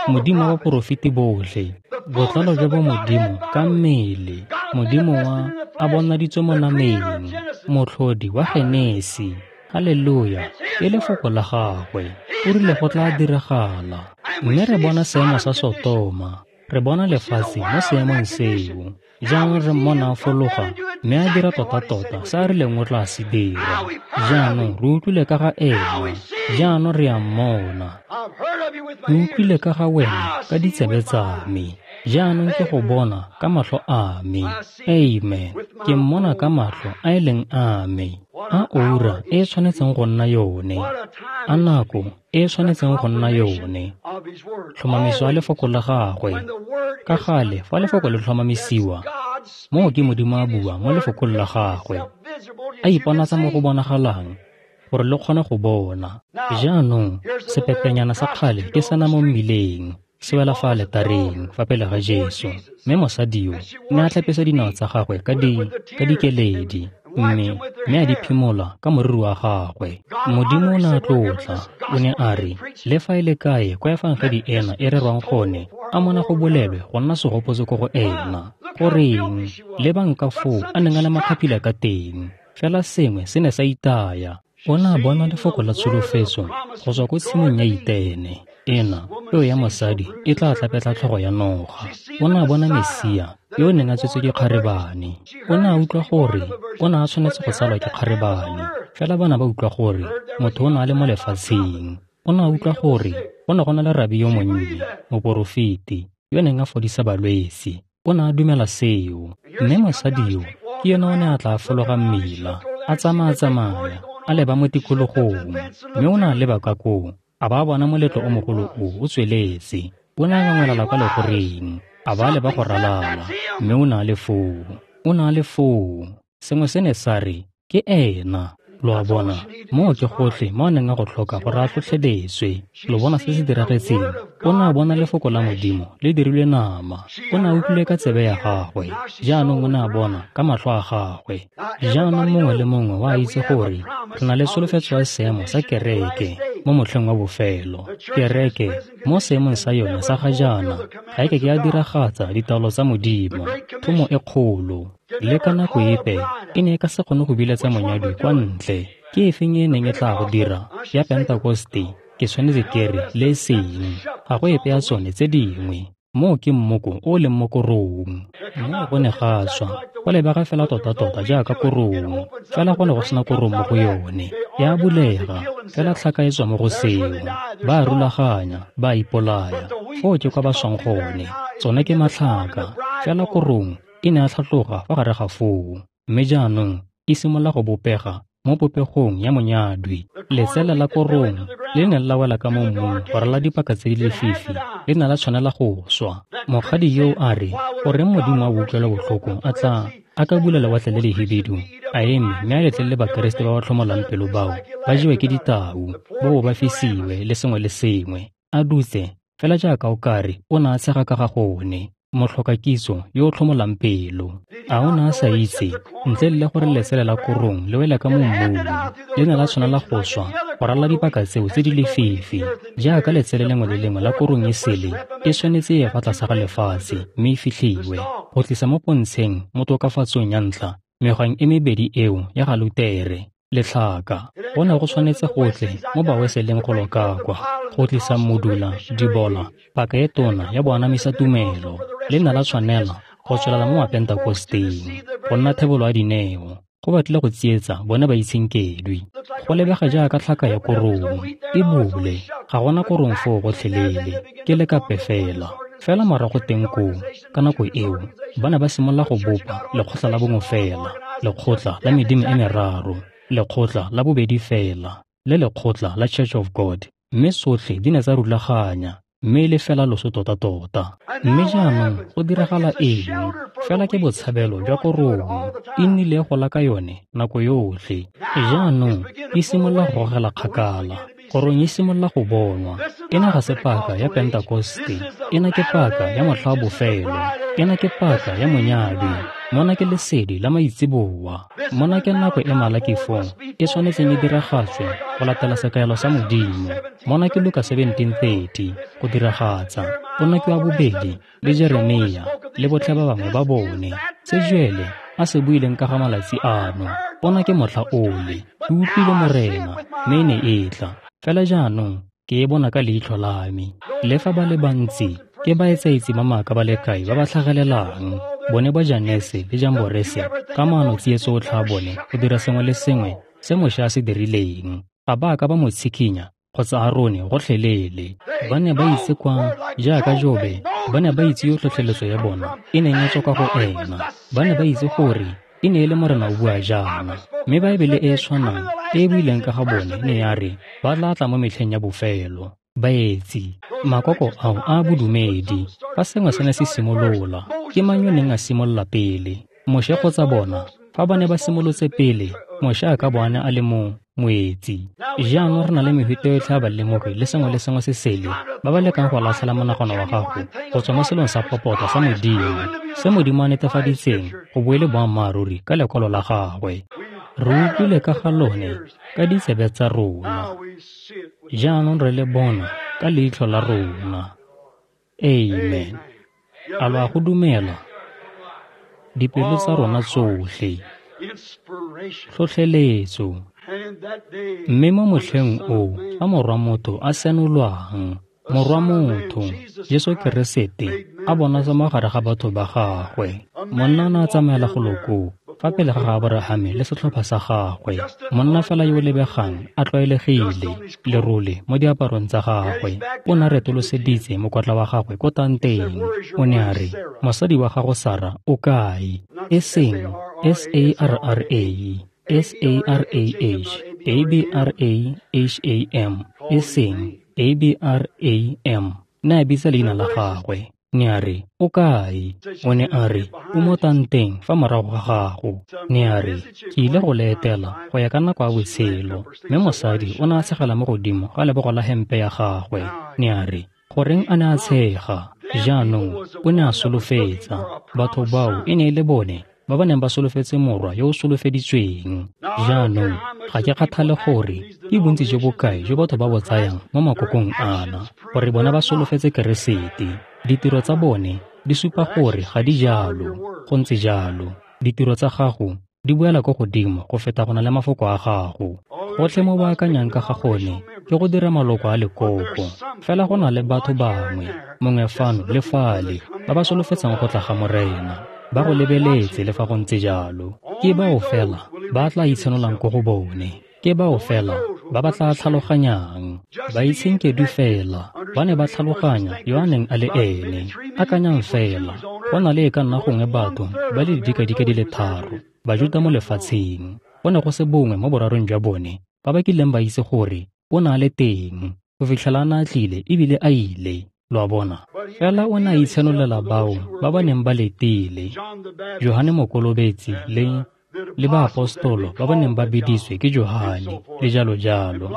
Modimo wa baporofeti botlhe, botlalo jwa bo Modimo ka mmele, Modimo wa a bonaditswe mo nameng, motlhodi wa Genesi. Haleluya, ke lefoko la gagwe, o rile go tla diragala. Mme re bona seemo sa Sotoma, re bona lefatshe mo seemong seo. Jaanong re mmona a fologa mme a dira tota-tota se a rileng o tla se dira. Jaanong re utlwile ka ga ena, jaanong re a mmona. Ke utlwile ka ga wena ka ditsebe tsa me, Jaanong ke go bona ka matlho a me. Amen. Ke mmona ka matlho a e leng a me. A oura e e tshwanetseng go nna yone. A nako e e tshwanetseng go nna yone. Tlhomamiso ya lefoko la gagwe. Ka gale fa lefoko le tlhomamisiwa, moo ke Modimo a bua mo lefokong la gagwe. A iponatsa mo go bonagalang gore le kgone go bona. Jaanong sepepenyana sa kgale ke sena mo mmileng, se wela fa aletareng fa pele ga Jesu. Mme mosadi yo ne a tlhapisa dinao tsa gagwe ka di ka dikeledi, mme mme a di phimola ka moriri wa gagwe. Modimo o ne a tlotla, o ne a re, le fa e le kae kwa efangedi ena e rerwang gone, a mona go bolelwe go nna segopotso ko go ena. Goreng, lebang ka foo a neng a le makgaphila ka teng, fela sengwe se ne sa itaya. O ne a bona lefoko la tsholofetso go tswa ko tshimong ya Itene. Ena, peo ya mosadi e tla tlapetla tlhogo ya noga. O ne a bona Mesia yo o neng a tswetswe ke kgarebane. O ne a utlwa gore o ne a tshwanetse go tsalwa ke kgarebane, fela ba ne ba utlwa gore motho o ne a le mo lefatsheng. O ne a utlwa gore go ne go na le rabi yo monnye, moporofeti, yo neng a fodisa balwetse. O ne a dumela seo. Mme mosadi yo ke yena o ne a tla fologa mmila, a tsamaya-tsamaya, a leba mo tikologong, mme o ne a leba ka koo, a ba bona moletlo o mogolo o o tsweletse. O ne a ngangwelala kwa legoreng, a ba leba go ralala, mme o ne a le foo. O ne a le foo. Sengwe se ne sa re, ke ena. Lo a bona, moo ke gotlhe mo a neng a go tlhoka gore a tlhotlheletswe. Lo bona se se diragetseng? O ne a bona lefoko la Modimo le dirilwe nama. O ne a utlwile ka tsebe ya gagwe, jaanong o ne a bona ka matlho a gagwe. Jaanong mongwe le mongwe wa itse gore re na le tsholofetso ya seemo sa kereke mo motlheng wa bofelo. Kereke mo seemong sa yone sa ga jaana ga e ke ke ya diragatsa ditaolo tsa Modimo, thomo e kgolo. Le ka nako epe e ne e ka se kgone go biletsa monyadwi kwa ntle. Ke efeng e neng e tla go dira ya Pentekoste? Ke tshwanetse ke re le e seng. Ga go epe ya tsone tse dingwe. Moo ke mmoko o o leng mo korong. Moo go ne ga tswa, go lebega fela tota-tota jaaka korong, fela go ne go sena korong mo go yone. Ya bulega, fela tlhaka e tswa mo go seo. Ba a rulaganya, ba a ipolaya. Foo ke kwa ba swang gone. Tsone ke matlhaka, fela korong e ne a tlhatloga fa gare ga foo. Mme jaanong e simolola go bopega mo popegong ya monyadwi. Letsele la korong le ne la wela ka mo mmung go rala dipaka tse di lefifi, le ne la tshwanela go swa. Mokgadi yo a re, goreng Modimo a utlwela botlhoko a tla a ka bula lewatle le lehibidu, a eme mme a letlelele Bakeresete ba ba tlhomolang pelo bao ba jewe ke ditau, ba bo ba fisiwe le sengwe le sengwe, a dutse fela jaaka o kare o ne a tshega ka ga gone. Motlhokakitso yo o tlhomolang pelo. A o ne a sa itse, ntle le gore letsele la korong le wele ka mo mmung, le ne la tshwanela go swa go ralala dipaka tseo tse di lefifi. Jaaka letsele lengwe le lengwe la korong e sele e tshwanetse e ye fa tlase ga lefatshe mme e fitlhiwe, go tlisa mo pontsheng mo tokafatsong ya ntlha megwang e mebedi eo ya ga Lutere le tlhaka. Go ne go tshwanetse gotlhe mo baweseleng go loka kwa, go tlisa modula, dibola, paka e tona ya boanamisa tumelo. Le ne la tshwanela go tswelela mo Mapentekosteng, go nna thebolo ya dineo, go batlile go tsietsa bone ba itshenkedwi. Go lebega jaaka tlhaka ya korong, e bule, ga gona korong foo gotlhelele, ke lekape fela. Fela morago teng koo, ka nako eo, ba ne ba simolola go bopa lekgotla la bongwe fela, lekgotla la medimo e meraro, lekgotla la bobedi fela, le lekgotla la Church of God, mme sotlhe di ne tsa rulaganya, mme e le fela loso tota-tota. Mme jaanong go diragala eng? Fela ke botshabelo jwa korong, e nnile gola ka yone nako yotlhe. Jaanong e simolola go gogela kgakala, korong e simolola go bonwa. Ena ga se paka ya Pentekoste, ena ke paka ya motlha wa bofelo, ena ke paka ya monyadwi. Mona ke lesedi la maitseboa. Mona ke nako e Malaki four e tshwanetseng e diragatswe go latela sekaelo sa Modimo. Mona ke Luka seventeen thirty go diragatsa. Pono ke wa bobedi le Jeremia le botlhe ba bangwe ba bone. Se Joele a se buileng ka ga malatsi ano. Pono ke motlha ole. Ke utlwile Morena, mme e ne e tla. Fela jaanong ke e bona ka leitlho la me. Le fa ba le bantsi ke baetsaetsi ba maaka ba le kae ba ba tlhagelelang, bone ba Janese le Jamborese ka maano tsietso otlhe a bone go dira sengwe le sengwe se Moše a se dirileng. Ga ba ka ba mo tshikinya kgotsa Arone gotlhelele. Ba ne ba itse kwa, jaaka Jobe, ba ne ba itse yo tlhotlheletso ya bona e neng e tswa kwa go ena. Ba ne ba itse gore e ne e le Morena o bua jaana. Mme Baebele e e tshwanang e e buileng ka ga bone ne ya re ba tla tla mo metlheng ya bofelo. Baetsi, makoko ao a bodumedi, fa sengwe se ne se simolola, ke mang yo neng a simolola pele? Moshe kgotsa bona? Fa ba ne ba simolotse pele, Moshe a ka bo a ne a le mo moetsi. Jaanong re na le mehuta yotlhe ya balemogi le sengwe le sengwe se sele ba ba lekang go latlhela monagano wa gago go tswa mo selong sa popota sa Modimo, se Modimo a netefaditseng go bo e le boammaaruri ka lekwalo la gagwe. Re utlwile ka ga lone ka ditsebe tsa rona, jaanong re le bona ka leitlho la rona. Amen. A lo a go dumela? Dipelo tsa rona tsotlhe. Tlhotlheletso. Mme mo motlheng oo fa Morwa motho a senolwang, Morwa motho, Jesu Keresete, a bonatsa mo gare ga batho ba gagwe. Monna o ne a tsamaela golo koo fa pele ga Aborahame le setlhopha sa gagwe. Monna fela yo o lebegang a tlwaelegile, lerole mo diaparong tsa gagwe. O ne a retoloseditse mokwatla wa gagwe ko tanteng. O ne a re, mosadi wa gago Sara o kae? E seng S A R R A, S A R A H, A B R A H A M, e seng A B R A M. Ne a bitsa leina la gagwe. Ne a re, o kae? O ne a re, o mo tanteng fa morago ga gago. Ne a re, ke ile go le etela go ya ka nako ya botshelo. Mme mosadi o ne a tshegela mo godimo ga lebogo la hempe ya gagwe. Ne a re, goreng a ne a tshega? Jaanong o ne a solofetsa. Batho bao e ne e le bone ba ba neng ba solofetse morwa yo o solofeditsweng. Jaanong ga ke kgathale gore ke bontsi jo bokae jo batho ba bo tsayang mo makokong ana, gore bona ba solofetse Keresete. Ditiro tsa bone di supa gore ga di jalo. Go ntse jalo. Ditiro tsa gago di buela ko godimo go feta go na le mafoko a gago. Gotlhe mo ba akanyang ka ga gone ke go dira maloko a lekoko. Fela go na le batho bangwe, mongwe fano le fale, ba ba solofetsang go tla ga Morena. Ba go lebeletse le fa go ntse jalo. Ke bao fela ba tla itshenolang ko go bone. Ke bao fela ba ba tla tlhaloganyang. Baitshenkedwi fela ba ne ba tlhaloganya yo a neng a le ene. Akanyang fela, go na le e ka nna gongwe batho ba le didikadike di le tharo Bajuta mo lefatsheng. Go ne go se bongwe mo borarong jwa bone ba ba kileng ba itse gore o ne a le teng go fitlhela a ne a tlile ebile a ile. Lo a bona? Fela o ne a itshenolela bao ba ba neng ba letile, Johane Mokolobetsi le le baapostolo ba ba neng ba biditswe ke Johane le jalo jalo,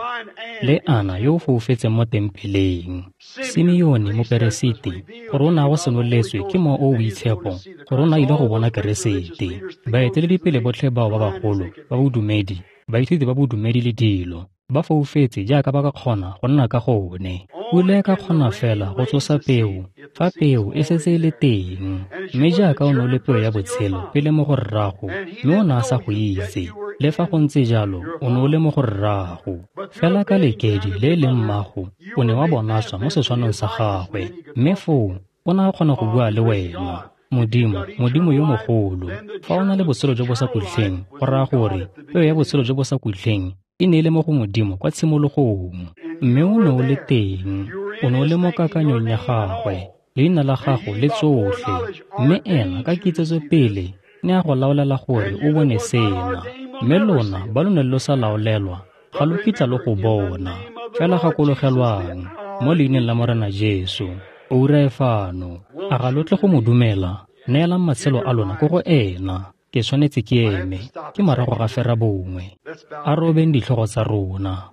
le Ana yo o foufetseng mo tempeleng, Simeone moperesiti, gore o ne a go senoletswe ke Mowa o o Boitshepo gore o ne a ile go bona Keresete. Baeteledipele botlhe bao ba bagolo ba bodumedi, baithuti ba bodumedi le dilo, ba foufetse jaaka ba ka kgona go nna ka gone. Pula e ka kgona fela go tsosa peo fa peo e setse e le teng. Mme jaaka o ne o le peo ya botshelo pele mo go rrago, mme o ne a sa go itse, le fa go ntse jalo o ne o le mo go rrago. Fela ka lekedi le e leng mmago, o ne wa bonatswa mo setshwanong sa gagwe, mme foo o ne a kgona go bua le wena. Modimo, Modimo yo mogolo, fa o na le botshelo jo bo sa khutleng, go raya gore peo ya botshelo jo bo sa khutleng e ne e le mo go Modimo kwa tshimologong. Mme o ne o le teng, o ne o le mo kakanyong ya gagwe, leina la gago le tsotlhe. Mme ena ka kitsetso pele ne a go laolela gore o bone sena. Mme lona ba lo ne lo sa laolelwa, ga lo kitla lo go bona. Fela gakologelwang, mo leineng la Morena Jesu, oura e fano. A ga lo tle go mo dumela? Neelang matshelo a lona ko go ena. Ke tshwanetse ke eme, ke morago ga fera bongwe. A robeng ditlhogo tsa rona.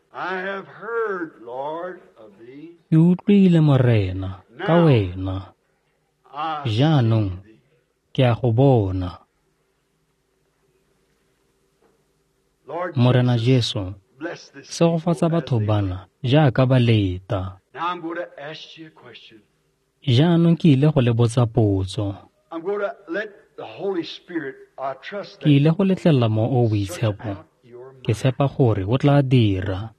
Ke utlwile Morena ka wena. Jaanong ke a go bona. Morena Jesu, segofatsa batho bana jaaka ba leta. Jaanong ke ile go le botsa potso. Ke ile go letlelela Mowa o o Boitshepo. Ke tshepa gore o tla dira.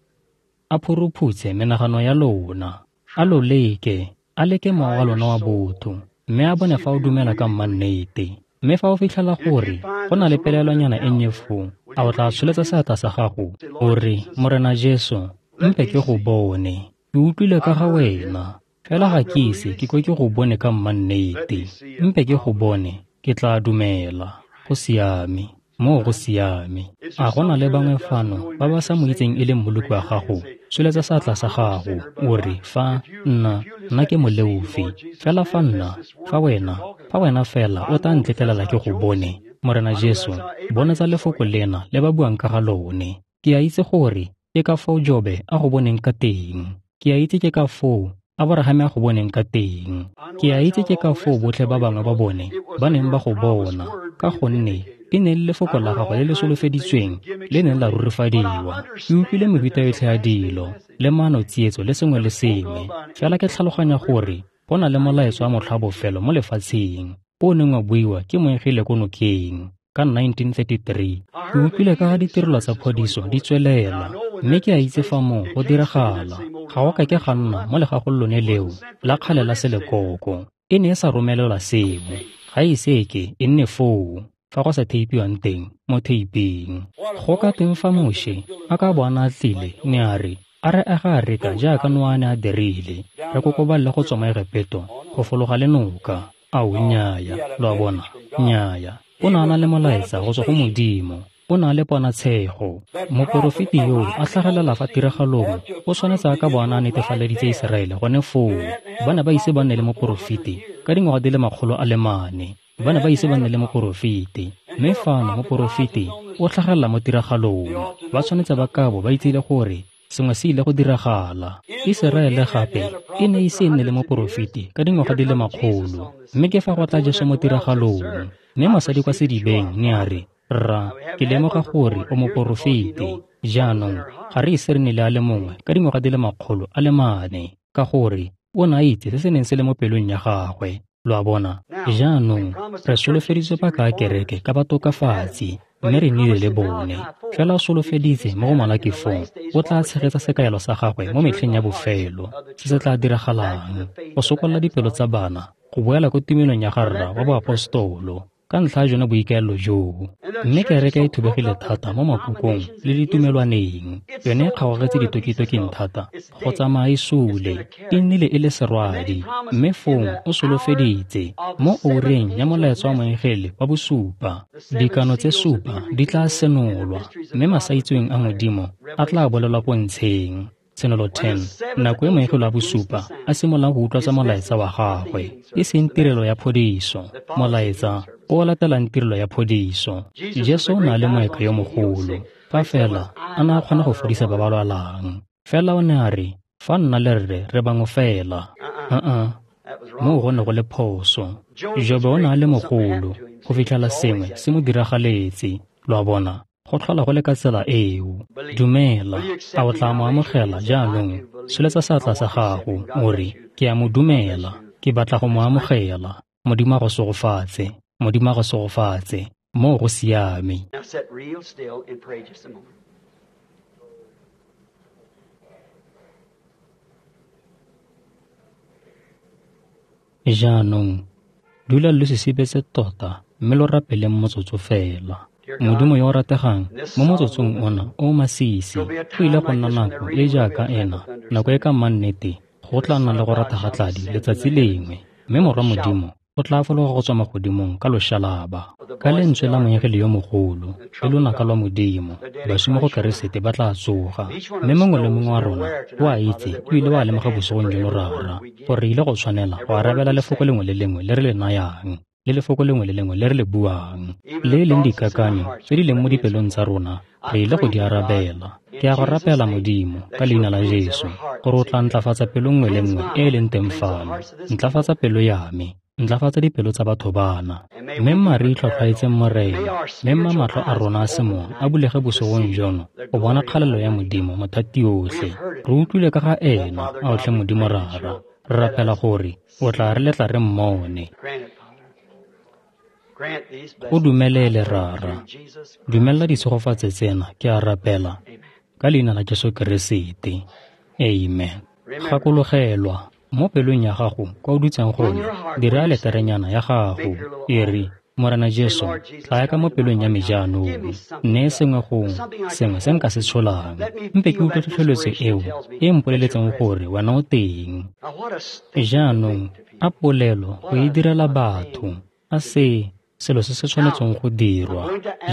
A phuruphutse menagano ya lona. A lo leke, a leke mowa wa lona wa botho, mme a bone fa o dumela ka mmannete. Mme fa o fitlhela gore go na le pelaelonyana e nnye foo, a o tla tsholetsa seatla sa gago o re, Morena Jesu, Mpe ke go bone. Ke utlwile ka ga wena. Fela ga ke ise ke kwe ke go bone ka mmannete. Mpe ke go bone, ke tla dumela. Go siame. Moo go siame. A go na le bangwe fano ba ba sa mo itseng e le mmoloki wa gago? Tsholetsa seatla sa gago, o re, fa nna, nna ke moleofi. Fela fa nna, fa wena, fa wena fela o tla ntletlelela ke go bone, Morena Jesu, bonetsa lefoko lena le ba buang ka ga lone. Ke a itse gore ke ka foo Jobe a go boneng ka teng. Ke a itse ke ka foo Aborahame a go boneng ka teng. Ke a itse ke ka foo botlhe ba bangwe ba bone ba neng ba go bona, ka gonne e ne le lefoko la gagwe le le solofeditsweng le neng la rurifadiwa. Ke utlwile mehuta yotlhe ya dilo le maano tsietso le sengwe le sengwe, fela ke tlhaloganya gore go na le molaetsa wa motlha wa bofelo mo lefatsheng o neng wa buiwa ke moengele ko nokeng ka nineteen thirty-three. Ke utlwile ka ga ditirelo tsa phodiso di tswelela, mme ke a itse fa moo go diragala. Ga go ka ke ga nna mo legagong lone leo la kgale la selekoko. E ne e sa romelelwa seo, ga e ise ke e nne foo fa go sa theipiwang teng mo theiping. Go ka teng fa Moshe a ka bo a ne a tlile, ne a re, a re aga areka jaaka Noa a ne a dirile, re kokoballe go tswa mo Egepeto go fologa le noka. Ao, nnyaya, lo a bona, nnyaya. O ne a na le molaetsa go tswa go Modimo. O na le ponatshego. Moporofeti yo a tlhagelela fa tiragalong o tshwanetse a ka bo a ne a netefaleditse Iseraele gone foo. Ba ne ba ise ba nne le moporofeti ka dingwaga di le makgolo a le mane. Ba ne ba ise ba nne le moporofeti. Mme fano moporofeti o tlhagelela mo tiragalong. Ba tshwanetse ba kabo ba itsile gore sengwe se ile go diragala. Iseraele gape e ne ise e nne le moporofeti ka dingwaga di le makgolo. Mme ke fa go tla Jesu mo tiragalong. Mme mosadi kwa sedibeng ne a re, rra, ke lemoga gore o moporofeti. Jaanong ga re ise re nne le a le mongwe ka dingwaga di le makgolo a le mane, ka gore o ne a itse se se neng se le mo pelong ya gagwe. Lo a bona? Jaanong re solofeditswe paka ya kereke ka batokafatsi, mme re nnile le bone. Fela o solofeditse mo go Malaki four, o tla tshegetsa sekaelo sa gagwe mo metlheng ya bofelo, se se tla diragalang, go sokolla dipelo tsa bana, go boela ko tumelong ya ga rra wa boapostolo, ka ntlha ya jone boikaelelo joo. Mme kereke e thubegile thata mo makukong le ditumelwaneng. Yone e kgaogetse ditokitoking thata go tsamaya e sule, e nnile e le serwadi. Mme fong o solofeditse mo oureng ya molaetsa wa moengele wa bosupa, dikano tse supa di tla senolwa, mme masaitseweng a Modimo a tla bolelwa pontsheng. Tshenolo ten, nako e moengele wa bosupa a simololang go utlwatsa molaetsa wa gagwe, e seng tirelo ya phodiso, molaetsa o latelang tirelo ya phodiso. Jesu o ne a le moeka yo mogolo, fa fela a ne a kgona go fodisa ba ba lwalang. Fela o ne a re, fa nna le rre re bangwe fela. Uh-uh, moo go ne go le phoso. Jobe o ne a le mogolo go fitlhela sengwe se mo diragaletse. Lo a bona? Go tlhola go le ka tsela eo. Dumela, a o tla mo amogela jaanong? Tsholetsa seatla sa gago, o re, ke a mo dumela, ke batla go mo amogela. Modimo a go segofatse. Modimo a go segofatse. Moo go siame. Now sit real still and pray just a moment. Jaanong, dula lo sisibetse tota mme lo rapeleng motsotso fela. Modimo yo o rategang, mo motsotsong ona o masisi, go ile go nna nako e jaaka ena, nako e ka mmannete, go tla nna le go rata ga tladi letsatsi lengwe, mme Morwa Modimo o tla fologa go tswa magodimong ka loshalaba, ka lentswe la moengele yo mogolo le lonaka lwa Modimo. Baswi mo go Keresete ba tla tsoga, mme mongwe le mongwe wa rona o a itse ebile o a lemoga bosigong jono, Rara, gore re ile go tshwanela go arabela lefoko lengwe le lengwe le re le nayang, le lefoko lengwe le lengwe le re le buang, le e leng dikakanyo tse di leng mo dipelong tsa rona, re ile go di arabela. Ke a go rapela Modimo ka leina la Jesu gore o tla ntlafatsa pelo nngwe le nngwe e e leng teng fano. Ntlafatsa pelo ya me, ntlafatsa dipelo tsa batho bana. Mme mma re itlhwatlhwaetseng Morena, mme mma matlho a rona a semowa a bulege bosigong jono go bona kgalelo ya Modimo mothati yotlhe. Re utlwile ka ga ena, a otlhe Modimo Rara. Re rapela gore o tla re letla re mmone. Go dumelele Rara. Dumela ditshegofatso tsena, ke a rapela ka leina la Jesu Keresete. Amen. Gakologelwa mo pelong ya gago kwa o dutseng gone, dira leterenyana ya gago, e re, Morena Jesu, tlaya ka mo pelong ya me jaanong. Nneye sengwe go sengwe se nka se tsholang. Mpe ke utlwe tlhotlheletso eo e mpoleletseng gore wena o teng. Jaanong, a polelo go e direla batho, a se selo se se tshwanetseng go dirwa.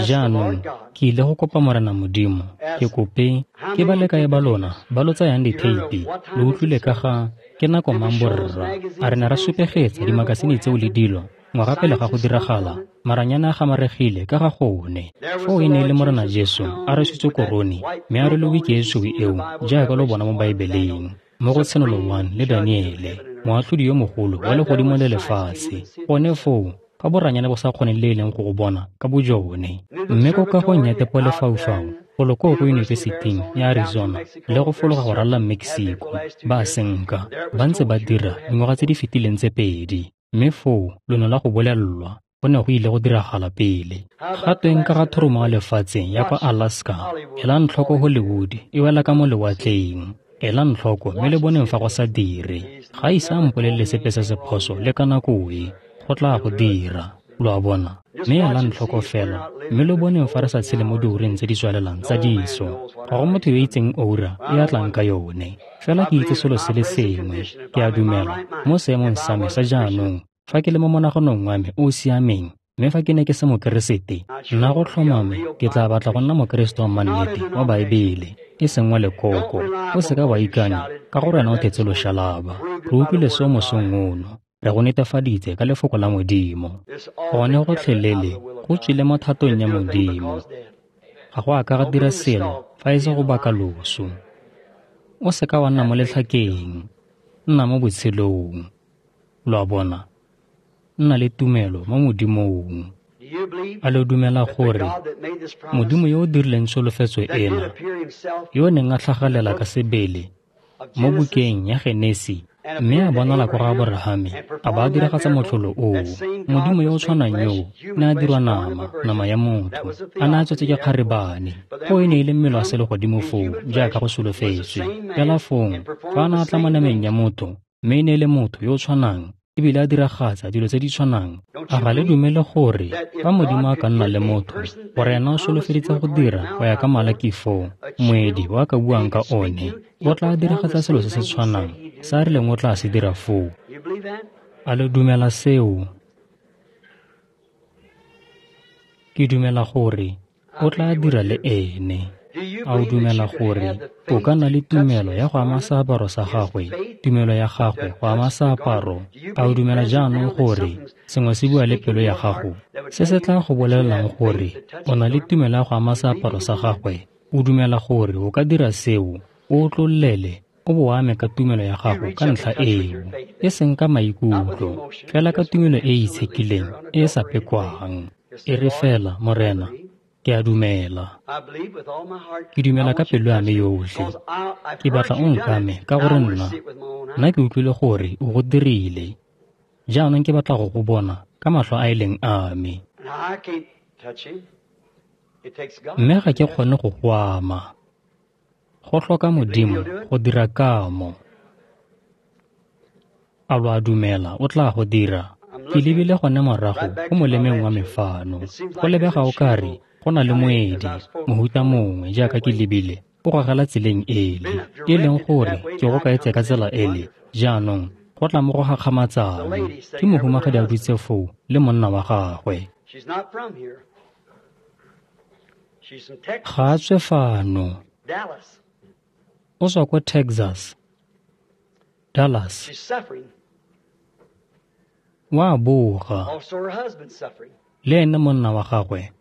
Jaanong, ke ile go kopa Morena Modimo, ke kope ke ba le kae ba lona ba lo tsayang ditheipi, lo utlwile ka ga ke nako mang borra, a re ne ra supegetsa dimakasine tseo le dilo ngwaga pele ga go diragala, maranyane a gamaregile ka ga gone. Foo e ne e le Morena Jesu a rwesitswe korone, mme a rwele wiki e tshweu eo jaaka lo bona mo Baebeleng, mo go Tshenolo one le Daniele, moatlhodi yo mogolo wa legodimo le lefatshe. Gone foo, ka boranyane bo sa kgoneng le e leng go go bona ka bojone. Mme ko kagong ya tepolefaufau, golo koo ko yunibesiting ya Arizona le go fologa go ralala Mexico, ba senka, ba ntse ba dira dingwaga tse di fetileng tse pedi. Mme foo lo ne lwa go bolelelwa go ne go ile go diragala pele. Ga tweng ka ga thoromo ya lefatshe ya kwa Alaska, elang tlhoko Hollywood e wela ka mo lewatleng. Elang tlhoko mme le boneng fa go sa dire. Ga ise a mpolelele sepe se se phoso le ka nako e, go tla go dira. Lo a bona? Mme elang tlhoko fela, mme lo boneng fa re sa tshele mo diureng tse di tswalelang tsa diso. Ga go motho yo itseng oura e a tlang ka yone. Fela ke itse selo se le sengwe, ke a dumela, mo seemong sa me sa jaanong, fa ke le mo monaganong wa me o o siameng, mme fa ke ne ke se mokeresete, nna go tlhomame ke tla batla go nna mokeresete wa mannete wa Baebele, e seng wa lekoko. O seka wa ikanya ka gore wena o thetse loshalaba. Re utlwile seo mosong ono, re go netefaditse ka lefoko la Modimo. Gone gotlhelele go tswile mo thatong ya Modimo. Ga go a ka ga dira selo fa e se go baka loso. O seka wa nna mo letlhakeng, nna mo botshelong. Lo a bona? Nna le tumelo mo Modimong. A lo dumela gore Modimo yo o dirileng tsholofetso ena, yo o neng a tlhagalela ka sebele mo bukeng ya Genesi, mme a bonala kwa ga Aborahame, a ba a diragatsa motlholo oo, Modimo yo o tshwanang yoo ne a dirwa nama, nama ya motho, a ne a tswetse ke kgarebane. Foo e ne e le mmele wa selegodimo foo, jaaka go solofetswe. Fela fong, fa a ne a tla mo nameng ya motho, mme e ne e le motho yo o tshwanang, ebile a diragatsa dilo tse di tshwanang, a ga le dumele gore fa Modimo a ka nna le motho, gore ena o solofeditse go dira go ya ka Malaki four, moedi o a ka buang ka one, o tla diragatsa selo se se tshwanang se a rileng o tla se dira foo. A le dumela seo? Ke dumela gore o tla dira le ene. A o dumela gore o ka nna le tumelo ya go ama seaparo sa gagwe, tumelo ya gagwe go ama seaparo? A o dumela jaanong gore sengwe se bua le pelo ya gago, se se tla go bolelelang gore o na le tumelo ya go ama seaparo sa gagwe? O dumela gore o ka dira seo, o otlollele, o bo ame ka tumelo ya gago ka ntlha eo, e seng ka maikutlo, fela ka tumelo e e itshekileng, e e sa pekwang. E re fela, Morena, ke a dumela. Ke dumela ka pelo ya me yotlhe. Ke batla o nkame ka gore nna, nna ke utlwile gore o go dirile. Jaanong ke batla go go bona ka matlho a e leng a me. Mme ga ke kgone go go ama. Go tlhoka Modimo go dira kamo. A lo a dumela o tla go dira? Ke lebile gone morago go molemeng wa me fano. Go lebega o kare go na le moedi, mohuta mongwe jaaka ke lebile, o gogela tseleng ele, e leng gore ke go kaetse ka tsela ele. Jaanong go tla mo go gakgamatsang. Ke mohumagadi a dutse foo le monna wa gagwe. Ga a tswe fano. O tswa ko Texas, Dallas. Wa boga. Le ene monna wa gagwe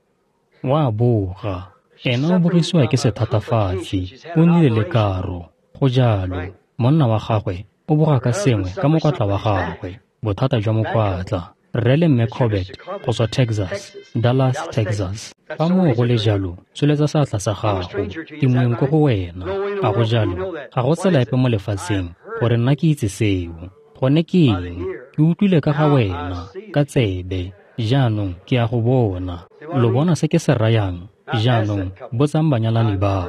wa boga. Ena o bogisiwa ke sethatafatsi, o nnile le karo. Go jalo, monna wa gagwe o boga ka sengwe ka mokwatla wa gagwe, bothata jwa mokwatla. Rre le mme Corbett go tswa Texas, Dallas, Texas. Fa moo go le jalo, tsholetsa seatla sa gago. Ke moeng ko go wena. A go jalo, ga go tsela epe mo lefatsheng gore nna ke itse seo. Gone ke eng? Ke utlwile ka ga wena, ka tsebe. Jaanong ke a go bona. Lo bona se ke se rayang? Jaanong botsang banyalani bao.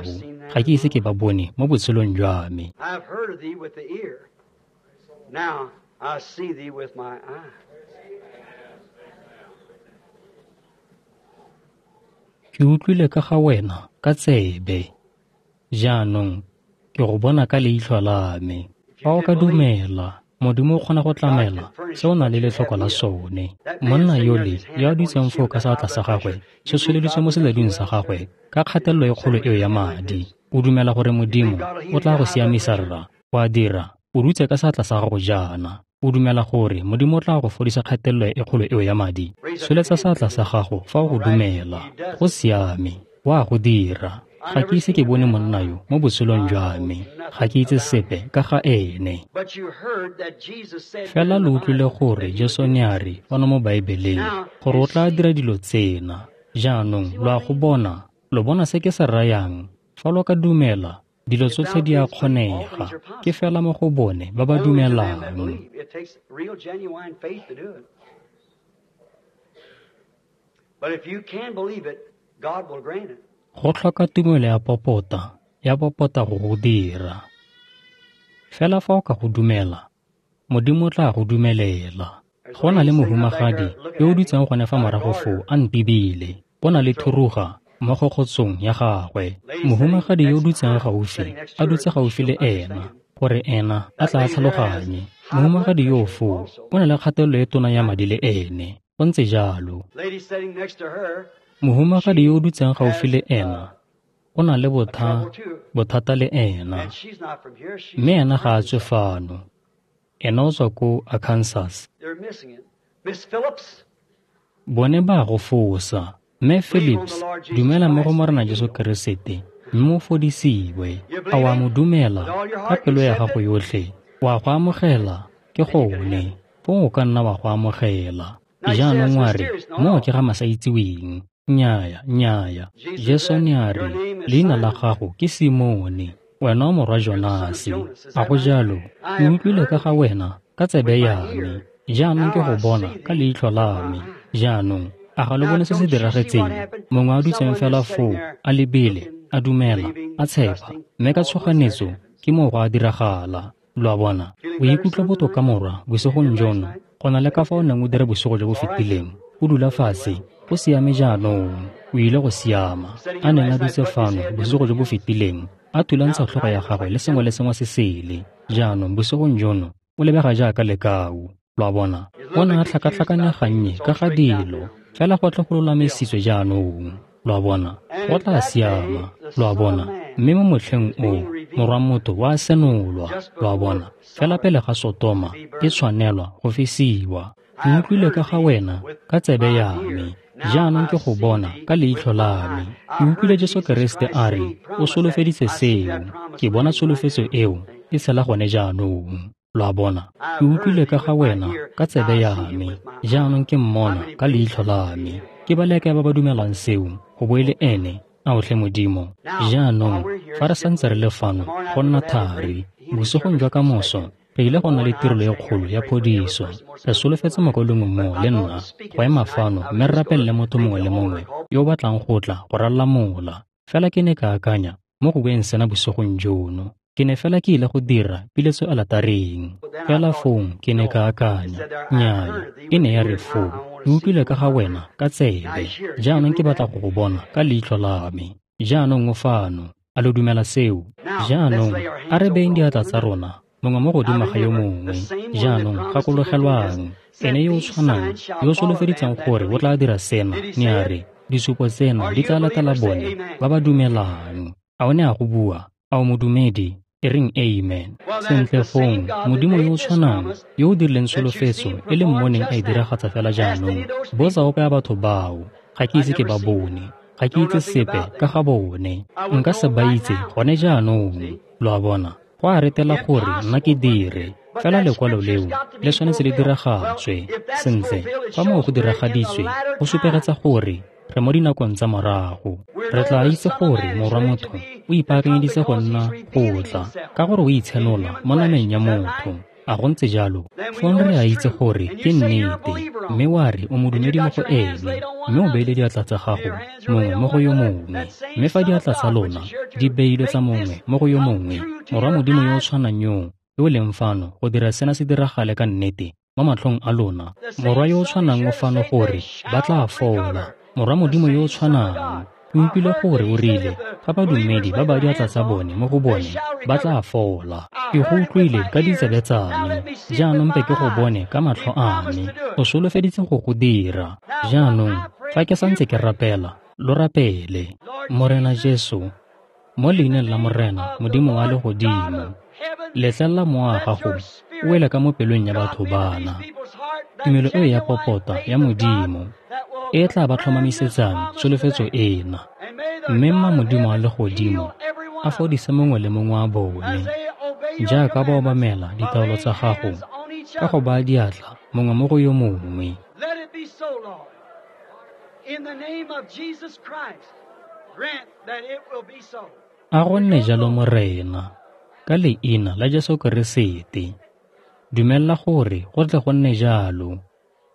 Ga ke ise ke ba bone mo botshelong jwa me. Now I see thee with my eye. Ke utlwile ka ga wena ka tsebe. Jaanong ke go bona ka leitlho la me. Fa o ka dumela, Modimo o kgona go tlamela se o nang le letlhoko la sone. Monna yole yo a dutseng foo ka seatla sa gagwe se tsholeditswe mo seledung sa gagwe ka kgatelelo e kgolo eo ya madi. O dumela gore Modimo o tla go siamisa rra? O a dira. O dutse ka seatla sa gago jaana. O dumela gore Modimo o tla go fodisa kgatelelo e kgolo eo ya madi? Tsholetsa seatla sa gago fa o go dumela. Go siame. O a go dira. Ga ke ise ke bone monna yo mo botshelong jwa me. Ga ke itse sepe ka ga ene. Fela lo utlwile gore Jesu ne a re fano mo Baebeleng gore o tla dira dilo tsena. Jaanong lo a go bona, lo bona se ke se rayang. Fa lo ka dumela, dilo tsotlhe di a kgonega. Ke fela mo go bone ba ba dumelang. Go tlhoka tumelo ya popota, ya popota go go dira. Fela fa o ka go dumela, Modimo o tla go dumelela. Go na le mohumagadi yo o dutseng gone fa morago foo a ntebile. O na le thuruga mo kgokgotsong ya gagwe. Mohumagadi yo o dutseng gaufi, a dutse gaufi le ena, gore ena a tla tlhaloganye. Mohumagadi yo foo o na le kgatelelo e tona ya madi le ene. Go ntse jalo. Mohumagadi yo o dutseng gaufi le ena o na le botha, bothata le ena. Mme ena ga a tswe fano. Ena o tswa ko Arkansas. Bone ba go fosa. Mme Phillips, dumela mo go Morena Jesu Keresete, mme o fodisiwe. A o a mo dumela ka pelo ya gago yotlhe? O a go amogela? Ke gone. Fong o ka nna wa go amogela. Jaanong wa re, moo ke ga masaitseweng. Nnyaya, nnyaya. Jesu ne a re, leina la gago ke Simone, wena o morwa Jonase. A go jalo? Ke utlwile ka ga wena ka tsebe ya me. Jaanong ke go bona ka leitlho la me. Jaanong, a ga lo bone se se diragetseng? Mongwe a dutseng fela foo, a lebile, a dumela, a tshepa, mme ka tshoganetso ke moo go a diragala. Lo a bona? O ikutlwa botoka morwa bosigong jono go na le ka fa o neng o dira bosigo jo bo fetileng. O dula fatshe, o siame jaanong, o ile go siama. A neng a dutse fano bosigo jo bo fetileng, a thulantsha tlhogo ya gagwe le sengwe le sengwe se sele. Jaanong bosigong jono o lebega jaaka lekau. Lo a bona? O ne a tlhakatlhakanya gannye ka ga dilo, fela go tle go lolamisitswe jaanong. Lo a bona? Go tla siama. Lo a bona? Mme mo motlheng o, morwa motho wa senolwa. Lo a bona? Fela pele ga Sotoma e tshwanelwa go fisiwa. Ke utlwile ka ga wena ka tsebe ya me. Jaanong ke go bona ka leitlho la me. Ke utlwile Jesu Keresete a re o solofeditse seo. Ke bona tsholofetso eo e tshela gone jaanong. Lo a bona? Ke utlwile ka ga wena ka tsebe ya me. Jaanong ke mmona ka leitlho la me. Ke ba le kae ba ba dumelang seo go bo e le ene? A o tlhe Modimo. Jaanong fa re santse re le fano go nna thari, bosigong jwa kamoso re ile go nna le tirelo e kgolo ya phodiso. Re solofetse mokaulengwe mongwe le nna go ema fano mme re rapelele motho mongwe le mongwe yo o batlang go tla go ralala mola. Fela ke ne ka akanya mo go bueng sena bosigong jono. Ke ne fela ke ile go dira piletso alatareng. Fela fong ke ne ka akanya, nnyaya, e ne ya re foo, ke utlwile ka ga wena ka tsebe. Jaanong ke batla go go bona ka leitlho la me. Jaanong o fano. A lo dumela seo? Jaanong a re beyeng diatla tsa rona mongwe mo godimo ga yo mongwe. Jaanong gakologelwang, ene yo o tshwanang yo o solofeditseng gore o tla dira sena, ne a re, disupo tsena di tla latela bone ba ba dumelang. A o ne a go bua? A o modumedi? E reng amen. Sentle fong, Modimo yo o tshwanang yo o dirileng tsholofetso e le mmoneng a e diragatsa fela jaanong. Botsa ope ya batho bao. Ga ke ise ke ba bone. Ga ke itse sepe ka ga bone. Nka se ba itse gone jaanong. Lo a bona? Go a retela gore nna ke dire. Fela lekwalo leo le tshwanetse le diragatswe. Sentle, fa moo go diragaditswe, go supegetsa gore re mo dinakong tsa morago. Re tla itse gore morwa motho o ipaakanyeditse go nna go tla, ka gore o itshenola mo nameng ya motho. A go ntse jalo? Fong re a itse gore ke nnete, mme wa re o modumedi mo go ene, mme o beile diatla tsa gago mongwe mo go yo mongwe. Mme fa diatla tsa lona di beilwe tsa mongwe mo go yo mongwe, morwa Modimo yo o tshwanang yo yo leng fano go dira sena se diragale ka nnete mo matlhong a lona, morwa yo o tshwanang o fano gore ba tla fola. Morwa Modimo yo o tshwanang Ke utlwile gore o rile fa badumedi ba ba diatla tsa bone mo go bone ba tla fola. Ke go utlwile ka ditsebe tsa me, jaanong mpe ke go bone ka matlho a me. O solofeditse go go dira. Jaanong fa ke santse ke rapela, lo rapele. Morena Jesu, mo leineng la Morena Modimo wa legodimo, letlelela mowa wa gago o wele ka mo pelong ya batho bana. Tumelo eo ya popota ya Modimo e tla ba tlhomamisetsang tsholofetso ena. Mme mma Modimo wa legodimo a fodise mongwe le mongwe wa bone jaaka ba obamela ditaolo tsa gago ka go baya diatla mongwe mo go yo mongwe. Let it be so, Lord. In the name of Jesus Christ, grant that it will be so. A go nne jalo Morena, ka leina la Jesu Keresete. Dumela gore go tle go nne jalo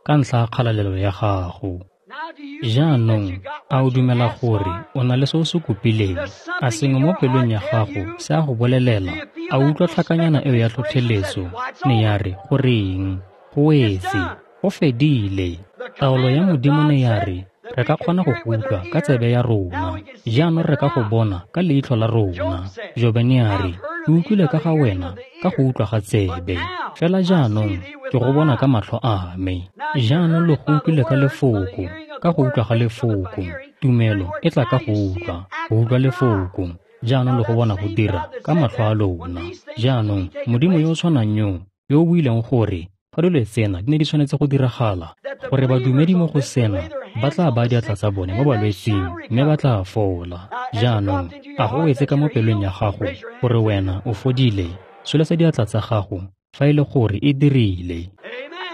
ka ntlha ya kgalalelo ya gago. Jaanong a o dumela gore o na le se o se kopileng? A sengwe mo pelong ya gago se a go bolelela? A utlwa tlhakanyana eo ya tlhotlheletso ne ya re goreng? Go wetse, go fedile. Taolo ya Modimo ne ya re re ka kgona go go utlwa ka tsebe ya rona, jaanong re ka go bona ka leitlho la rona. Jobe ne a re, ke utlwile ka ga wena ka go utlwa ga tsebe, fela jaanong ke go bona ka matlho a me. Jaanong lo go utlwile ka lefoko, ka go utlwa ga lefoko. Tumelo e tla ka go utlwa, go utlwa lefoko. Jaanong lo go bona go dira ka matlho a lona. Jaanong Modimo yo o tshwanang yo, yo o buileng gore fa dilo tsena di ne di tshwanetse go diragala, gore badumedi mo go sena ba tla baya diatla tsa bone mo balwetsing mme ba tla fola. Jaanong a go wetse ka mo pelong ya gago gore wena o fodile? Tsholetsa diatla tsa gago fa e le gore e dirile.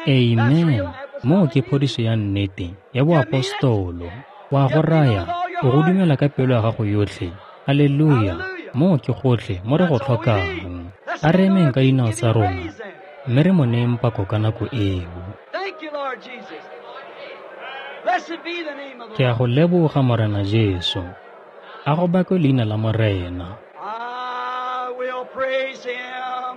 Amen. Moo ke phodiso ya nnete ya boapostolo. Wa go raya o go dumela ka pelo ya gago yotlhe. Haleluya. Moo ke gotlhe mo re go tlhokang. A re emeng ka dinao tsa rona mme re mo neeng pako ka nako eo. Thank you, Lord Jesus. Blessed be the name of the Ke a go leboga Morena Jesu. A go bakwe leina la Morena. I will praise him.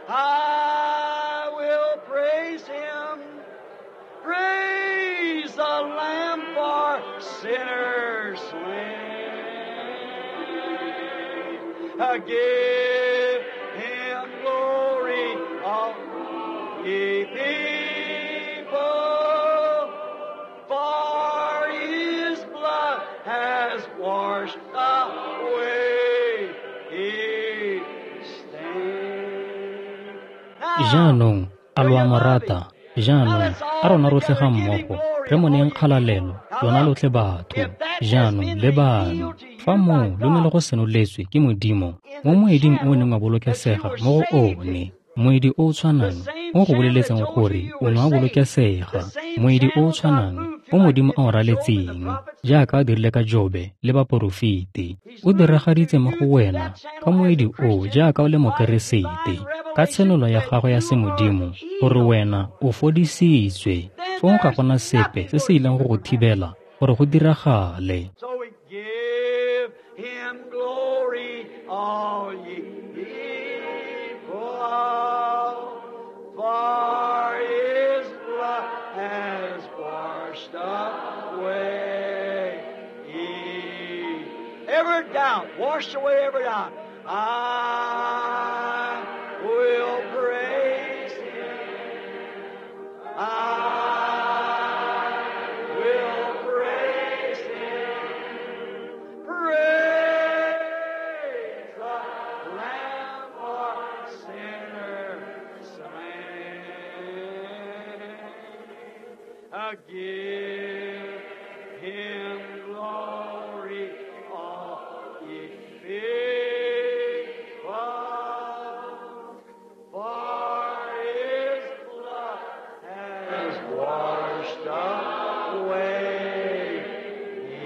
I will praise him. Praise the Lamb for sinners slain. Give him glory, all ye people, for his blood has washed away his stain. Jaanong a lo a mo rata? Jaanong a rona rotlhe ga mmogo re mo neeng kgalalelo, lona lotlhe batho. Jaanong le bano, fa moo lo ne le go senoletswe ke Modimo mo moeding o neng wa bolokesega mo go one, moedi o o tshwanang o go boleletseng gore o ne wa bolokesega, moedi o o tshwanang o Modimo a o raletseng jaaka a dirile ka Jobe le baporofeti, o diragaditse mo go wena ka moedi o jaaka o le Mokeresete, ka tshenolo ya gagwe ya semodimo gore wena o fodisitswe. Fong ga gona sepe se se ileng go go thibela gore go diragale. So we give him glory, all ye people, for his blood has washed away every doubt, washed away every doubt. I will praise him. I will praise him. Praise the Lamb for sinners slain. Give him glory, all ye people, for his blood has washed away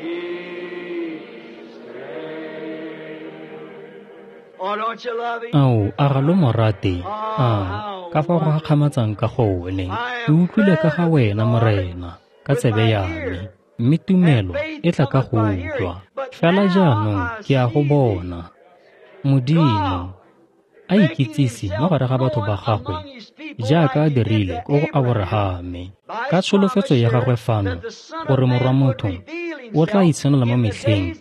his stain. Oh, don't you love him? Ao, a ga lo mo rate? A ka fa go gakgamatsang ka gone. Ke utlwile ka ga wena Morena ka tsebe ya me, mme tumelo e tla ka go utlwa. Fela jaanong ke a go bona. Modimo a ikitsise mo gare ga batho ba gagwe jaaka a dirile ko go Aborahame. Ka tsholofetso ya gagwe fano gore morwa motho o tla itshenola mo metlheng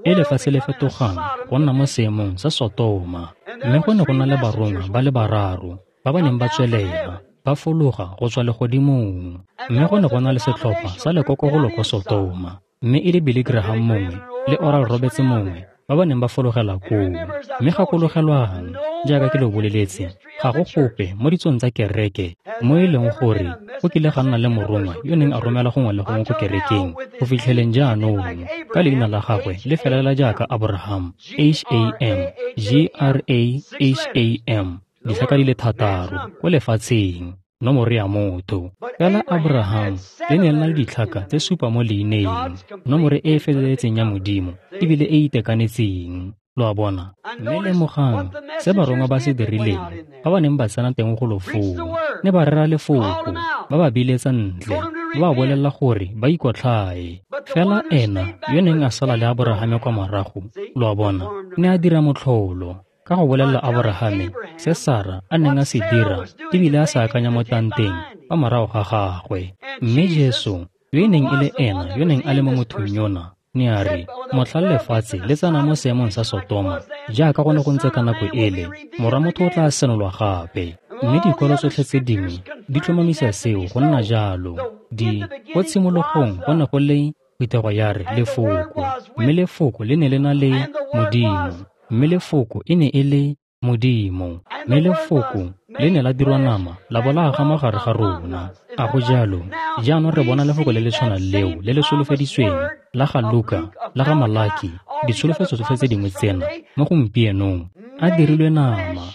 e lefatshe le fetogang go nna mo seemong sa Sotoma. Mme go ne go na le barongwa ba le bararo ba ba neng ba tswelela ba fologa go tswa legodimong. Mme go ne go na le setlhopha sa lekokogolo ko Sotoma, mme e le Billy Graham mongwe le Oral Roberts mongwe ba ba neng ba fologela koo. Mme gakologelwang, jaaka ke lo boleletse, ga go gope mo ditsong tsa kereke mo e leng gore go kile ga nna le morongwa yo neng a romela gongwe le gongwe ko kerekeng go fitlheleng jaanong ka leina la gagwe le felela jaaka Abraham, H A M, G R A H A M, ditlhaka di le thataro ko lefatsheng, nomoro ya motho. Fela Abraham le ne le na le ditlhaka tse supa mo leineng, nomoro e e feleletseng ya Modimo ebile e itekanetseng. Lo a bona? Mme lemogang se barongwa ba se dirileng ba ba neng ba tsena teng golo foo. Ne ba rera lefoko, ba ba biletsa ntle, ba ba bolelela gore ba ikotlhae. Fela ena yo neng a sala le Aborahame kwa morago, lo a bona, ne a dira motlholo ka go bolelela Aborahame se Sara a neng a se dira ebile a sa akanya mo tanteng fa morago ga gagwe. Mme Jesu yo e neng e le ena yo neng a le mo mothong yona ne a re, motlha lefatshe le tsena mo seemong sa Sotoma jaaka go ne go ntse ka nako ele, morwa motho o tla senolwa gape. Mme dikwalo tsotlhe tse dingwe di tlhomamisa seo go nna jalo. Di ko tshimologong go ne go le phuthego ya re lefoko, mme lefoko le ne le na le Modimo, mme lefoko e ne e le Modimo, mme lefoko le ne la dirwa nama la bo la aga mo gare ga rona. A go jalo? Jaanong re bona lefoko le le tshwanang leo le le solofeditsweng la ga Luka, la ga Malaki, ditsholofetso tsotlhe tse dingwe tsena mo gompienong a dirilwe nama,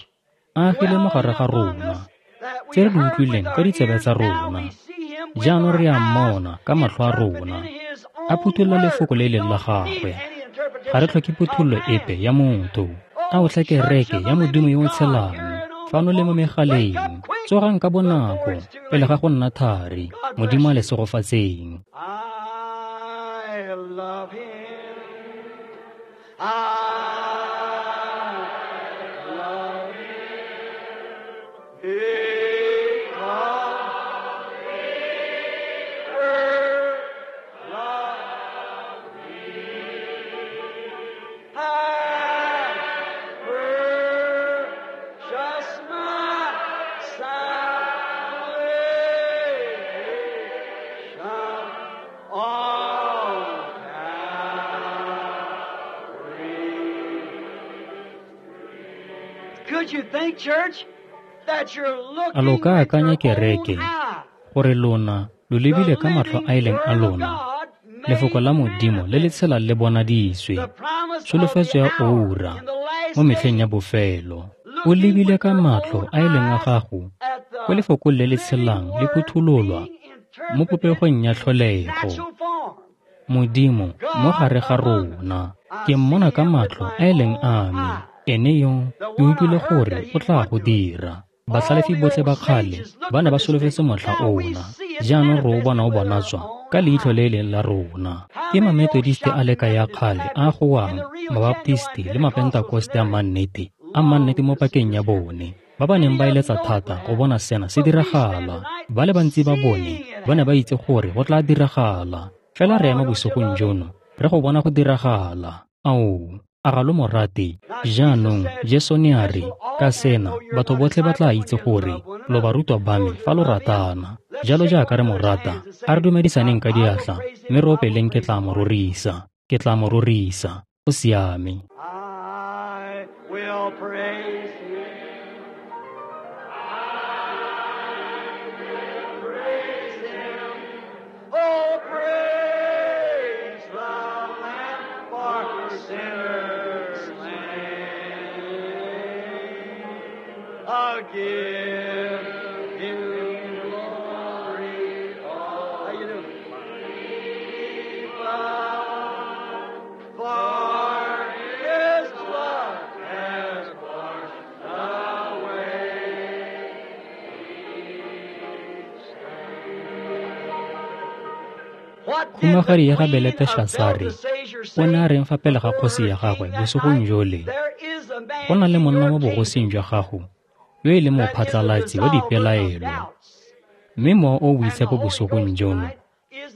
a agile mo gare ga rona, tse re di utlwileng ka ditsebe tsa rona. Jaanong re a mmona ka matlho a rona, a phuthulola lefoko le e leng la gagwe. Ga re tlhoke phuthololo epe ya motho. A o tlhe kereke ya Modimo yo o tshelang fano le mo megaleng, tsogang ka bonako pele ga go nna thari. Modimo a le segofatseng. I love him. I love him. Because he first loved me. I purchased my salvation on Calvary. Could you think, church, that you're A lo looking ka with akanya your own kereke eye? gore lona lo The lebile ka matlho living a e leng a Word of lona God lefoko made la Modimo le le manifest. tshelang le bonaditswe, The promise of tsholofetso the ya hour oura in the last mo metlheng ya days. bofelo. O Looking lebile with ka your matlho own a e leng a eyes gago at ko the lefokong le le living tshelang le Word phuthololwa being mo interpreted popegong ya in tlholego. natural form. Modimo mo God gare ga among us. rona. I Ke mmona see ka him with matlho my a e leng own a me, eyes. ene yo The ke one I utlwile heard gore that o he tla would go do it. dira. All Batlhalefi the botlhe old ba kgale sages looked ba ne for ba this day. solofetse motlha Now we ona. see it Jaanong re o bona o manifested with our bonatswa own ka leitlho eyes. le e leng la rona. How Ke many old Mamethodiste a le shouting ka ya Methodist kgale a Baptists goang, and the real genuine Mabaptisti le Pentecostals and Mapentakoste a everything mannete, a mannete long mo to see pakeng ya this happen. bone, ba ba neng Many ba of them eletsa know it thata would go happen. bona sena se But we stand diragala. tonight Ba le bantsi ba bone seeing it ba ne ba happen. itse gore go tla diragala. Fela re Oh, ema don't you bosigong love him? jono re go bona go diragala. Ao, a ga lo mo rate? Now Jesus Jaanong said, Jesu ne a This re, will all ka men sena know you're batho my botlhe ba tla disciples when itse you gore love one lo another. barutwa ba me Those who fa lo love him, ratana. let's Jalo shake jaaka one re mo another's rata, hands and a re say, dumedisaneng ka I will diatla, praise him, mme re I will opeleng ke praise tla him mo for him. rorisa, ke tla mo rorisa. Go siame. I will praise him. I will praise him. Oh, praise the Lamb for sinners slain. I'll give him glory. Oh, how you doing? For his blood has washed away. What did the Khumagadi ya ga queen of Beleteshasare Belteshazzar o ne a say reng fa pele ga before kgosi her ya gagwe king that bosigong night? jole? There is a man Go na le monna mo bogosing jwa gago yo e leng mophatlalatsi wa dipelaelo. Mme Mowa o o Boitshepo bosigong jono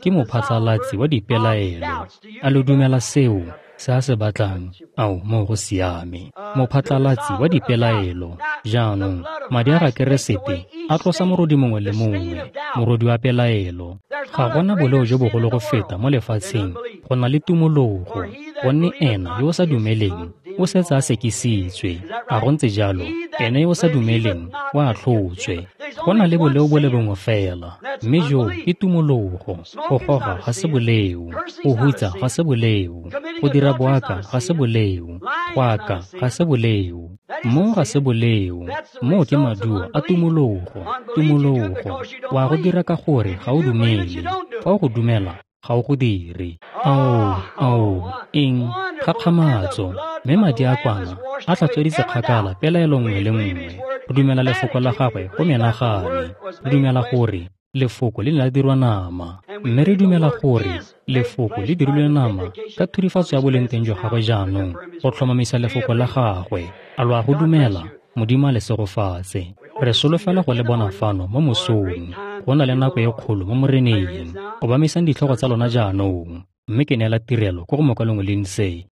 ke mophatlalatsi wa dipelaelo. A lo dumela seo se a se batlang? Ao, moo go siame. Mophatlalatsi wa dipelaelo. Jaanong, madi a ga Keresete a tlosa morodi mongwe le mongwe, morodi wa pelaelo. Ga gona boleo jo bogolo go feta mo lefatsheng go na le tumologo, gonne ena yo o sa dumeleng o setse a sekisitswe. A go ntse jalo? Ene yo o sa dumeleng o atlhotswe. Go na le boleo bo le bongwe fela, mme joo ke tumologo. Go goga ga se boleo, go hutsa ga se boleo, go dira boaka ga se boleo, go aka ga se boleo, moo ga se boleo. Moo ke maduo a tumologo. Tumologo wa go dira ka gore ga o dumele. Fa o go dumela, ga o go dire. Ao, ao, eng, kgakgamatso. Mme madi a kwana a tlhatsweditse kgakala pelaelo nngwe le nngwe. Re dumela lefoko la gagwe go menagane. Re dumela gore lefoko le ne la dirwa nama. Mme re dumela gore lefoko le dirilwe nama ka thurifatso ya boleng teng jwa gagwe jaanong go tlhomamisa lefoko la gagwe. A lo a go dumela? Modimo a le segofatse. Re solofela go le bona fano mo mosong. Go na le nako e kgolo mo Moreneng. Obamisang ditlhogo tsa lona jaanong. Mme ke neela tirelo ko go mokwalong Lindsay.